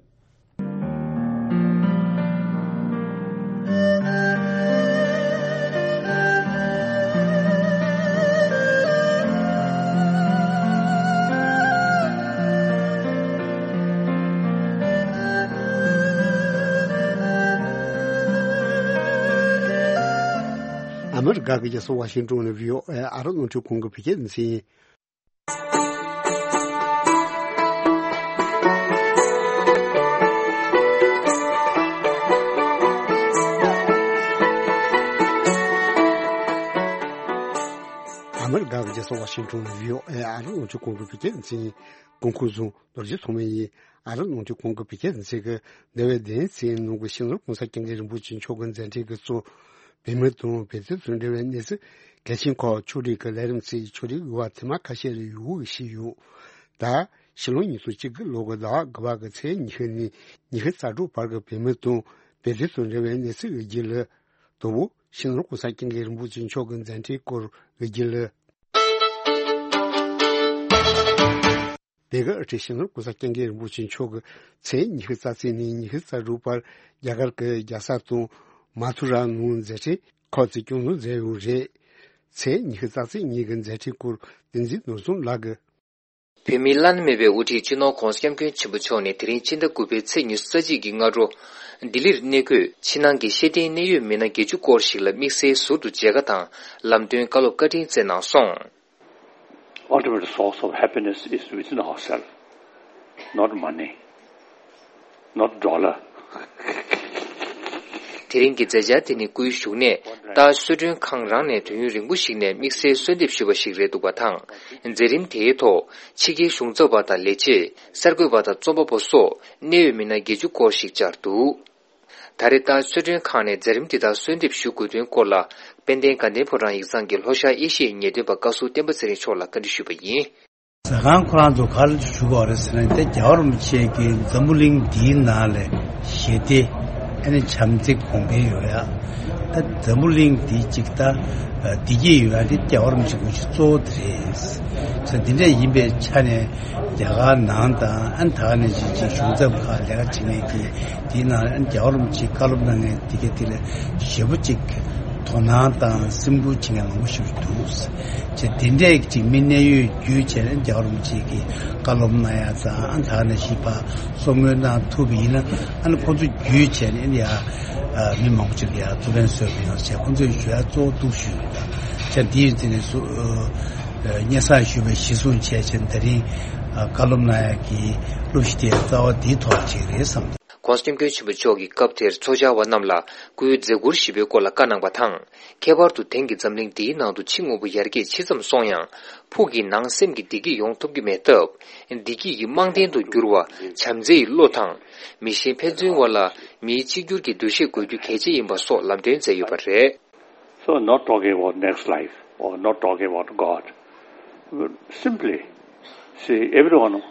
ཨ་མི་རི་ཀ་གི་རྒྱལ་ས་ཝ་ཤིང་ཏོན་ནས་བྷི་ཨོ་ཨེ་ཨ་རི་རླུང་འཕྲིན་ཁང་གི་བོད་སྐད་སྡེ་ཚན་ཡིན། ཨ་མི་རི་ཀ་གི་རྒྱལ་ས་ཝ་ཤིང་ཏོན་ནས་བྷི་ཨོ་ཨེ་ཨ་རི་རླུང་འཕྲིན་ཁང་གི་བོད་སྐད་སྡེ་ཚན་ཡིན། གོང་འཁོད་བཟུང་རྡོ་རྗེ་ཐོགས་མེད་ཡིན། ཨ་རི་རླུང་འཕྲིན་ཁང་གི་བོད་སྐད་སྡེ་ཚན་གྱིས་འདས་པའི་བདུན་ཚེས་ནང་གི་སྤྱི་ནོར་གོང་ས་སྐྱབས་མགོན་རིན་པོ་ཆེ་མཆོག་གི་མཛད་འཕྲིན་གྱིས་གཙོས། བོད་མི་དང་བོད་དོན་དང་འབྲེལ་བའི་གནས་ཚུལ་གལ་ཆེན་ཁག་ཕྱོགས་སྒྲིག་གི་ལས་རིམ་ཚོས་ཕྱོགས་སྒྲིག་ཡོད་པ་ཐེངས་མ་ཁ་ཤས་ལ་ཡོད་ཞུས་ཡོད། ད་ཕྱི་ལོ་ཉིས་སྟོང་གཅིག་གི་ལོ་གི་ཟླ་བ་དགུ་པ་གི་ཚེས་ཉི་ཤུ་ནས་ཉི་ཤུ་རྩ་དྲུག་བར་གྱི་བོད་མི་དང་བོད་དོན་དང་འབྲེལ་བའི་གནས་ཚུལ་ཡོད་རྒྱུ་ལ། དང་པོ། སྤྱི་ནོར་གོང་ས་སྐྱབས་མགོན་རིན་པོ་ཆེ་མཆོག་གི་མཛད་འཕྲིན་སྐོར་ཡོད་རྒྱུ་ལ། དེ་གའི་དབུ་ཁྲིད་སྤྱི་ནོར་གོང་ས་སྐྱབས་མགོན་རིན་པོ་ཆེ་མཆོག་གིས་ཚེས་ཉི་ཤུ་རྩ་གཅིག་ནས་ཉི་ཤུ་རྩ་དྲུག་བར་རྒྱ་གར་གྱི་རྒྱལ་ས་དང་མ་ཐུ་ར་ནང་མཛད་འཕྲིན་ཁག་ཅིག་སྐྱོང་གཟིགས་མཛད་ཡོད་རེད། ཚེས་ཉི་ཤུ་རྩ་གཅིག་ཉིན་གྱི་མཛད་འཕྲིན་སྐོར་བསྟན་འཛིན་ནོར་བཟང་ལགས་ཀྱིས། བོད་མིའི་བླ་ན་མེད་པའི་དབུ་ཁྲིད་སྤྱི་ནོར་༧གོང་ས་༧སྐྱབས་མགོན་ཆེན་པོ་མཆོག་ནས་དེ་རིང་ཕྱི་ཟླ་དགུ་པའི་ཚེས་ཉི་ཤུ་རྩ་གཅིག་གི་སྔ་དྲོ་ལྡི་ལིར་གནས་འཁོད་ཕྱི་ནང་གི་ཤེས་ལྡན་གནད་ཡོད་མི་སྣ་བརྒྱད་ཅུ་སྐོར་ཞིག་ལ་དམིགས་བསལ་ཟུར་དུ་མཇལ་ཁ་དང་ལམ་སྟོན་བཀའ་སློབ་བཀའ་དྲིན་བསྩལ་གནང་སོང་། Ultimate source of happiness is within ourselves, not money, not dollar. དེ་རིང་གི་མཛད་འཆར་དེ་ནི་སྐུའི་བཞུགས་གནས་རྟ་གསོལ་མགྲོན་ཁང་རང་ནས་དུས་ཡུན་རིང་པོ་ཞིག་ནས་དམིགས་བསལ་གསོལ་འདེབས་ཞུས་པ་ཞིག་རེད་འདུག་པ་དང་། མཛད་རིམ་དེའི་ཐོག་ཕྱི་རྒྱལ་གཞུང་ཚབ་པ་དང་ལས་བྱེད། གསར་འགོད་པ་དང་རྩོམ་པ་པོ་སོགས་གནད་ཡོད་མི་སྣ་བརྒྱད་ཅུ་སྐོར་ཞིག་བཅར་འདུག། ད་རེས་རྟ་གསོལ་མགྲོན་ཁང་ནས་མཛད་རིམ་འདི་དག་གསོལ་འདེབས་ཞུ་དགོས་དོན་སྐོར་ལ། དཔལ་ལྡན་དགའ་ལྡན་ཕོ་བྲང་ཡིག་ཚང་གི་ལྷོ་ཤར་ཨེ་ཤི་ཡའི་ངེས་སྟོན་པ་བཀའ་ཟུར་བསྟན་པ་ཚེ་རིང་མཆོག་ལ་བཀའ་འདྲི་ཞུས་པ་ཡིན། ཟ་ཁང་ཁོ་རང་ཚོ་ག་ལ་ཞུ་དགོས་རེད་ཟེར་ན། དེ་རྒྱལ་བ་རིན་པོ་ཆེ་གི་འཛམ་བུ་གླིང་འདིའི་ནང་ལ་ཞི་བདེ་ཨ་ནི་བྱམས་བརྩེ་གོང་འཕེལ་ཡོང་ཡ། ད་འཛམ་བུ་གླིང་འདི་གཅིག་ད་བདེ་སྐྱིད་ཡོང་ཡ་དེ་རྒྱལ་བ་རིན་པོ་ཆེ་དགོངས་གཞི་གཙོ་བོ་དེ་རེད། ས་འདི་འདྲ་ཡིན་པའི་ཆ་ནས་རྒྱ་གར་ནང་དང་ཨ་ནི་ད་ག་ནང་བཞིན་གྱི་གཞུང་ཚབ་ཁག་ལས་ཀ་བྱེད་མཁན་གྱི་དེའི་ནང་ལ་ཨ་ནི་རྒྱལ་བ་རིན་པོ་ཆེའི་བཀའ་སློབ་གནང་མཁན་དེ་ག་དེ་ལ་ཞེ་པོ་ཅིག་དོ་སྣང་དང་སེམས་ཁུར་བྱེད་མཁན་མང་པོ་ཞིག་འདུག། ཅེས་དེ་འདྲས་ཅིག་མི་གནད་ཡོད་བརྒྱུད་བྱས་ནས་རྒྱལ་བ་རིན་པོ་ཆེ་གིས་བཀའ་སློབ་གནང་ཡ་དང་ཨ་ནི་ད་ག་ནང་བཞིན་ཕར་གསུང་མོལ་གནང་ཐུབ་པ་ཡིན་ན། ཨ་ནི་ཁོ་ཚོ་བརྒྱུད་བྱས་ནས་ཨ་ནི་ཡ་མི་མང་པོ་ཅིག་ལ་ཡ་ཐུགས་ཕན་གསོས་པ་ཡིན་ཟེར་ཁོ་ཚོས་ཞུ་ཡ་གཙོ་བོ་འདུག་ཞུས་འདུག། ད་ཅེས་འདི་ཡིན་ཚེ་ནས་སུ་སྙན་སེང་ཞུས་པའི་གཞི་བཟུང་བྱས་བྱས་ད་རིང་བཀའ་སློབ་གནང་ཡ་གི་སློབ་གཞི་དེ་རྩ་བ་འདིའི་ཐོག་ཅིག་རེད་བསམ་འདུག། ྋགོང་ས་ྋསྐྱབས་མགོན་ཆེན་པོ་མཆོག་གིས་སྐབས་དེར་ཚོགས་བཅར་བ་རྣམས་ལ་སྐུའི་མཛད་ཁུར་ཞེས་པའི་སྐོར་ལ་བཀའ་གནང་བ་དང་། ཁྱད་པར་དུ་དེང་གི་འཛམ་གླིང་འདིའི་ནང་དུ་ཕྱི་དངོས་པོ་ཡར་རྒྱས་ཇི་ཙམ་སོང་ཡང་། ཕུགས་ཀྱི་ནང་སེམས་ཀྱི་བདེ་སྐྱིད་ཡོང་ཐུབ་ཀྱི་མེད་སྟབས། བདེ་སྐྱིད་ཀྱི་རྨང་རྟེན་དུ་གྱུར་བ་བྱམས་བརྩེའི་བློ་དང་། མི་གཞན་ཕན་ཚུན་དབར་ལ་མིའི་གཅིག་གྱུར་གྱི་འདུ་ཤེས་དགོས་རྒྱུ་གལ་ཆེ་ཡིན་པ་སོགས་ལམ་སྟོན་མཛད་ཡོད་པ་རེད། So, not talking about next life or not talking about God, simply, see, everyone,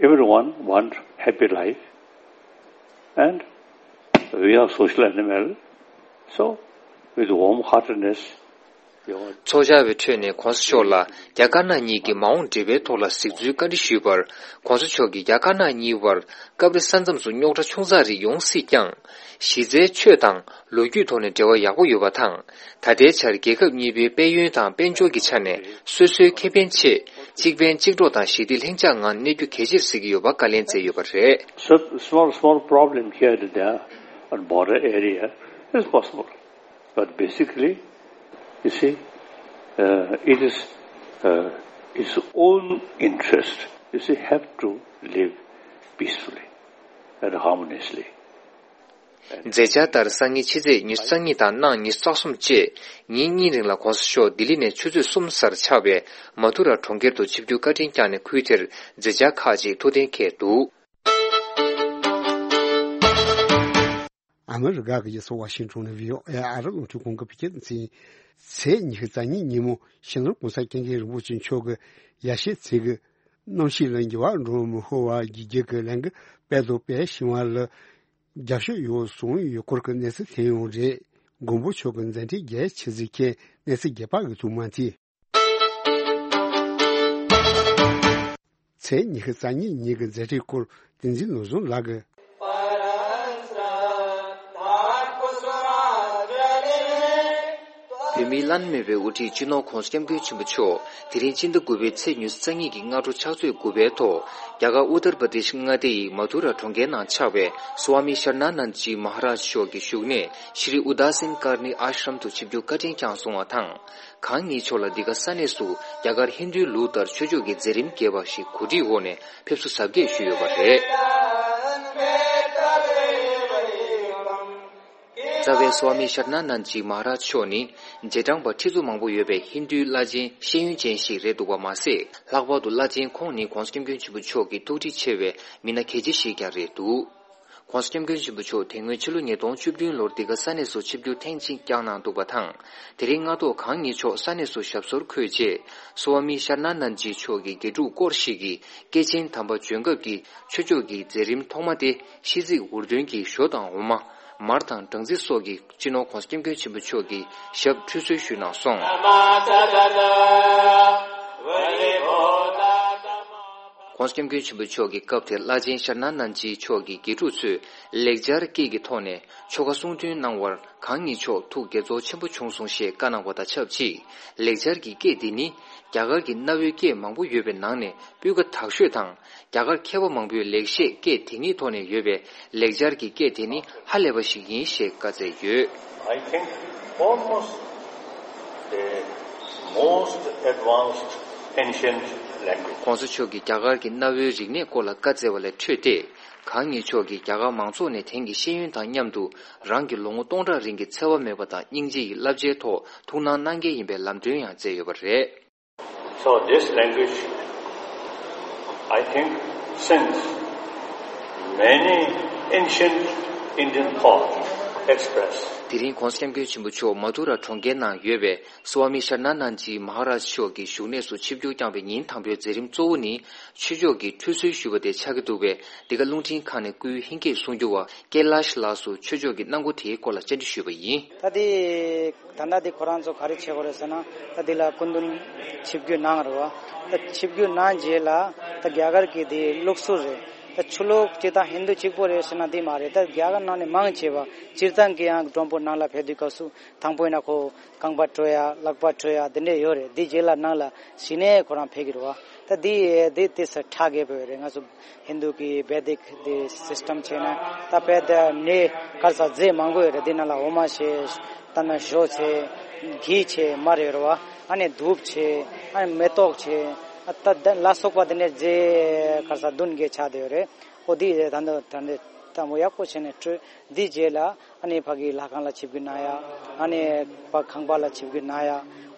everyone want happy life, and we are social animal, so with warm heartedness, you want ཚོགས་བཅར་བའི་ཁྲོད་ནས་ྋགོང་ས་མཆོག་ལ་རྒྱ་དཀར་ནག་གཉིས་ཀྱི་མ་འོངས་འབྲེལ་བའི་ཐོག་ལ་གཟིགས་ཚུལ་བཀའ་འདྲི་ཞུས་པར། ྋགོང་ས་མཆོག་གིས་རྒྱ་དཀར་ནག་གཉིས་བར་སྐབས་རེ་ས་མཚམས་སུ་རྙོག་དྲ་ཆུང་ཙག་རིགས་ཡོང་སྲིད་ཀྱང་། གཞི་རྩའི་ཆོས་དང་ལོ་རྒྱུས་ཐོག་ནས་འབྲེལ་བ་ཡག་པོ་ཡོད་པ་དང་། ད་ལྟའི་ཆར་རྒྱལ་ཁབ་གཉིས་པོའི་དཔལ་ཡོན་དང་དཔལ་འབྱོར་གྱི་ཆ་ནས་སོ་སོའི་ཁེ་ཕན་ཆེད་གཅིག་ཕན་གཅིག་གྲོགས་དང་ཞི་བདེ་ལྷིང་འཇགས་ངང་གནས་རྒྱུ་གལ་ཆེར་གཟིགས་ཀྱི་ཡོད་པ་བཀའ་ལན་སྩལ་ཡོད་པ་རེད། So, small, small problem here and there on border area is possible. But basically, you see, uh, it is, uh, its own interest. You see, have to live peacefully and harmoniously. མཛད་འཆར་ལྟར་སང་ཉིན་ཕྱི་ཚེས་ཉི་ཤུ་རྩ་གཉིས་དང་གནངས་ཉི་ཤུ་རྩ་གསུམ་བཅས་ཉིན་གཉིས་རིང་ལ་༸གོང་ས་མཆོག་ལྡི་ལི་ནས་ཆུ་ཚོད་གསུམ་གསར་ཆགས་པའི་མ་ཐུ་ར་གྲོང་ཁྱེར་དུ་ཆིབས་བསྒྱུར་བཀའ་དྲིན་བསྐྱངས་ནས་ཁུལ་དེར་མཛད་འཆར་ཁག་ཅིག་ཐུགས་གཏན་འཁེལ་འདུག། ཨ་མི་རི་ཀ་གི་རྒྱལ་ས་ཝ་ཤིང་ཊོན་ནས་བྷི་ཨོ་ཨེ་ཨ་རི་རླུང་འཕྲིན་ཁང་གི་བོད་སྐད་སྡེ་ཚན། ཚེས་ཉི་ཤུ་རྩ་གཉིས་ཉིན་མོ་སྤྱི་ནོར་༸གོང་ས་༸སྐྱབས་མགོན་རིན་པོ་ཆེ་མཆོག་གི་ཡ་ཤས་ཚིག་གི་གནམ་གཤིས་ལ་འགྱུར་བ་འགྲོ་མི་ཤོར་བ་བརྒྱུད་རྒྱུ་གི་ལས་འགུལ་སྤེལ་དང་སྤེལ་བཞིན་པ་ལ་རྒྱབ་སྐྱོར་ཡོད་གསུངས་ཡོད་སྐོར་གྱི་གནས་ཚུལ་ཐོན་ཡོད་རེད། མགོན་པོ་མཆོག་གི་མཛད་འཕྲིན་རྒྱས་ཆེ་ཚུལ་མཁྱེན་གནས་ཚུལ་རྒྱས་པ་གི་ཐོག་མ་དེ། ཚེས་ཉི་ཤུ་རྩ་གཉིས་ཉིན་གྱི་མཛད་འཕྲིན་སྐོར་བསྟན་འཛིན་ནོར་བཟང་ལགས་ཀྱིས། བོད་མིའི་བླ་ན་མེད་པའི་དབུ་ཁྲིད་སྤྱི་ནོར་༸གོང་ས་༸སྐྱབས་མགོན་ཆེན་པོ་མཆོག་དེ་རིང་ཕྱི་ཟླ་དགུ་པའི་ཚེས་ཉི་ཤུ་རྩ་གཉིས་ཀྱི་སྔ་དྲོ་ཕྱག་ཚོད་དགུ་པའི་ཐོག་རྒྱ་གར་ཨུ་ཏར་པ་དེཤ་མངའ་སྡེ་ཡི་མ་ཐུ་ར་གྲོང་ཁྱེར་ནང་ཆགས་པའི་སྭ་མི་ཤར་ན་ནན་ཇི་མ་ཧ་རཱཇ་མཆོག་གི་བཞུགས་གནས་ཤྲི་ཨུ་དཱ་སིན་ཀར་ནི་ཨཱ་ཤྲམ་དུ་ཆིབས་བསྒྱུར་བཀའ་དྲིན་བསྐྱངས་སོང་བ་དང་། གང་ཉིད་མཆོག་ལ་འདི་ག་ས་གནས་སུ་རྒྱ་གར་ཧིན་རྡུའི་ལུགས་ལྟར་ཆོས་ཕྱོགས་ཀྱི་མཛད་རིམ་རྒྱས་པ་ཞིག་གོ་སྒྲིག་འོག་ནས་ཕེབས་བསུ་གཟབ་རྒྱས་ཞུས་ཡོད་པ་རེད། རྩ་བའི་སྭ་མི་ཤར་ན་ནན་ཇི་མ་ཧ་རཱཇ་མཆོག་ནི་རྗེས་འབྲང་པ་ཁྲི་ཚོ་མང་པོ་ཡོད་པའི་ཧིན་རྡུའི་བླ་ཆེན་ཤེས་ཡོན་ཅན་ཞིག་རེད་འདུག་པ་མ་ཟད། ལྷག་པར་དུ་བླ་ཆེན་ཁོང་ནི་༸གོང་ས་༸སྐྱབས་མགོན་ཆེན་པོ་མཆོག་གི་ཐུགས་འདྲིས་ཆེ་བའི་མི་སྣ་གལ་ཆེ་ཞིག་ཀྱང་རེད་འདུག། ༸གོང་ས་༸སྐྱབས་མགོན་ཆེན་པོ་མཆོག་དེ་སྔོན་ཕྱི་ལོ་ཉིས་སྟོང་བཅུ་བདུན་ལོར་འདི་ག་ས་གནས་སུ་ཆིབས་བསྒྱུར་ཐེངས་གཅིག་བསྐྱངས་གནང་འདུག་པ་དང་། དེ་རིང་སྔ་ཐོག་གང་ཉིད་མཆོག་ས་གནས་སུ་ཞབས་སོར་འཁོད་རྗེས། སྭ་མི་ཤར་ན་ནན་ཇི་མཆོག་གི་དགེ་ཕྲུག་སྐོར་ཞིག་གིས་སྐྱེས་ཆེན་དམ་པ་བྱོན་སྐབས་ཀྱི་ཆོས་ཕྱོགས་ཀྱི་མཛད་རིམ་ཐོག་མ་སྟེ། ཤིས་ཚིག་འུར་འདོན་གྱི་ཞོ་དང་འོ་མ། མར་དང་སྦྲང་རྩི་སོགས་ཀྱིས་སྤྱི་ནོར་༸གོང་ས་༸སྐྱབས་མགོན་ཆེན་པོ་མཆོག་གི་ཞབས་ཁྲུས་གསོལ་ཞུས་གནང་སོང་། ༸གོང་ས་༸སྐྱབས་མགོན་ཆེན་པོ་མཆོག་གི་སྐབས་དེར་བླ་ཆེན་ཤར་ན་ནན་ཇི་མཆོག་གི་དགེ་ཕྲུག་ཚོས་ལེགས་སྦྱར་སྐད་ཀྱི་ཐོག་ནས་ཆོ་ག་གསུང་འདོན་གནང་བར། གང་ཉིད་མཆོག་ཐུགས་དགྱེས་ཚོར་ཆེན་པོ་བྱུང་སོང་ཞེས་བཀའ་གནང་བ་དང་ཆབས་ཅིག། ལེགས་སྦྱར་གྱི་སྐད་འདི་ནི་རྒྱ་གར་གྱི་གནའ་བོའི་སྐད་མང་པོ་ཡོད་པའི་ནང་ནས་སྤུས་ཀ་དག་ཤོས་དང་། རྒྱ་གར་མཁས་པ་མང་པོས་ལེགས་བཤད་སྐད་དེ་ཉིད་ཐོག་ནས་ཡོད་པའི་ལེགས་སྦྱར་གྱི་སྐད་དེ་ནི་ཧ་ལས་པ་ཞིག་ཡིན་ཞེས་བཀའ་སྩལ་ཡོད། I think almost the most advanced ancient language. ༸གོང་ས་མཆོག་གིས་རྒྱ་གར་གྱི་གནའ་བོའི་རིག་གནས་སྐོར་ལ་བཀའ་སྩལ་བ་ལས་འཕྲོས་ཏེ། གང་ཉིད་མཆོག་གིས་རྒྱ་གར་མང་ཚོགས་ནས་དེང་གི་ཤེས་ཡོན་དང་མཉམ་དུ་རང་གི་ལོ་ངོ་སྟོང་ཕྲག་རིང་གི་འཚེ་བ་མེད་པ་དང་སྙིང་རྗེ་ཡི་བསླབ་བྱའི་ཐོག་ཐུགས་སྣང་གནང་གལ་ཡིན་པའི་ལམ་སྟོན་ཡང་མཛད་ཡོད་པ་རེད། So this language, I think, since many ancient Indian thought expressed. དེ་རིང་༸གོང་ས་༸སྐྱབས་མགོན་ཆེན་པོ་མཆོག་མ་ཐུ་ར་གྲོང་ཁྱེར་ནང་ཡོད་པའི་སྭ་མི་ཤར་ན་ནན་ཇི་མ་ཧ་རཱཇ་མཆོག་གི་བཞུགས་གནས་སུ་ཆིབས་བསྒྱུར་བསྐྱངས་པའི་ཉིན་དང་པོའི་མཛད་རིམ་གཙོ་བོ་ནི་ཆོས་ཕྱོགས་ཀྱི་ཁྲུས་གསོལ་ཞུ་བ་དེ་ཆགས་ཀྱི་འདུག་པས། འདི་ག་རླུང་འཕྲིན་ཁང་ནས་སྐུའི་ཧིན་སྐད་གསུང་སྒྱུར་བ་ཀེ་ལཱཤ་ལགས་སུ་ཆོས་ཕྱོགས་ཀྱི་སྣང་ངོ་དེའི་སྐོར་ལ་བཅར་འདྲི་ཞུས་པ་ཡིན། ད་དེ། ད་ལྟ་འདི་ཁོ་རང་ཚོ་ག་རེ་བྱེད་དགོས་རེད་ཟེར་ན། ད་འདི་ལ་སྐུ་མདུན་ཆིབས་བསྒྱུར་གནང་རེད་བ། ད་ཆིབས་བསྒྱུར་གནང་རྗེས་ལ་ད་རྒྱ་གར་གྱི་འདི་ལུགས་སྲོལ་རེད། ད་ཆོས་ལུགས་སྤྱི་དང་ཧིན་དུ་གཅིག་པོ་རེད་ཟེར་ན་འདི་མ་རེད། ད་རྒྱ་གར་ནང་ནས་མང་ཆེ་བ་སྤྱིར་བཏང་གི་ཡང་མགྲོན་པོ་ནང་ལ་ཕེབས་དུས་སྐབས་སུ་དང་པོ་ཡིན་ན་ཁོ་རྐང་པ་བཀྲུ་ཡ་ལག་པ་བཀྲུ་ཡ་འདི་འདྲས་ཡོད་རེད། འདི་རྗེས་ལ་ནང་ལ་གཞི་ནས་ཁོ་རང་ཕེབས་ཀྱི་རེད་བ། ད་འདི་འདི་དེ་ས་ཁྲ་རྒྱས་པོ་ཡོད་རེད། ང་ཚོ་ཧིན་དུ་གི་བེ་དིག་དེ་སིས་ཊམ་བྱས་ན་ད་བེ་དེ་ནས་གར་ས་རྫས་མང་པོ་ཡོད་རེད། དེ་ནང་ལ་འོ་མ་བྱས། ད་ནང་ཞོ་བྱས། གྷི་བྱས། མར་ཡོད་རེད་བ། ཨ་ནི་དྷུབ་བྱས། ཨ་ནི་མེ་ཏོག་བྱས། ཨ་ད་ད་ལ་སོགས་པ་དེ་ནས་རྫས་གར་ས་བདུན་བརྒྱད་ཆགས་བསྡད་ཡོད་རེད། ཨོ་དེ་ད་ནི་ད་ནི་ད་མོ་ཡག་པོ་བྱས་ནས་བཀྲུས། འདི་རྗེས་ལ་ཨ་ནི་ཕ་གི་ལྷ་ཁང་ལ་ཆིབས་བསྒྱུར་གནང་ཡ། ཨ་ནི་ཕ་ཁང་པ་ལ་ཆིབས་བསྒྱུར་གནང་ཡ།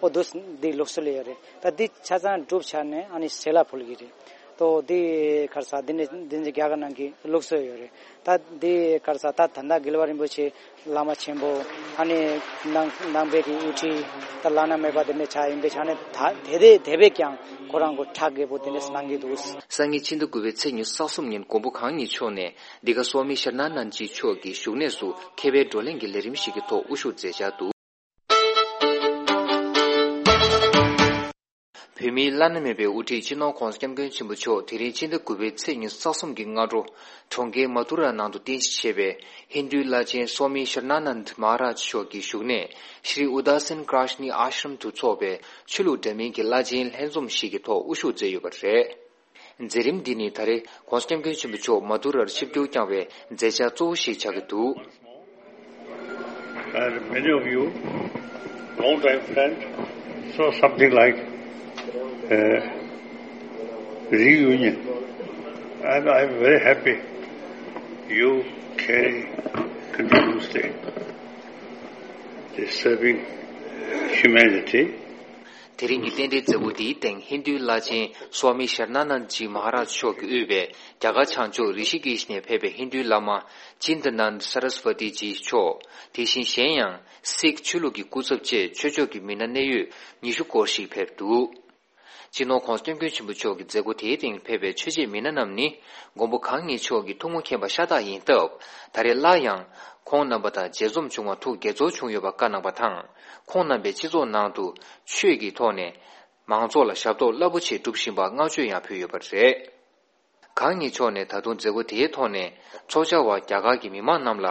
ཨོ་དུ་འདི་ལུགས་སྲོལ་ཡོད་རེད། ད་འདི་ཆ་ཚང་གྲུབ་ཚར་ནས་ཨ་ནི་ཟས་ལ་ཕུལ་གྱི་རེད། ཏོ་དེ་གར་ས་དེ་ནས་དེ་ནས་རྒྱ་གར་ནང་གི་ལུགས་སྲོལ་ཡོད་རེད། ད་དེ་གར་ས་ད་ད་ལྟ་དགེ་བཤེས་རིན་པོ་ཆེ་བླ་མ་ཆེན་པོ་ཨ་ནི་ནང་ནང་པའི་གི་དབུ་ཁྲིད་ད་བླ་ན་མེད་པ་དེ་འདྲ་ཆགས་ཡིན་པའི་ཆ་ནས་ད་དེ་དེ་དེ་བས་ཀྱང་ཁོ་རང་གི་ཁྲག་རྒྱས་པོ་དེ་འདྲ་གནང་གི་འདུག། སང་ཉིན་ཕྱི་ཟླ་དགུ་པའི་ཚེས་ཉི་ཤུ་རྩ་གསུམ་ཉིན་མགོན་པོ་གང་ཉིད་མཆོག་ནས་འདི་ག་སྭ་མི་ཤར་ན་ནན་ཇི་མཆོག་གི་བཞུགས་གནས་སུ་མཁས་པའི་བགྲོ་གླེང་གི་ལས་རིམ་ཞིག་གི་ཐོག་དབུ་བཞུགས་མཛད་འཆར་འདུག། བོད་མིའི་བླ་ན་མེད་པའི་དབུ་ཁྲིད་སྤྱི་ནོར་༸གོང་ས་༸སྐྱབས་མགོན་ཆེན་པོ་མཆོག་དེ་རིང་ཕྱི་ཟླ་དགུ་པའི་ཚེས་ཉི་ཤུ་རྩ་གསུམ་གྱི་སྔ་དྲོ་གྲོང་ཁྱེར་མ་ཐུ་ར་ནང་དུ་རྟེན་གཞི་བྱས་པའི་ཧིན་རྡུའི་བླ་ཆེན་སྭ་མི་ཤར་ན་ནན་དི་མ་ཧ་རཱཇ་མཆོག་གི་བཞུགས་གནས་ཤྲི་ཨུ་དཱ་སིན་ཀྲཱཤ་ནི་ཨཱ་ཤྲམ་དུ་འཚོགས་པའི་ཆོས་ལུགས་འདྲ་མིན་གྱི་བླ་ཆེན་ལྷན་འཛོམས་ཤིག་གི་ཐོག་དབུ་བཞུགས་མཛད་ཡོད་པ་རེད། མཛད་རིམ་འདི་ནི་ད་རེས་༸གོང་ས་༸སྐྱབས་མགོན་ཆེན་པོ་མཆོག་མ་ཐུ་རར་ཆིབས་བསྒྱུར་བསྐྱངས་པའི་མཛད་འཆར་གཙོ་བོ་ཞིག་ཆགས་ཀྱི་འདུག། And many of you, long time friend, so something like, uh, reunion. And I'm very happy you carry continuously the serving humanity. དེ་རིང་གི་རྟེན་འབྲེལ་མཛད་སྒོ་འདིའི་སྟེང་ཧིན་རྡུའི་བླ་ཆེན་སོ་ཨ་མི་ཤར་ན་ནན་ཇི་མ་ཧ་རཱཇ་མཆོག་གིས་དབུས་པའི་རྒྱ་གར་བྱང་ཕྱོགས་རི་ཤི་ཀེཤ་ནས་ཕེབས་པའི་ཧིན་རྡུའི་བླ་མ་ཅིན་ད་ནན་ད་སར་སི་ཝ་ཏི་ཇི་མཆོག་དེ་བཞིན་གཞན་ཡང་སིག་ཆོས་ལུགས་ཀྱི་སྐུ་ཚབ་བཅས་ཆོས་ཕྱོགས་ཀྱི་མི་སྣ་གནད་ཡོད་ཉི་ཤུ་སྐོར་ཞིག་ཕེབས་འདུག་སྤྱི་ནོར་༸གོང་ས་༸སྐྱབས་མགོན་ཆེན་པོ་མཆོག་གི་མཛད་སྒོ་དེའི་སྟེང་ཕེབས་པའི་ཆོས་བྱེད་མི་སྣ་རྣམས་ནི་མགོན་པོ་གང་ཉིད་མཆོག་གི་ཐུགས་སྨོན་མཁྱེན་པ་ཤ་སྟག་ཡིན་སྟབས། ད་རེས་སླར་ཡང་ཁོང་རྣམ་པ་དང་མཇལ་འཛོམས་བྱུང་བར་ཐུགས་དགྱེས་ཚོར་བྱུང་ཡོད་པ་བཀའ་གནང་བ་དང་། ཁོང་རྣམ་པས་སྤྱི་ཚོགས་ནང་དུ་ཆོས་ཀྱི་ཐོག་ནས་མང་ཚོགས་ལ་ཞབས་ཏོག་རླབས་པོ་ཆེ་སྒྲུབ་བཞིན་པར་བསྔགས་བརྗོད་ཡང་ཕུལ་ཡོད་པ་རེད། གང་ཉིད་མཆོག་ནས་ད་དུང་མཛད་སྒོ་དེའི་ཐོག་ནས་ཚོགས་བཅར་བ་རྒྱ་གར་གྱི་མི་མང་རྣམས་ལ།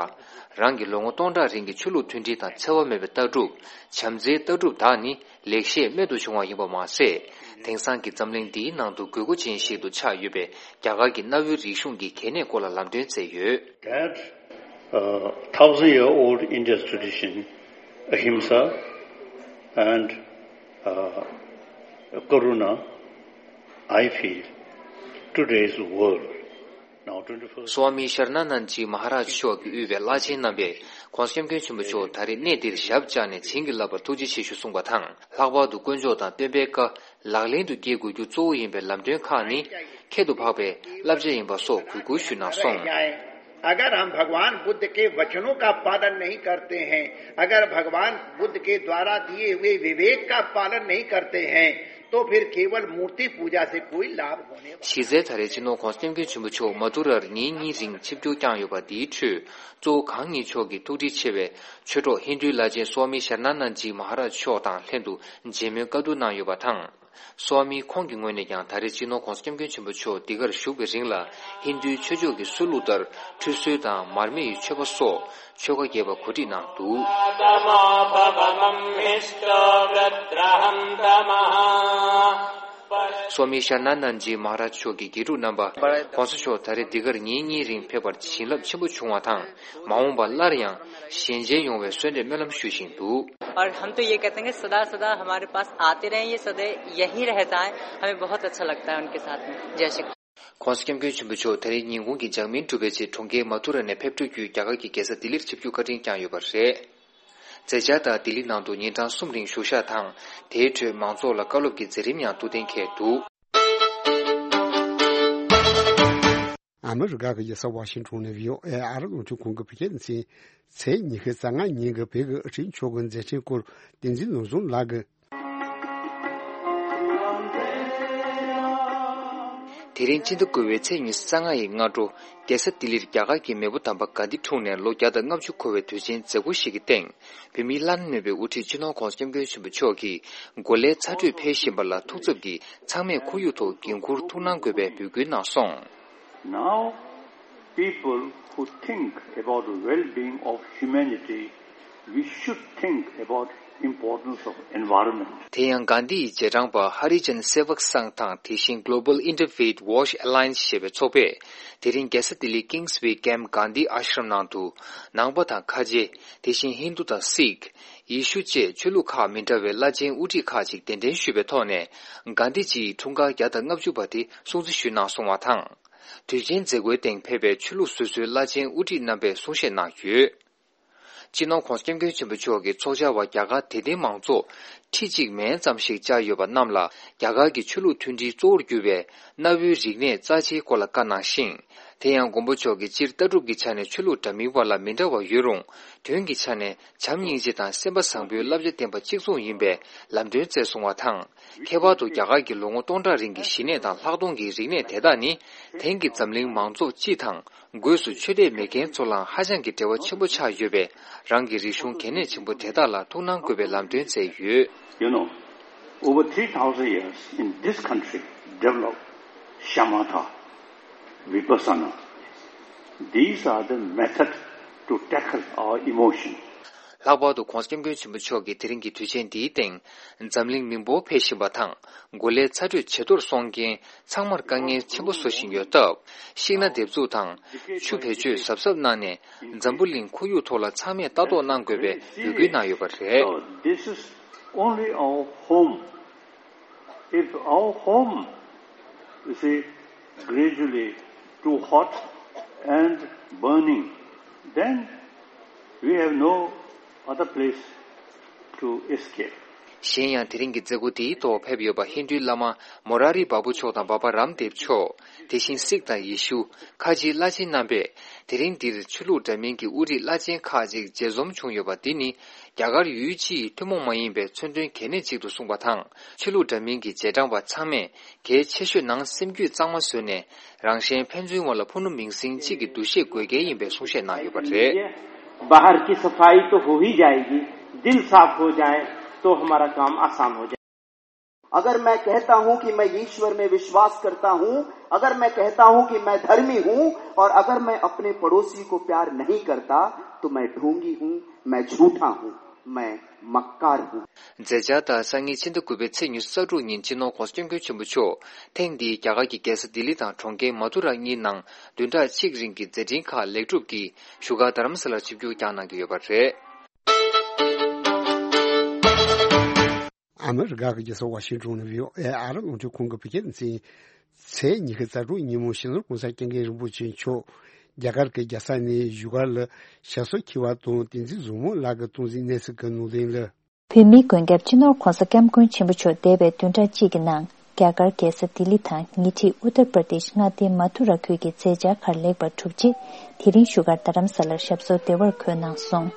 རང་གི་ལོ་ངོ་སྟོང་ཕྲག་རིང་གི་ཆོས་ལུགས་མཐུན་སྒྲིལ་དང་འཚེ་བ་མེད་པའི་ལྟ་གྲུབ། བྱམས་བརྩེའི་ལྟ་གྲུབ་དག་ནི་ལེགས་བཤད་རྨད་དུ་བྱུང་བ་ཡིན་པ་མ་ཟད། དེང་སང་གི་འཛམ་གླིང་འདིའི་ནང་དུ་དགོས་མཁོ་ཅན་ཞིག་ཏུ་ཆགས་ཡོད་པའི་རྒྱ་གར་གྱི་གནའ་བོའི་རིག་གཞུང་གི་གལ་གནད་སྐོར་ལ་ལམ་སྟོན་མཛད་ཡོད། That uh, thousand year old India's tradition, ahimsa, and uh, karuna, I feel today's world, now twenty-first སོ་ཨ་མི་ཤར་ན་ནན་ཇི་མ་ཧ་རཱཇ་མཆོག་གིས་དབུས་པའི་བླ་ཆེན་རྣམ་པས་༸གོང་ས་༸སྐྱབས་མགོན་ཆེན་པོ་མཆོག་ད་རེས་གནས་འདིར་ཞབས་བཅགས་ནས་བྱིན་གྱིས་བརླབས་པར་ཐུགས་རྗེ་ཆེ་ཞུ་གསུངས་པ་དང་། ལྷག་པར་དུ་དཀོན་མཆོག་དང་སྟོན་པའི་བཀའ་ལག་ལེན་དུ་འཁེལ་དགོས་རྒྱུ་གཙོ་བོ་ཡིན་པའི་ལམ་སྟོན་ཁག་ནི་ཁྱད་དུ་འཕགས་པའི་བསླབ་བྱ་ཡིན་པ་སོགས་གུས་བཀུར་ཞུས་གནང་སོང་། अगर हम भगवान बुद्ध के वचनों का पालन नहीं करते हैं, अगर भगवान बुद्ध के द्वारा दिए हुए विवेक का पालन नहीं करते हैं, तो फिर केवल मूर्ति पूजा से कोई लाभ होने वाला གཞི་རྩའི་ད་རེས་སྤྱི་ནོར་༸གོང་ས་༸སྐྱབས་མགོན་ཆེན་པོ་མཆོག་མ་ཏུ་རར་ཉིན་གཉིས་རིང་ཆིབས་བསྒྱུར་བསྐྱངས་ཡོད་པ་འདིའི་ཁྲོད། གཙོ་བོ་གང་ཉིད་མཆོག་གིས་ཐུགས་འདྲིས་ཆེ་བའི་ཆོས་གྲོགས་ཧིན་རྡུའི་བླ་ཆེན་སོ་ཨ་མི་ཤར་ན་ནན་ཇི་མ་ཧ་རཱཇ་མཆོག་དང་ལྷན་དུ་མཇལ་མོལ་བཀའ་བསྡུར་གནང་ཡོད་པ་དང་། སོ་ཨ་མི་ཁོང་གི་ངོས་ནས་ཀྱང་ད་རེས་སྤྱི་ནོར་༸གོང་ས་༸སྐྱབས་མགོན་ཆེན་པོ་མཆོག་འདི་གར་བཞུགས་པའི་རིང་ལ་ཧིན་རྡུའི་ཆོས་ཕྱོགས་ཀྱི་སྲོལ་ལུགས་ལྟར་ཁྲུས་གསོལ་དང་མར་མེ་ཡི་མཆོད་པ་སོགས་ཆོ་ག་རྒྱས་པ་གོ་སྒྲིག་གནང་འདུག་སོ་མི་ཤར་ན་ནན་ཇི་མ་ཧ་རཱཇ་མཆོག་གི་དགེ་ཕྲུག་རྣམ་པ་༸གོང་ས་མཆོག་ད་རེས་འདི་གར་ཉིན་གཉིས་རིང་ཕེབས་པར་བྱིན་རླབས་ཆེན་པོ་བྱུང་བ་དང་། མ་འོངས་པར་སླར་ཡང་ཞལ་མཇལ་ཡོང་བའི་གསོལ་འདེབས་སྨོན་ལམ་ཞུ་བཞིན་འདུག और हम तो ये कहते हैं कि सदा सदा हमारे पास आते रहें, ये सदा यहीं रह जाएं, हमें बहुत अच्छा लगता है उनके साथ में। जय श्री कृष्ण। 'གོང་ས་༸སྐྱབས་མགོན་ཆེན་པོ་མཆོག་ད་རེས་ཉིན་གུང་གི་འཇར་མན་གྲུ་པའི་ཆེད་གྲོང་ཁྱེར་མ་ཐུ་ར་ནས་ཕེབས་འགྲོ་བརྒྱུད་རྒྱ་གར་གྱི་རྒྱལ་ས་ལྡི་ལིར་ཆིབས་བསྒྱུར་བཀའ་དྲིན་བསྐྱངས་ཡོད་པ་རེད། མཛད་འཆར་ལྟར་ལྡི་ལི་ནང་དུ་ཉིན་གྲངས་གསུམ་རིང་བཞུགས་ཞག་དང་། དེའི་ཁྲོད་མང་ཚོགས་ལ་བཀའ་སློབ་ཀྱི་མཛད་རིམ་ཡང་ཐུགས་གཏན་འཁེལ་འདུག་ཨ་མི་རི་ཀ་གི་རྒྱལ་ས་ཝ་ཤིང་ཊོན་ནས་བྷི་ཨོ་ཨེ་ཨ་རི་རླུང་འཕྲིན་ཁང་གི་བོད་སྐད་སྡེ་ཚན་ཚེས་ཉི་ཤུ་རྩ་ལྔ་ཉིན་གྱི་བོད་ཀྱི་དབུ་ཁྲིད་མཆོག་གི་མཛད་འཕྲིན་སྐོར་བསྟན་འཛིན་ནོར་བཟང་ལགས་ཀྱིས། དེ་རིང་སྤྱི་ཟླ་དགུ་པའི་ཚེས་ཉི་ཤུ་རྩ་ལྔ་ཡི་སྔ་དྲོ། རྒྱལ་ས་ལྡི་ལིར་རྒྱ་གར་གྱི་མེས་པོ་དམ་པ་གྷན་དྷི་འཁྲུངས་ནས་ལོ་བརྒྱ་དང་ལྔ་བཅུ་འཁོར་བའི་དུས་ཆེན་མཛད་སྒོ་ཞིག་གི་སྟེང་། བོད་མིའི་བླ་ན་མེད་པའི་དབུ་ཁྲིད་སྤྱི་ནོར་༸གོང་ས་༸སྐྱབས་མགོན་ཆེན་པོ་མཆོག་གིས་འགོ་ལས་ཚ་དྲོད་འཕེལ་བཞིན་པ་ལ་ཐུགས་འཚབ་ཀྱིས་ཚང་མས་ཁོར་ཡུག་ཐོག་འགན་འཁུར་ཐུགས་སྣང་དགོས་པའི་འབོད་སྐུལ་གནང་སོང་། Now, people who think about the well-being of humanity, we should think about importance of environment. དེ་ཡང་གྷན་དྷི་ཡི་རྗེས་འབྲང་པ་ཧ་རི་ཇན་སེ་བག་སང་དང་དེ་བཞིན་Global Interfaith Wash Alliance ཞེས་པའི་ཚོགས་པས། དེ་རིང་རྒྱལ་ས་ལྡི་ལི་Kingsway Camp Gandhi Ashram ནང་དུ། ནང་པ་དང་ཁ་ཆེ། དེ་བཞིན་ཧིན་དུ་དང་སིག་ཡེ་ཤུ་བཅས་ཆོས་ལུགས་ཁག་མི་འདྲ་བའི་བླ་ཆེན་དབུ་ཁྲིད་ཁག་ཅིག་གདན་འདྲེན་ཞུས་པའི་ཐོག་ནས། གྷན་དྷི་ཇི་ཡི་འཁྲུངས་སྐར་བརྒྱ་དང་ལྔ་བཅུ་པ་དེ་སྲུང་བརྩི་ཞུས་གནང་སོང་བ་དང་། དུས་ཆེན་མཛད་སྒོའི་སྟེང་ཕེབས་པའི་ཆོས་ལུགས་སོ་སོའི་བླ་ཆེན་དབུ་ཁྲིད་རྣམ་པས་གསུང་བཤད་གནང་ཡོད། སྤྱི་ནོར་༸གོང་ས་༸སྐྱབས་མགོན་ཆེན་པོ་མཆོག་གིས་ཚོགས་བཅར་བ་རྒྱ་གར་དད་ལྡན་མང་ཚོགས་ཁྲི་གཅིག་མན་ཙམ་ཞིག་བཅར་ཡོད་པ་རྣམས་ལ་རྒྱ་གར་གྱི་ཆོས་ལུགས་མཐུན་སྒྲིལ་གཙོ་བོར་གྱུར་བའི་གནའ་བོའི་རིག་གནས་རྩ་ཆེའི་སྐོར་ལ་བཀའ་གནང་ཞིང་། དེ་ཡང་མགོན་པོ་མཆོག་གིས་སྤྱིར་ལྟ་གྲུབ་ཀྱི་ཆ་ནས་ཆོས་ལུགས་འདྲ་མིན་བར་ལ་མི་འདྲ་བ་ཡོད་རུང་། དོན་གྱི་ཆ་ནས་བྱམས་སྙིང་རྗེ་དང་སེམས་པ་བཟང་པོའི་བསླབ་བྱ་བསྟན་པ་གཅིག་མཚུངས་ཡིན་པའི་ལམ་སྟོན་མཛད་སོང་བ་དང་། ཁྱད་པར་དུ་རྒྱ་གར་གྱི་ལོ་ངོ་སྟོང་ཕྲག་རིང་གི་གཞི་གནས་དང་ལྷག་མཐོང་གི་རིག་གནས་དེ་དག་ནི། དེང་གི་འཛམ་གླིང་མང་ཚོགས་སྤྱི་དང་། སྒོས་སུ་ཆོས་དད་མེད་མཁན་ཚོ་ལའང་ཧ་ཅང་གི་འབྲེལ་བ་ཆེན་པོ་ཆགས་ཡོད་པས། རང་གི་རིག་གཞུང་གལ་གནད་ཆེན་པོ་དེ་དག་ལ་ཐུགས་སྣང་དགོས་པའི་ལམ་སྟོན་མཛད་ཡོད། You know, over three thousand years in this country developed shamatha, vipassana. These are the method to tackle our emotion. ལྷག་པར་དུ་༸གོང་ས་༸སྐྱབས་མགོན་ཆེན་པོ་མཆོག་གིས་དེ་རིང་གི་དུས་ཆེན་འདིའི་སྟེང་། འཛམ་གླིང་མི་འབོར་འཕེལ་བཞིན་པ་དང་། འགོ་ལས་ཚ་དྲོད་ཇེ་མཐོར་སོང་རྐྱེན། ཚང་མར་དཀའ་ངལ་ཆེན་པོ་བཟོ་བཞིན་ཡོད་སྟབས། ཤིང་སྣ་འདེབས་འཛུགས་དང་། ཆུ་བེད་སྤྱོད་གཟབ་གཟབ་གནང་ནས། འཛམ་བུ་གླིང་ཁོར་ཡུག་ཐོག་ལ་ཚང་མས་ལྟ་རྟོག་གནང་དགོས་པའི་འབོད་སྐུལ་གནང་ཡོད་པ་རེད། So this is only our home. If our home, you see, gradually too hot and burning, then we have no other place to escape. གཞན་ཡང་དེ་རིང་གི་མཛད་སྒོ་དེའི་ཐོག་ཕེབས་ཡོད་པ་ཧིན་རྡུའི་བླ་མ་མོ་ར་རི་བ་བུ་མཆོག་དང་འབའ་པ་རམ་དེབ་མཆོག་དེ་བཞིན་སིག་དང་ཡེ་ཤུ། ཁ་ཆེའི་བླ་ཆེན་རྣམ་པས་དེ་རིང་འདིར་ཆོས་ལུགས་འདྲ་མིན་གྱི་དབུ་ཁྲིད་བླ་ཆེན་ཁག་ཅིག་མཇལ་འཛོམས་བྱུང་ཡོད་པ་འདི་ནི་རྒྱ་གར་ཡུལ་སྤྱི་ཡི་ཐུན་མོང་མ་ཡིན་པའི་མཚོན་དོན་གལ་གནད་ཅིག་ཏུ་གསུངས་པ་དང་། ཆོས་ལུགས་འདྲ་མིན་གྱི་རྗེས་འབྲང་པ་ཚང་མས་གལ་ཆེ་ཤོས་ནང་སེམས་རྒྱུད་གཙང་མ་བཟོས་ནས། རང་གཞན་ཕན་ཚུན་བར་ལ་ཕུ་ནུ་མིང་སྲིང་གཅིག་གི་འདུ་ཤེས་དགོས་གལ་ཡིན་པའི་གསུང་བཤད་གནང་ཡོད་པ་རེད། बाहर की सफाई तो हो ही जाएगी, दिल साफ हो जाए तो हमारा काम आसान हो जाए। अगर मैं कहता हूं कि मैं ईश्वर में विश्वास करता हूं, अगर मैं कहता हूं कि मैं धर्मी हूं और अगर मैं अपने पड़ोसी को प्यार नहीं करता तो मैं ढोंगी हूं, मैं झूठा हूं, मैं मक्कार हूं। མཛད་འཆར་ལྟར་སང་ཉིན་ཕྱི་ཟླ་དགུ་པའི་ཚེས་ཉི་ཤུ་རྩ་དྲུག་ཉིན་སྤྱི་ནོར་༧གོང་ས་༧སྐྱབས་མགོན་ཆེན་པོ་མཆོག་ཐེངས་འདིའི་རྒྱ་གར་གྱི་རྒྱལ་ས་ལྡི་ལི་དང་གྲོང་ཁྱེར་མ་ཐུ་ར་གཉིས་ནང་བདུན་ཕྲག་གཅིག་རིང་གི་མཛད་འཕྲིན་ཁག་ལེགས་གྲུབ་ཀྱིས་བཞུགས་སྒར་རྡ་རམ་ས་ལར་ཆིབས་བསྒྱུར་བསྐྱངས་གནང་གི་ཡོད་པ་རེད། ཨ་མི་རི་ཀ་གི་རྒྱལ་ས་ཝ་ཤིང་ཊོན་ནས་བྷི་ཨོ་ཨེ་ཨ་རི་རླུང་འཕྲིན་ཁང་གི་བོད་སྐད་སྡེ་ཚན། ཚེས་ཉི་ཤུ་རྩ་དྲུག་ཉིན་མོ་སྤྱི་ནོར་༧གོང་ས་༧སྐྱབས་མགོན་རིན་པོ་ཆེ་མཆོག་རྒྱ་གར་གྱི་རྒྱལ་ས་ནས་བཞུགས་སྒར་ལ་ཞབས་སོར་འཁྱེར་བ་དང་བསྟན་འཛིན་བཟང་མོ་ལགས་ཀྱིས་གཏོང་འཛིན་གནས་ཚུལ་གྱི་ནང་དོན་ལ། བོད་མིའི་མགོན་སྐྱབས་སྤྱི་ནོར་༧གོང་ས་༧སྐྱབས་མགོན་ཆེན་པོ་མཆོག་འདས་པའི་བདུན་ཕྲག་གཅིག་གི་ནང་རྒྱ་གར་རྒྱལ་ས་ལྡི་ལི་དང་ཉེ་འཁྲིས་ཨུ་ཏར་པར་དེཤ་མངའ་སྡེའི་མ་ཐུ་ར་ཁུལ་གྱི་མཛད་འཆར་ཁག་ལེགས་པར་གྲུབ་རྗེས། དེ་རིང་བཞུགས་སྒར་རྡ་རམ་ས་ལར་ཞབས་སོར་བདེ་བར་འཁོད་གནང་སོང་།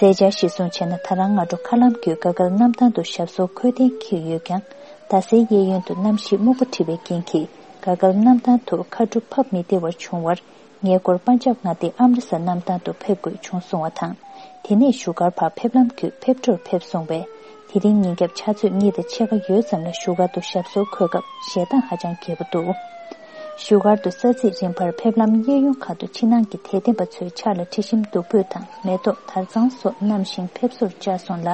མཛད་འཆར་གཞིར་བཟུང་བྱས་ན། ད་རང་སྔ་དྲོ་མཁའ་ལམ་བརྒྱུད་ག་གལ་གནམ་ཐང་དུ་ཞབས་སོར་འཁོད་གཏན་འཁེལ་ཡོད་ཀྱང་། རྡ་སའི་གཡས་གཡོན་དུ་གནམ་གཤིས་སྨུག་པ་འཁྲི་བའི་རྐྱེན་གྱིས། ག་གལ་གནམ་ཐང་དུ་མཁའ་གྲུ་ཕབ་མི་བདེ་བར་བྱུང་བར། ངེད་སྐོར་པན་ཇབ་མངའ་སྡེའི་ཨམ་རི་སར་གནམ་ཐང་དུ་ཕེབས་དགོས་བྱུང་གསུང་བ་དང་། དེ་ནས་བཞུགས་སྒར་བར་ཕེབས་ལམ་བརྒྱུད་ཕེབས་འཕྲོར་ཕེབས་སོང་བས། དེ་རིང་ཉིན་རྒྱབ་ཆུ་ཚོད་གཉིས་དང་ཕྱེད་ཀ་ཡོལ་ཙམ་ལ་བཞུགས་སྒར་དུ་ཞབས་སོར་འཁོད་སྐབས་ཞེད་སྡང་ཧ་ཅང་རྒྱས་པོ་འདུག་བཞུགས་སྒར་དུ་ས་ཚིགས་རིམ་པར་ཕེབས་ལམ་གཡས་གཡོན་ཁག་ཏུ་ཕྱི་ནང་གི་དད་ལྡན་པ་ཚོའི་ཕྱག་ལ་དྲི་ཞིམ་བདུག་སྤོས་དང་མེ་ཏོག་དར་ཚང་སོགས་བསྣམས་ཤིང་ཕེབས་བསུར་བཅར་སོང་ལ།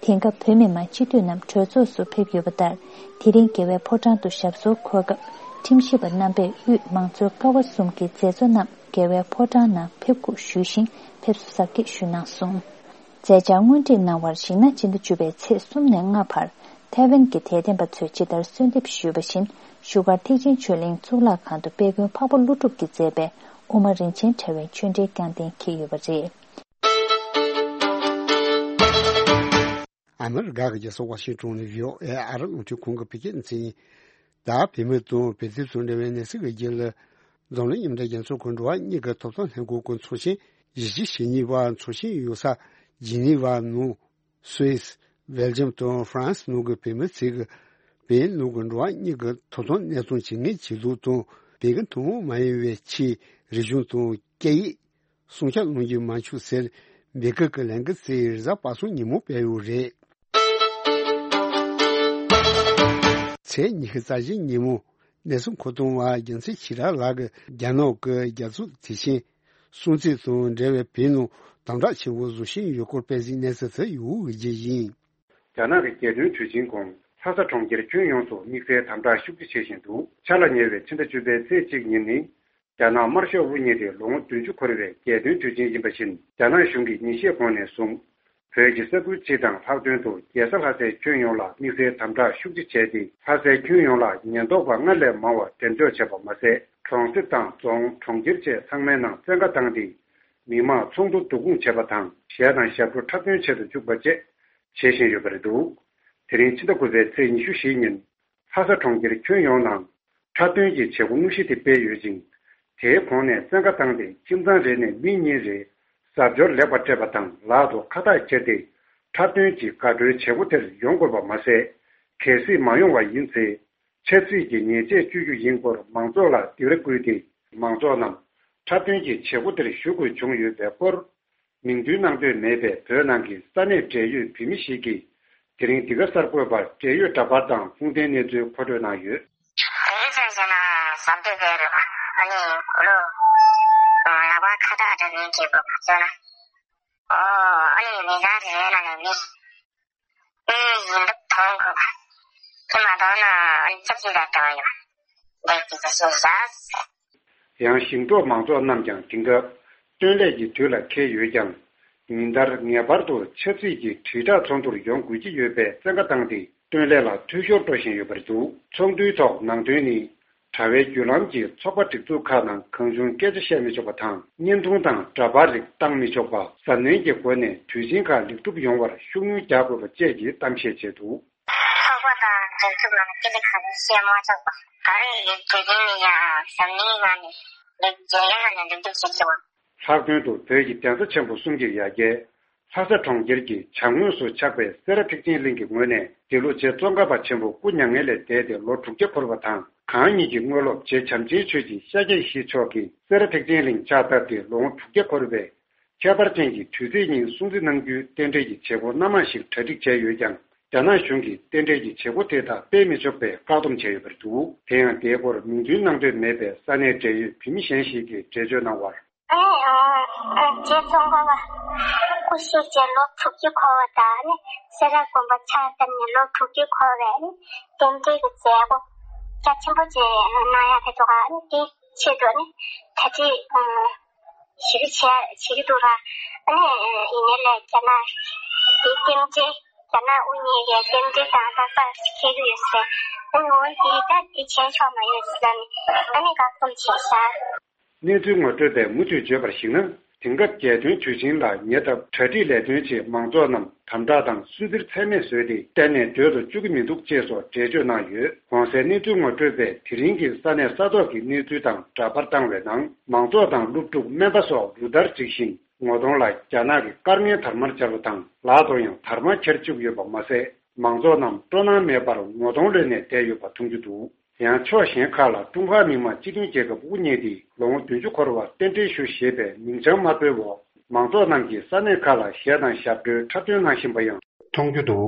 དེང་སྐབས་བོད་མི་མང་སྤྱི་འཐུས་རྣམས་གྲོས་ཚོགས་སུ་ཕེབས་ཡོད་པ་ལྟར། དེ་རིང་རྒྱལ་བའི་ཕོ་བྲང་དུ་ཞབས་སོར་འཁོད་སྐབས། ཁྲིམས་ཞིབ་པ་རྣམ་པས་དབུས་མང་གཙོའི་ཀ་བ་གསུམ་གྱི་མཛད་གཙོ་རྣམས་རྒྱལ་བའི་ཕོ་བྲང་ནང་ཕེབས་སྒུག་ཞུས་ཤིང་ཕེབས་བསུ་གཟབ་རྒྱས་ཞུས་གནང་སོང་། མཛད་འཆར་སྔོན་སྒྲིག་གནང་བར་གཞིགས་ན། སྤྱི་ཟླ་བཅུ་པའི་ཚེས་གསུམ་ནས་ལྔ་བར་ཐའེ་ཝན་གྱི་དད་ལྡན་པ་ཚོས་ཇི་ལྟར་གསོལ་འདེབས་ཞུས་པ་བཞིན། བཞུགས་སྒར་ཐེག་ཆེན་ཆོས་གླིང་གཙུག་ལག་ཁང་དུ་དཔལ་མགོན་འཕགས་པ་ཀླུ་སྒྲུབ་ཀྱིས་མཛད་པའི་དབུ་མ་རིན་ཆེན་ཕྲེང་བའི་ཆོས་འབྲེལ་བསྐྱངས་གཏན་འཁེལ་ཡོད་པ་རེད། ཨ་མི་རི་ཀ་གི་རྒྱལ་ས་ཝ་ཤིང་ཊོན་ནས་བྷི་ཨོ་ཨེ་ཨ་རི་རླུང་འཕྲིན་ཁང་གི་བོད་སྐད་སྡེ་ཚན། ད་བོད་མི་དང་བོད་རིགས་ཚོའི་འབྲེལ་བའི་གནས་ཚུལ་གྱི་རྒྱུད་ལ། འཛམ་གླིང་མཉམ་འབྲེལ་རྒྱལ་ཚོགས་ཀྱི་འགྲོ་བ་མིའི་ཐོབ་ཐང་ལྷན་ཁང་གི་ཚོགས་ཆེན་བཞི་བཅུ་ཞེ་གཉིས་པ་ཚོགས་ཆེན་ཡོད་ས་ཇི་ནི་ཝ་ནང་སུད་སི། སྦེལ་ཇམ་དང་ཧྥ་རན་སི་ནང་གི་བོད་མི་ཚོས་ཀྱི་བོད་ནང་གི་འགྲོ་བ་མིའི་ཐོབ་ཐང་གནས་སྟངས་ཇེ་ངན་ཇེ་སྡུག་དང་། བོད་ཀྱི་ཐུན་མོང་མ་ཡིན་པའི་ཆོས། རིག་གཞུང་དང་སྐད་ཡིག་སྲུང་སྐྱོབ་གནང་རྒྱུ་མ་བྱུང་ཟེར། འབོད་སྐུལ་གྱི་ལས་འགུལ་ཚོས་རེས་གཟའ་པ་སངས་ཉིན་མོ་སྤེལ་ཡོད་རེད། ཚེས་ཉི་ཤུ་རྩ་བཞི་ཉིན་མོ་གནས་ཚུལ་མཁོ་གཏོང་བ་རྒྱལ་མཚན་ཆོས་གྲགས་ལགས་ཀྱིས་རྒྱ་ནག་གི་རྒྱལ་ཚོགས་དེ་བཞིན་སྲུང་བརྩི་དང་འབྲེལ་བའི་བོད་ནང་དམ་དྲག་ཆེན་པོ་བཟོ་བཞིན་ཡོད་སྐོར་སྤེལ་གཟིགས་གནས་ཚུལ་དེ་ཡོད་རྒྱུ་ཡིན། རྒྱ་ནག་གི་རྒྱལ་དོན་དུས་ཆེན་གོང་ལྷ་ས་གྲོང་ཁྱེར་ཁྱོན་ཡོངས་སུ་དམིགས་བསལ་དམ་དྲག་ཤུགས་ཆེ་བྱེད་བཞིན་འདུག་འཆར་ལ་ཉེ་བའི་ཕྱི་ཟླ་བཅུ་པའི་ཚེས་གཅིག་ཉིན་ནི། རྒྱ་ནག་དམར་ཤོག་དབུ་བརྙེས་ཏེ་ལོ་ངོ་བདུན་ཅུ་འཁོར་བའི་རྒྱལ་དོན་དུས་ཆེན་ཡིན་པ་བཞིན། རྒྱ་ནག་གཞུང་གིས་ཉིན་ཤས་གོང་ནས་བཟུང་། བོད་ཀྱི་ས་ཁུལ་སྤྱི་དང་ལྷག་དོན་དུ་རྒྱལ་ས་ལྷ་སའི་ཁྱོན་ཡོངས་ལ་དམིགས་བསལ་དམ་དྲག་ཤུགས་ཆེ་བྱས་ཏེ། ལྷ་སའི་ཁྱོན་ཡོངས་ལ་ཉེན་རྟོག་པ་སྔར་ལས་མང་བ་འགྲེམས་འཇོག་བྱས་པ་མ་ཟད། གྲོང་གསེབ་དང་རྫོང་། གྲོང་ཁྱེར་བཅས་ཚང་མའི་ནང་བཙན་བཀའ་བཏང་སྟེ། མི་མང་ཚོགས་འདུ་བསྡུ་སྐོང་བྱས་པ་དང་། གཞས་དང་ཞབས་བྲོ་འཁྲབ་སྟོན་བྱེད་དུ་བཅུག་པ་བཅས་བྱེད་བཞིན་ཡོད་པ་རེད་འདུག་དེ་རིང་ཕྱི་ཟླ་དགུ་པའི་ཚེས་ཉི་ཤུ་བཞི་ཉིན། ལྷ་ས་གྲོང་ཁྱེར་ཁྱོན་ཡོངས་ནང་འཁྲབ་སྟོན་གྱི་བྱེད་སྒོ་དངོས་གཞི་དེ་སྤེལ་ཡོད་ཅིང་། དེའི་གོང་ནས་བཙན་བཀའ་བཏང་སྟེ། ཁྱིམ་ཚང་རེ་ནས་མི་གཉིས་རེ་གཟབ་མཆོར་ལེགས་པར་སྤྲས་པ་དང་། ལག་ཏུ་ཁ་བཏགས་འཁྱེར་ཏེ། འཁྲབ་སྟོན་གྱི་དགའ་སྤྲོའི་བྱེད་སྒོ་དེར་ཡོང་དགོས་པ་མ་ཟད། གལ་སྲིད་མ་ཡོང་བ་ཡིན་ཚེ། ཆབ་སྲིད་ཀྱི་ཉེས་ཆད་གཅོད་རྒྱུ་ཡིན་སྐོར་མང་ཚོགས་ལ་འདི་ལྟར་བསྐུལ་ཏེ། མང་ཚོགས་རྣམས་འཁྲབ་སྟོན་གྱི་བྱེད་སྒོ་དེར་ཞུགས་དགོས་བྱུང་ཡོད་པའི་སྐོར། མིང་འདོན་གནང་འདོད་མེད་པའི་བོད་ནང་གི་ས་གནས་འབྲེལ་ཡོད་བོད་མི་ཞིག་གིས། དེ་རིང་འདི་ག་གསར་འགོད་པར་འབྲེལ་ཡོད་འདྲ་པར་དང་ཁུངས་ལྡན་གནས་ཚུལ་མཁོ་སྤྲོད་གནང་ཡོད། དེ་རིང་ཚོད་བྱས་ན་ཟམ་དེ་བས་རེད་པ། ཨ་ནི་གོ་ལོ། ལག་པ་ཁ་བཏགས་འདྲ་མིན་གྱི་སྐོར་བ་ཚོ་ན། ཨོ། ཨ་ནི་མི་ཚང་རེ་རེ་ནང་ནས་མི། ཨེ། ཡིན་སྟབས་མཐོང་དགོས་པ། དེ་མ་མཐོང་ན་ཨ་ནི་ཆབ་སྲིད་དང་འབྲེལ་བ་ཡོད་པ། འདི་གི་ཆ་ཤས་བཞག་ཡང་ཞིང་འབྲོག་མང་ཚོགས་རྣམས་ཀྱང་དེང་སྐབས་སྟོན་ལས་ཀྱི་དུས་ལ་འཁེལ་ཡོད་ཀྱང་། ཉིན་ལྟར་ངེས་པར་དུ་ཆབ་སྲིད་ཀྱི་དྲིལ་བསྒྲགས་ཚོགས་འདུར་ཡོང་དགོས་ཀྱི་ཡོད་པའི་བཙན་བཀའ་བཏང་སྟེ། བཏོན་ལས་ལ་འཐུས་ཤོར་འགྲོ་བཞིན་ཡོད་པ་རེད་འདུག། ཚོགས་འདུའི་ཐོག་ནང་དོན་ནི། དྲ་བའི་བརྒྱུད་ལམ་གྱིས་ཚོགས་པ་སྒྲིག་འཛུགས་ཁག་ནང་གང་བྱུང་སྐད་ཆ་བཤད་མི་ཆོག་པ་དང་། བརྙན་ཐུང་དང་འདྲ་པར་རིགས་བཏང་མི་ཆོག་པ། གཟབ་ནན་གྱི་སྒོ་ནས་དུས་ཆེན་ཁག་ལེགས་གྲུབ་ཡོང་བར་ཤུགས་སྣོན་རྒྱག་དགོས་པ་བཅས་ཀྱི་གཏམ་བཤད་བྱས་འདུག། ཚོགས་པ་དང་སྒྲིག་འཛུགས་ནང་སྐད་ཆ་གང་ཡང་བཤད་མ་ཆོག་པ། ད་རེས་ཀྱི་དུས་ཆེན་ནི་ཡང་གཟབ་ནན་ངང་ནས་ལེགས་མཇལ་ཡག་ངང་ནས་ལེགས་གྲུབ་བྱེད་ཆོག་པ། ལྷག་དོན་དུ་བོད་ཀྱི་གདན་ས་ཆེན་པོ་གསུམ་གྱི་ཡ་གྱལ། ལྷ་ས་གྲོང་ཁྱེར་གྱི་བྱང་ངོས་སུ་ཆགས་པའི་སེ་ར་ཐེག་ཆེན་གླིང་གི་ངོས་ནས། འདི་ལོ་རྗེ་ཙོང་ཁ་པ་ཆེན་པོ་སྐུ་མྱ་ངན་ལས་འདས་ཏེ་ལོ་དྲུག་བརྒྱ་འཁོར་བ་དང་། གང་ཉིད་ཀྱི་དངོས་སློབ་རྗེ་བྱམས་ཆེན་ཆོས་ཀྱི་ཤཱཀྱ་ཡེ་ཤེས་མཆོག་གིས་སེ་ར་ཐེག་ཆེན་གླིང་ཕྱག་བཏབ་སྟེ་ལོ་ངོ་དྲུག་བརྒྱ་འཁོར་བའི་ཁྱད་པར་ཅན་གྱི་དུས་ཚིགས་ཉིན་སྲུང་བརྩི་གནང་རྒྱུའི་རྟེན་འབྲེལ་གྱི་བྱེད་སྒོ་སྣ་མང་ཞིག་གྲ་སྒྲིག་བྱས་ཡོད་ཀྱང་། རྒྱ་ནག་གཞུང་གིས་རྟེན་འབྲེལ་གྱི་བྱེད་སྒོ་དེ་དག་སྤེལ་མི་ཆོག་པའི་བཀག་སྡོམ་བྱས་ཡོད་པ་རེད་འདུག། དེ་ཡང་འདིའི་སྐོར་མིང་འདོན་གནང་འདོད་མེད་པའི་ས་གནས་འབྲེལ་ཡོད་བོད་མི་གཞན་ཞིག་གིས་འགྲེལ་བརྗོད་གནང་བར། ཨ་ནི། ཨ། རྗེ་ཙོང་ཁ་པ་སྐུ་གཤེགས་རྗེས་ལོ་དྲུག་ཅུ་འཁོར་བ་དང་ནི་སེ་ར་དགོན་པ་ཕྱག་བཏབ་ནས་ལོ་དྲུག་ཅུ་འཁོར་བའི་ནི་རྟེན་འབྲེལ་གྱི་མཛད་སྒོ་རྒྱ་ཆེན་པོ་ཅིག་གནང་ཡག་རེད་འདུག་ག། ཨ་ནི་དེའི་ཆེད་དུ་ནི་གྲ་སྒྲིག་ཨ་ཞེ་པོ་བྱས་བྱེད་ཀྱི་འདུག་ར། ཨ་ནི་ཡིན་ནའི་ལས་རྒྱ་ནག་དེའི་རྟེན་འབྲེལ། རྒྱ་ནག་དབུ་བརྙེས་པའི་རྟེན་འབྲེལ་དང་རྟག་པར་འཁེལ་གྱི་ཡོད་ཟེར། ཨ་ནི་འོ་འདི་ད་འདི་བྱས་ཆོག་མ་ཡོད་ཟེར་ལབ་ནས་ཨ་ནི་བཀག་སྡོམ་བྱས་ཤག། གནས་ཚུལ་ངོ་སྤྲོད་པས་མུ་མཐུད་བརྗོད་པར་གཞིགས་ན། དེང་སྐབས་རྒྱལ་སྟོན་དུས་ཆེན་ལ་ཉེ་འདབས་གྲ་སྒྲིག་ལས་དོན་ཆེད་མང་ཚོགས་རྣམས་དམ་དྲག་དང་སུ་གཙེར་ཚད་མེད་བཟོས་ཏེ་གཏན་ནས་སྡོད་དུ་བཅུག་གི་མི་འདུག་ཅེས་སོགས་འགྲེལ་བརྗོད་གནང་ཡོད། གོང་གསལ་གནས་ཚུལ་ངོ་སྤྲོད་པས་དེ་རིང་གི་ས་གནས་ས་ཐོག་གི་གནས་ཚུལ་དང་འདྲ་པར་བཏང་བའི་ནང་། མང་ཚོགས་དང་སློབ་ཕྲུག་སྨན་པ་སོགས་རུ་སྟར་སྒྲིག་བཞིན་ངོ་གདོང་ལ་རྒྱ་ནག་གི་སྐར་ལྔའི་དར་དམར་སྦྱར་བ་དང་། ལག་ཏུ་ཡང་དར་དམར་འཁྱེར་བཅུག་ཡོད་པ་མ་ཟད། མང་ཚོགས་རྣམས་སྤྲོ་སྣང་མེད་པར་ངོ་གདོང་ལོན་ནས་བསྡད་ཡོད་པ་མཐོང་རྒྱུ་འདུག། ཡང་ཕྱོགས་གཞན་ཁག་ལ་ཀྲུང་ཧྭ་མི་དམངས་སྤྱི་མཐུན་རྒྱལ་ཁབ་དབུ་བརྙེས་ཏེ་ལོ་ངོ་བདུན་ཅུ་འཁོར་བར་རྟེན་འབྲེལ་ཞུ་ཞེས་པའི་མིང་བྱང་དམར་པོའི་འོག་མང་ཚོགས་རྣམས་ཀྱིས་ས་གནས་ཁག་ལ་གཞས་དང་ཞབས་བྲོའི་འཁྲབ་སྟོན་གནང་བཞིན་པ་ཡང་མཐོང་རྒྱུ་འདུག།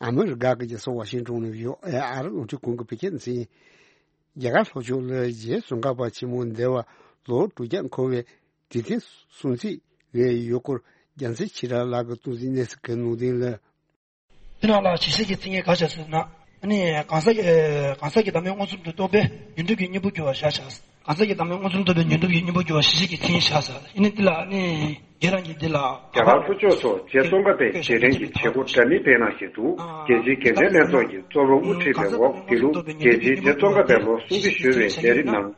ཨ་མི་རི་ཀ་གི་རྒྱལ་ས་ཝ་ཤིང་ཏོན་ནས་བྷི་ཨོ་ཨེ་ཨ་རི་རླུང་འཕྲིན་ཁང་གི་བོད་སྐད་སྡེ་ཚན། རྒྱ་གར་ལྷོ་ཕྱོགས་ལ་རྗེ་ཙོང་ཁ་པ་ཆེན་མོ་འདས་པ་ལོ་དྲུག་བརྒྱ་འཁོར་བའི་དུས་དྲན་སྲུང་བརྩི་ལས་ཡོད་སྐོར་རྒྱལ་མཚན་ཆོས་གྲགས་ལགས་ཀྱིས་གཏོང་ཟིན་གནས་ཚུལ་གྱི་ནང་དོན་ལ། འདི་ནང་ལ་ཞིབ་བཤེར་གྱི་མཚན་སྙན་ག་བྱས་ཟེར་ན། ཨ་ནི་གང་ཟག་གི་གང་ཟག་གི་བདག་མེད་མངོན་སུམ་དུ་རྟོགས་པའི་ཉོན་སྒྲིབ་ཀྱི་གཉེན་པོ་གྱུར་པ་བཞག་བྱས། གང་ཟག་གི་བདག་མེད་མངོན་སུམ་རྟོགས་པའི་ཉོན་སྒྲིབ་ཀྱི་གཉེན་པོ་གྱུར་པ་ཞིབ་བཤེར་གྱི་མཚན་སྙན་བཞག་ཟེར། ཡིན་ནའི་འདི་ལ་ཨ་ནི་རྒྱ་གར་ལྷོ་ཕྱོགས་སུ་རྗེ་ཙོང་ཁ་པའི་རྗེས་དྲན་གྱི་བྱེད་སྒོ་འདྲ་མིན་སྤེལ་གནང་བཞིན་འདུག། རྒྱལ་སྤྱིའི་དགེ་ལྡན་ལྷན་ཚོགས་ཀྱི་གཙོ་བོ་དབུ་ཁྲིད་པའི་འོག་འདི་ལོ་རྒྱལ་སྤྱིའི་རྗེ་ཙོང་ཁ་པའི་ལོ་སྲུང་བརྩི་ཞུ་བའི་ལས་རིམ་ནང་།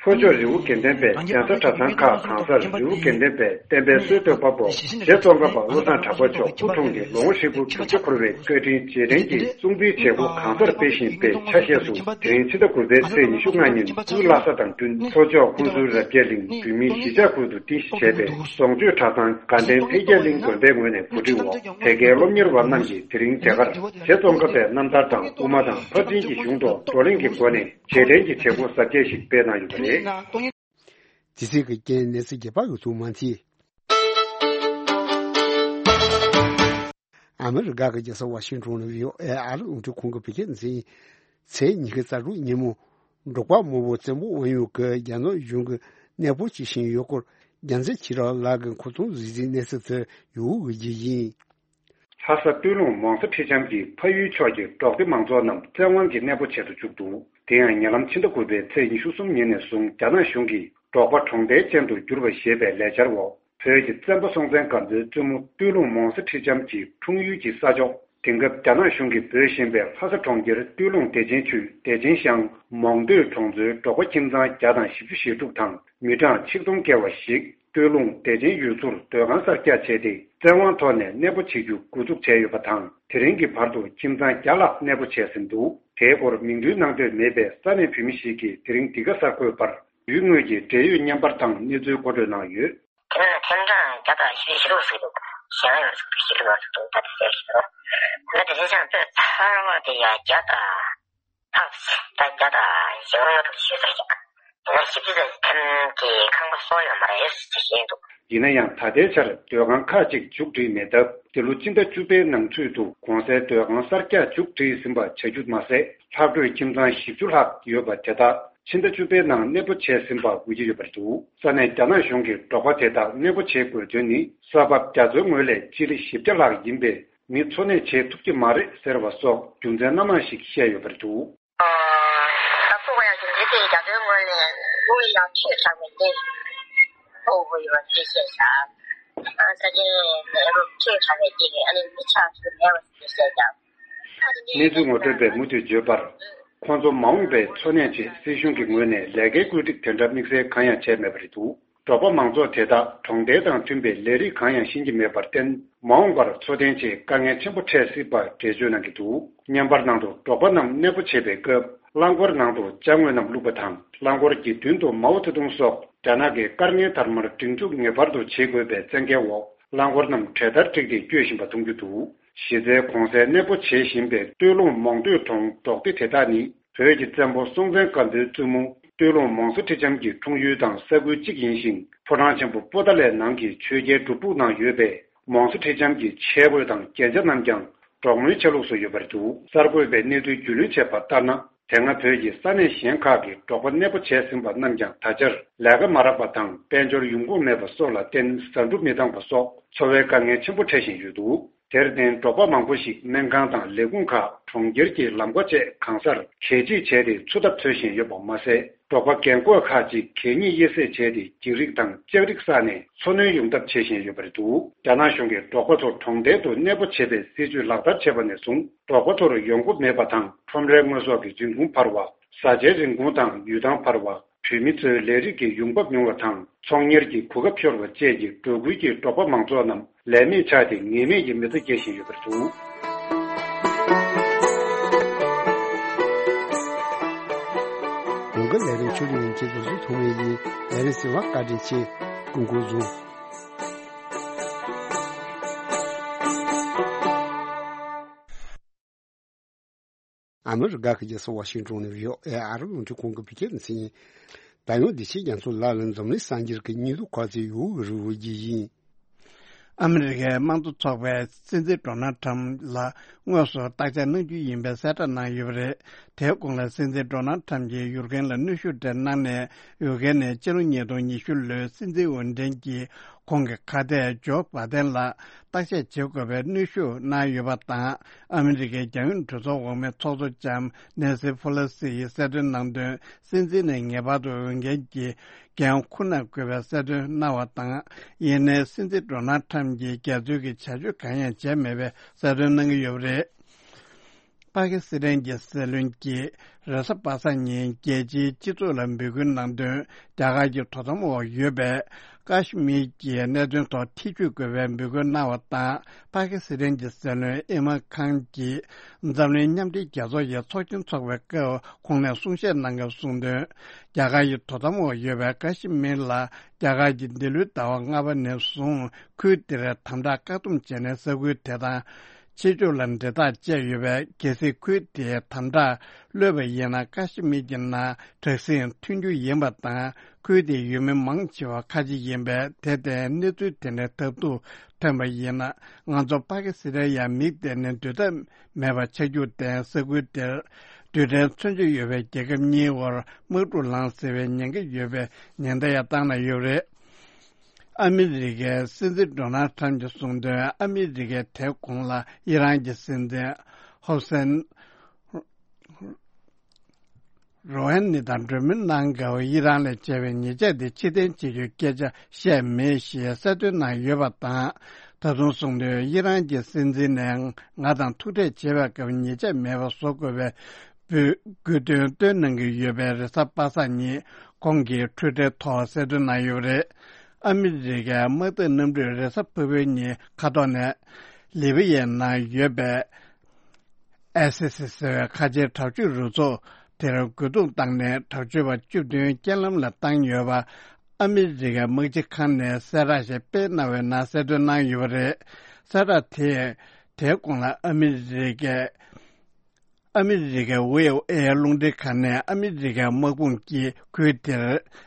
ལྷོ་ཕྱོགས་རི་བོ་དགེ་ལྡན་པའི་གདན་ས་གྲྭ་ཚང་ཁག་གང་སར་རི་བོ་དགེ་ལྡན་པའི་བསྟན་པའི་སྲོལ་གཏོད་པ་པོ་རྗེ་ཙོང་ཁ་པ་བློ་བཟང་གྲགས་པ་མཆོག་སྐུ་འཁྲུངས་ཏེ་ལོ་ངོ་ཧྲིལ་པོ་དྲུག་ཅུ་འཁོར་བའི་བཀའ་དྲིན་རྗེས་དྲན་གྱི་སྲུང་བརྩིའི་བྱེད་སྒོ་གང་སར་སྤེལ་བཞིན་པའི་ཆ་ཤས་སུ། དེ་རིང་ཕྱི་ཟླ་དགུ་པའི་ཚེས་ཉི་ཤུ་ལྔ་ཉིན་སྐུའི་བླ་གཟའ་དང་བསྟུན་ལྷོ་ཕྱོགས་ཁུ་ཚུར་རབ་རྒྱས་གླིང་བོད་མིའི་གཞིས་ཆགས་ཁུལ་དུ་རྟེན་གཞི་བྱས་པའི་རྫོང་ཆོས་གྲྭ་ཚང་དགའ་ལྡན་འཕེལ་རྒྱས་གླིང་དགོན་པའི་ངོས་ནས་གོ་སྒྲིག་འོག་དེ་གའི་སློབ་གཉེར་བ་རྣམས་ཀྱིས་དེ་རིང་དེ་གར་རྗེ་ཙོང་ཁ་པའི་རྣམ་ཐར་དང་དབུ་མ་དང་ཕར་ཕྱིན་གྱི་གཞུང་ཐོག་བགྲོ་གླེང་གི་སྒོ་ནས། རྗེས་དྲན་གྱི་བྱེད་སྒོ་གཟབ་རྒྱས་ཤིག་སྤེལ་གནང་ཡོད་པ་རེད། དེ་ཚེ་གི་རྐྱེན་གནས་ཚུལ་རྒྱས་པ་ཡོད་ཚུལ་མ་མཐིལ། ཨ་མི་རི་ཀ་གི་རྒྱལ་ས་ཝ་ཤིང་ཏོན་ནས་བྷི་ཨོ་ཨེ་ཨ་རི་རླུང་འཕྲིན་ཁང་གི་བོད་སྐད་འཛིན། ཚེས་ཉི་ཤུ་རྩ་དྲུག་ཉིན་མོ། འབྲོག་པ་མང་པོ་བཙན་པོ་དབང་ཡོད་ཀྱི་རྒྱ་ནག་གཞུང་གི་གནས་སྤོ་བྱེད་བཞིན་ཡོད་སྐོར་རྒྱལ་མཚན་ཆོས་གྲགས་ལགས་ཀྱིས་མཁོ་གཏོང་གཟིགས་ཟིན་གནས་ཚུལ་དེ་ཡོད་འོས་ཀྱི་ཡིན། ལྷ་ས་སྟོད་ལུང་མོང་ས་ཁྲི་འཆམ་གྱི་ཕ་ཡུལ་ཕྱོགས་ཀྱི་འབྲོག་སྡེ་མང་ཚོགས་རྣམས་བཙན་དབང་གིས་གནས་སྤོ་བྱེད་དུ་བཅུག་འདུག། དེ་ཡང་ཉེ་ལམ་ཕྱི་ཟླ་དགུ་པའི་ཚེས་ཉི་ཤུ་གསུམ་ཉིན་ནས་བཟུང་རྒྱ་ནག་གཞུང་གིས་འབྲོག་པ་གྲོང་རྡལ་ཅན་དུ་བསྒྱུར་བ་ཞེས་པའི་ལས་འཆར་འོག་བོད་ཀྱི་བཙན་པོ་སྲོང་བཙན་སྒམ་པོའི་བཙུན་མོ་སྟོད་ལུང་མོང་ས་ཁྲི་འཆམ་གྱི་འཁྲུངས་ཡུལ་གྱི་ས་ཕྱོགས། དེང་སྐབས་རྒྱ་ནག་གཞུང་གིས་འབོད་བཞིན་པའི་ལྷ་ས་གྲོང་ཁྱེར་སྟོད་ལུང་བདེ་ཆེན་ཆུས་བདེ་ཆེན་ཤང་མོང་སྟོད་གྲོང་ཚོའི་འབྲོག་པ་ཁྱིམ་ཚང་བརྒྱ་དང་བཞི་བཅུ་ཞེ་དྲུག་དང་མི་གྲངས་ཆིག་སྟོང་བརྒལ་བ་ཞིག་སྟོད་ལུང་བདེ་ཆེན་ཡུལ་ཚོར་སྡོད་ཁང་གསར་རྒྱག་བྱས་ཏེ། བཙན་དབང་ཐོག་ནས་གནས་སྤོ་བྱེད་རྒྱུ་འགོ་འཛུགས་བྱས་ཡོད་པ་དང་། དེ་རིང་གི་བར་དུ་ཁྱིམ་ཚང་བརྒྱ་ལྷག་གནས་སྤོ་བྱས་ཟིན་འདུག། དེའི་སྐོར་མིང་འདོན་གནང་འདོད་མེད་པའི་ས་གནས་བོད་མི་ཞིག་གིས་དེ་རིང་འདི་ག་གསར་འགོད་པར། ཡུལ་དངོས་ཀྱི་འབྲེལ་ཡོད་བརྙན་པར་དང་གནས་ཚུལ་མཁོ་སྤྲོད་གནང་ཡོད། དེ་ནས་ཐེམ་གྲངས་བརྒྱ་དང་བཞི་བཅུ་ཞེ་དྲུག་ཟེར་འདུག། གཞན་ཡང་ཞེ་དྲུག་ཞེ་དྲུག་ཡང་ཞེ་དྲུག་ད་དེ་ཟེར་ཞེ་དྲུག། ད་དེ་ཚེ་ཤང་དཔེ་ཚར་བ་དེ་ཡང་བརྒྱ་དང་ལྷག་ད་བརྒྱ་དང་ཞེ་ལྔ་ལྔ་དྲུག་ཞེ་ཙམ་ཞིག་ཡིན་ན་ཞིབ་ཕྲ་ཙམ་ཐེམ་གྱི་ཁང་པ་གསོ་ཡོད་མ་རེད་ཟེར་བཤད་འདུག། ཡིན་ན་ཡང་ད་ལྟའི་ཆར་སྡོད་ཁང་ཁག་ཅིག་མཇུག་སྒྲིལ་མེད་སྟབས། འདི་ལོ་སྤྱི་ཟླ་བཅུ་པའི་ནང་ཚུད་དུ་གོང་གསལ་སྡོད་ཁང་གསར་རྒྱག་མཇུག་སྒྲིལ་ཟིན་པ་བྱ་རྒྱུ་མ་ཟད། ལྷག་འཕྲོས་ཁྱིམ་ཚང་བཞི་བཅུ་ལྷག་ཡོད་པ་དེ་དག་ཕྱི་ཟླ་བཅུ་པའི་ནང་གནས་སྤོ་བྱས་ཟིན་པ་འགོད་ཀྱི་ཡོད་པ་རེད་འདུག། ས་གནས་རྒྱ་ནག་གཞུང་གིས་འབྲོག་པ་དེ་དག་གནས་སྤོ་བྱེད་དགོས་དོན་ནི། ས་བབ་རྒྱ་མཚོའི་ངོས་ལས་སྤྱི་ལེ་བཞི་བརྒྱ་ལྷག་ཡིན་པས། མི་འཚོ་གནས་བྱེད་ཐུབ་ཀྱི་མ་རེད་ཟེར་བ་སོགས་རྒྱུ་མཚན་སྣ་མང་ཞིག་བཤད་ཡོད་པ་རེད་འདུག། ད་ཕུག་པ་ཡང་རྒྱུ་མཚན་དེ་རྒྱ་མཚོའི་ངོས་ནས་དབུགས་ཡང་ཆོད་ཆགས་པའི་གནས་ཕུག་པ་ཡོད་པ་དེ་བཤད་བཞག། ས་ཆེན་ལས་རོགས་ཁྱེད་ཁ་བའི་སྐྱེ་གི་ཨ་ནི་མི་ཆགས་སུ་མེད་པ་ཞིག་བཤད་ཀྱང་། གནས་ཚུལ་ངོ་སྤྲོད་པས་མུ་མཐུད་བརྗོད་པར། ཁོང་ཚོ་མ་འོངས་པའི་འཚོ་གནས་ཆེད་སྲིད་གཞུང་གི་ངོས་ནས་ལས་ཀའི་བཀོད་སྒྲིག་དེ་འདྲ་དམིགས་བསལ་གང་ཡང་བྱས་མེད་པ་རེད་འདུག་འབྲོག་པ་མང་ཚོགས་དེ་དག་གྲོང་རྡལ་དང་མཐུན་པའི་ལས་རིགས་གང་ཡང་ཤེས་ཀྱི་མེད་པར་བརྟེན། མ་འོངས་པར་འཚོ་རྟེན་ཆེད་དཀའ་ངལ་ཆེན་པོ་འཕྲད་སྲིད་པ་འགྲེལ་བརྗོད་གནང་གི་འདུག་བརྙན་པར་ནང་དུ་འབྲོག་པ་རྣམས་གནས་སྤོ་བྱེད་པའི་སྐབས། རླངས་འཁོར་ནང་དུ་ཅ་དངོས་རྣམས་བླུགས་པ་དང་། རླངས་འཁོར་གྱི་མདུན་དུ་མའོ་ཙེ་ཏུང་སོགས་རྒྱ་ནག་གི་དཀར་ངལ་དར་མར་སྒྲིག་འཛུགས་ངེས་པར་དུ་བྱེད་དགོས་པའི་བཙན་རྒྱལ་འོག་རླངས་འཁོར་རྣམས་གྲལ་བསྟར་བསྒྲིགས་ཏེ་སྐྱོད་བཞིན་པ་མཐོང་རྒྱུ་འདུག་གཞི་རྩའི་གོང་གསལ་གནས་སྤོ་བྱེད་བཞིན་པའི་སྟོད་ལུང་མོང་སྟོད་གྲོང་འབྲོག་སྡེ་དེ་དག་ནི། བོད་ཀྱི་བཙན་པོ་སྲོང་བཙན་སྒམ་པོའི་བཙུན་མོ་སྟོད་ལུང་མོང་སོ་ཁྲི་ལྕམ་གྱི་འཁྲུངས་ཡུལ་དང་ས་ཁུལ་གཅིག་ཡིན་ཞིང་། ཕོ་བྲང་ཆེན་པོ་པོ་ཏཱ་ལའི་ནང་གི་ཆོས་རྒྱལ་སྒྲུབ་ཕུག་ནང་ཡོད་པའི་མོང་སོ་ཁྲི་ལྕམ་གྱི་ཆས་གོས་དང་རྒྱན་ཆ་རྣམས་ཀྱང་འབྲོག་མོའི་ཆ་ལུགས་སུ་ཡོད་པ་རེད་འདུག་གསར་འགོད་པས་གནས་ཚུལ་རྒྱུས་ལོན་བྱས་པ་ལྟར་ན། དེ་སྔ་བོད་ཀྱི་ས་གནས་གཞན་ཁག་གི་འབྲོག་པ་གནས་སྤོ་བྱས་ཟིན་པ་རྣམས་ཀྱང་ད་ཆར་ལས་ཀ་མ་རག་པ་དང་དཔལ་འབྱོར་ཡོང་ཁུངས་མེད་པ་སོགས་ལ་བརྟེན་ཟ་འབྲུ་མི་འདང་པ་སོགས་འཚོ་བའི་དཀའ་ངལ་ཆེན་པོ་འཕྲད་བཞིན་ཡོད་འདུག་དེར་བརྟེན་འབྲོག་པ་མང་པོ་ཞིག་སྨན་ཁང་དང་ལས་ཁུངས་ཁག་གྲོང་ཁྱེར་གྱི་ལམ་ཁ་བཅས་གང་སར་གད་ཕྱིས་བྱས་ཏེ་འཚོ་ཐབས་འཚོལ་བཞིན་ཡོད་པ་མ་ཟད། འབྲོག་པ་རྒན་འཁོགས་ཁག་ཅིག་གད་སྙིགས་དབྱེ་གསེད་བྱས་ཏེ་འགྱིག་རིགས་དང་ལྕགས་རིགས་བསགས་ནས་འཚོ་སྣོན་ཡོང་ཐབས་བྱེད་བཞིན་ཡོད་པ་རེད་འདུག་རྒྱ་ནག་གཞུང་གིས་འབྲོག་པ་ཚོ་གྲོང་རྡལ་དུ་གནས་སྤོ་བྱེད་པའི་སྲིད་ཇུས་ལག་བསྟར་བྱས་པ་ནས་བཟུང་འབྲོག་པ་ཚོར་ཡོང་སྒོ་མེད་པ་དང་ཁྲོམ་རའི་དངོས་ཟོག་གི་རིན་གོང་འཕར་བ། བཟའ་བཅའི་རིན་གོང་དང་ཡུལ་ཐང་འཕར་བ། བུད་མེད་ཚོའི་ལས་རིགས་ཀྱི་ཡོང་འབབ་ཉུང་བ་དང་ཚོང་གཉེར་གྱི་གོ་སྐབས་ཤོར་བ་བཅས་ཀྱིས་འབྲོག་ཁུལ་གྱི་འབྲོག་པ་མང་ཚོགས་རྣམས་ལས་མེད་ཆགས་ཏེ་ངེས་མེད་ཀྱི་མི་ཚེ་སྐྱེལ་བཞིན་ཡོད་པར་གསུངས། གོང་དཀར་ལས་རིམ་ཆོས་སྒྲོན་རིན་ཆེན་རྡོ་རྗེ་ཐོགས་མེད་ཡིན། ལས་རིམ་གསན་པར་བཀའ་དྲིན་ཆེ། སྐུ་འཁོར་བཟུང་། ཨ་མི་རི་ཀ་གི་རྒྱལ་ས་ཝ་ཤིང་ཏོན་ནས་བྷི་ཨོ་ཨེ་ཨ་རི་རླུང་འཕྲིན་ཁང་གི་བོད་སྐད་སྡེ་ཚན་ཡིན། ད་ཡང་བདེ་ཆེན་རྒྱ་མཚོ་ལགས་ལ་འཛམ་གླིང་གསར་འགྱུར་གྱི་སྙིང་སྡུག་ཁ་ཚིག་ཡོད་རི་བོ་རྒྱས་ཡིན། ཨ་མི་རི་ཀའི་དམངས་གཙོ་ཚོགས་པས་སྲིད་འཛིན་ཌོ་ནལ་ཁྲམ་ལ་དངོས་སུ་བརྟག་དཔྱད་གནང་རྒྱུ་ཡིན་པའི་གསལ་བསྒྲགས་གནང་ཡོད་པ་རེད། དེའི་གོང་ལ་སྲིད་འཛིན་ཌོ་ནལ་ཁྲམ་གྱིས་ཡུཀ་རེན་ལ་གནོན་ཤུགས་སྤྲད་གནང་ནས། ཡུཀ་རེན་ནས་ཕྱི་ལོ་ཉིས་སྟོང་ཉི་ཤུ་ལོའི་སྲིད་འཛིན་འོས་འགྲན་གྱི་ཁོང་གི་ཁ་གཏད་ཇོ་བྷ་དན་ལ་བརྟག་དཔྱད་བྱེད་དགོས་པའི་གནོན་ཤུགས་གནང་ཡོད་པ་དང་། ཨ་མི་རི་ཀའི་རྒྱལ་ཡོངས་གྲོས་ཚོགས་འོག་མའི་ཚོགས་གཙོ་ལྕམ་ནེན་སི་ཕོ་ལོ་སི་ཡིས་གསལ་སྟོན་གནང་དོན། སྲིད་འཛིན་ནས་ངེས་པར་དུ་འོས་འགན་གྱི་འགན་འཁུར་གནང་དགོས་པའི་གསལ་སྟོན་གནང་བ་དང་། ཡིན་ནའི་སྲིད་འཛིན་ཌོ་ནལ་ཁྲམ་གྱིས་སྒེར་འཛུལ་གྱི་བྱ་སྤྱོད་གང་ཡང་བྱས་མེད་པའི་གསལ་སྟོན་གནང་གི་ཡོད་པ་རེད། པ་ཀི་སི་ཐན་གྱི་སྲིད་བློན་གྱིས་རེས་གཟའ་པ་སངས་ཉིན་རྒྱལ་སྤྱིའི་སྤྱི་ཚོགས་ལ་འབོད་སྐུལ་གནང་དོན། རྒྱ་གར་གྱི་དོ་དམ་འོག་ཡོད་པའི་ཀ་ཤི་མིར་གྱི་གནད་དོན་ཐོག་ཐེ་བྱུས་དགོས་པའི་འབོད་སྐུལ་གནང་བ་དང་། པ་ཀི་སི་ཐན་གྱི་སྲིད་བློན་ཨི་མན་ཁཱན་གྱིས་འཛམ་གླིང་མཉམ་འབྲེལ་རྒྱལ་ཚོགས་ཀྱི་ཚོགས་ཆེན་འཚོགས་པའི་སྐབས་ཁོང་ནས་གསུང་བཤད་གནང་སྐབས་གསུངས་དོན། རྒྱ་གར་གྱི་དོ་དམ་འོག་ཡོད་པའི་ཀ་ཤི་མིར་ལ་རྒྱ་གར་གྱིས་འདི་ལོའི་ཟླ་བ་ལྔ་པ་ནས་བཟུང་ཁུལ་དེར་དམ་དྲག་བཀག་སྡོམ་བྱས་ནས་ས་ཁུལ་དེ་དང་། ཕྱི་ཕྱོགས་ལ་འབྲེལ་ཐག་བཅད་ཡོད་པས། གལ་སྲིད་ཁུལ་དེའི་དམ་དྲག་གློད་པ་ཡིན་ན། ཀ་ཤི་མིར་གྱི་ནང་དྲག་ཟིང་ཐོན་རྒྱུ་ཡིན་པ་དང་། ཁུལ་དེའི་ཡུལ་མི་མང་ཆེ་བ་ཁ་ཆེ་ཡིན་པས། དེར་བརྟེན་གནས་ཚུལ་དེ་འདྲའི་ཐབས་སྡུག་ཐོན་པ་ཡིན་ན། ང་ཚོ་པ་ཀི་སི་ཐན་ཡང་མིག་གཏད་ནས་སྡོད་ཐབས་མེད་པ་ཆགས་རྒྱུ་བརྟེན། ས་ཁུལ་དེར་རྡུལ་ཕྲན་མཚོན་ཆ་ཡོད་པའི་རྒྱལ་ཁབ་གཉིས་བར་དམག་འཁྲུག་ལངས་སྲིད་པའི་ཉེན་ཁ་ཡོད་པའི་ཉེན་བརྡ་ཡང་བཏང་གནང་ཡོད་པ་རེད། ཨ་མི་རི་ཀའི་སྲིད་འཛིན་ཌོ་ནལ་ཁྲམ་གྱིས་གསུངས་དོན། ཨ་མི་རི་ཀས་དེའི་གོང་ལ་ཨི་རན་གྱི་སྲིད་འཛིན་ཧོ་སན་རོ་ཧན་ནི་དང་གྲོས་མོལ་གནང་སྐབས། ཨི་རན་ལ་བྱས་པའི་ཉེས་ཆད་དེ་ཕྱིར་འཐེན་བྱེད་རྒྱུའི་སྐད་ཆ་བཤད་མེད་ཞེས་གསལ་སྟོན་གནང་ཡོད་པ་དང་། ད་དུང་གསུངས་དོན། ཨི་རན་གྱི་སྲིད་འཛིན་ནས་ང་དང་ཐུག་འཕྲད་བྱེད་པའི་སྐབས་ཉེས་ཆད་མེད་པ་བཟོ་དགོས་པའི་དགོས་དོན་བཏོན་གནང་གི་ཡོད་པའི་རེས་གཟའ་པ་སངས་ཉིན་ཁོང་གིས་ཊུའི་ཊར་ཐོག་གསལ་སྟོན་གནང་ཡོད་པ་རེད། ཨ་མི་རི་ཀའི་དམག་འཐབ་གནམ་གྲུས་རེས་གཟའ་ཕུར་བུའི་ཉིན་མཁའ་ཐོག་ནས་ལི་བི་ཡའི་ནང་ཡོད་པའི་ཨའི་སི་སི་ཟེར་བའི་ཁ་ཆེའི་དྲག་སྤྱོད་རུ་ཚོགས་དེར་རྒོལ་རྡུང་བཏང་ནས། དྲག་སྤྱོད་པ་བཅུ་བདུན་རྐྱེན་ལམ་ལ་བཏང་ཡོད་པ། ཨ་མི་རི་ཀའི་དམག་སྤྱི་ཁང་ནས་གསལ་བསྒྲགས་ཤིག་སྤེལ་གནང་བའི་ནང་གསལ་སྟོན་གནང་ཡོད་པ་རེད། གསལ་བསྒྲགས་དེས། དེའི་གོང་ལ་ཨ་མི་རི་ཀའི་ཨ་མི་རི་ཀའི་ཝི་ཨོ་ཨེ་རླུང་འཕྲིན་ཁང་ནས། ཨ་མི་རི་ཀའི་དམག་དཔུང་གིས་ཁུལ་དེར་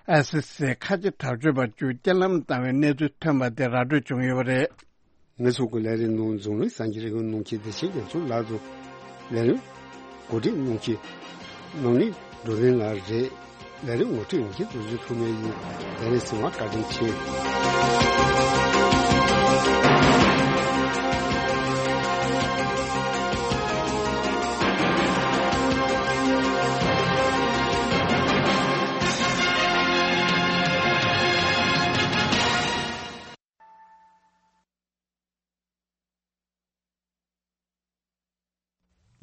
ཨའི་སི་སི་ཁ་ཆེ་དྲག་སྤྱོད་པ་བཅུ་རྐྱེན་ལམ་བཏང་བའི་གནས་ཚུལ་ཐོན་པ་དེ་ར་སྤྲོད་བྱུང་ཡོད་པ་རེད། ངེད་ཚོ་གི་ལས་རིམ་ནང་འཛམ་གླིང་གསར་འགྱུར་རིག་པའི་སྣང་བྱེད་བདེ་ཆེན་རྒྱ་མཚོ་ལགས་དང་། ལས་རིམ་གོ་སྒྲིག་གནང་མཁན་ནོར་གླིང་འགྲོ་བསྟན་ལགས་རེད། ལས་རིམ་ངོ་སྤྲོད་ཡིན་མཁན་རྡོ་རྗེ་ཐོགས་མེད་ཡིན། ལས་རིམ་གསན་པར་བཀའ་དྲིན་ཆེ།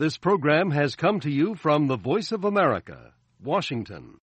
This program has come to you from the Voice of America, Washington.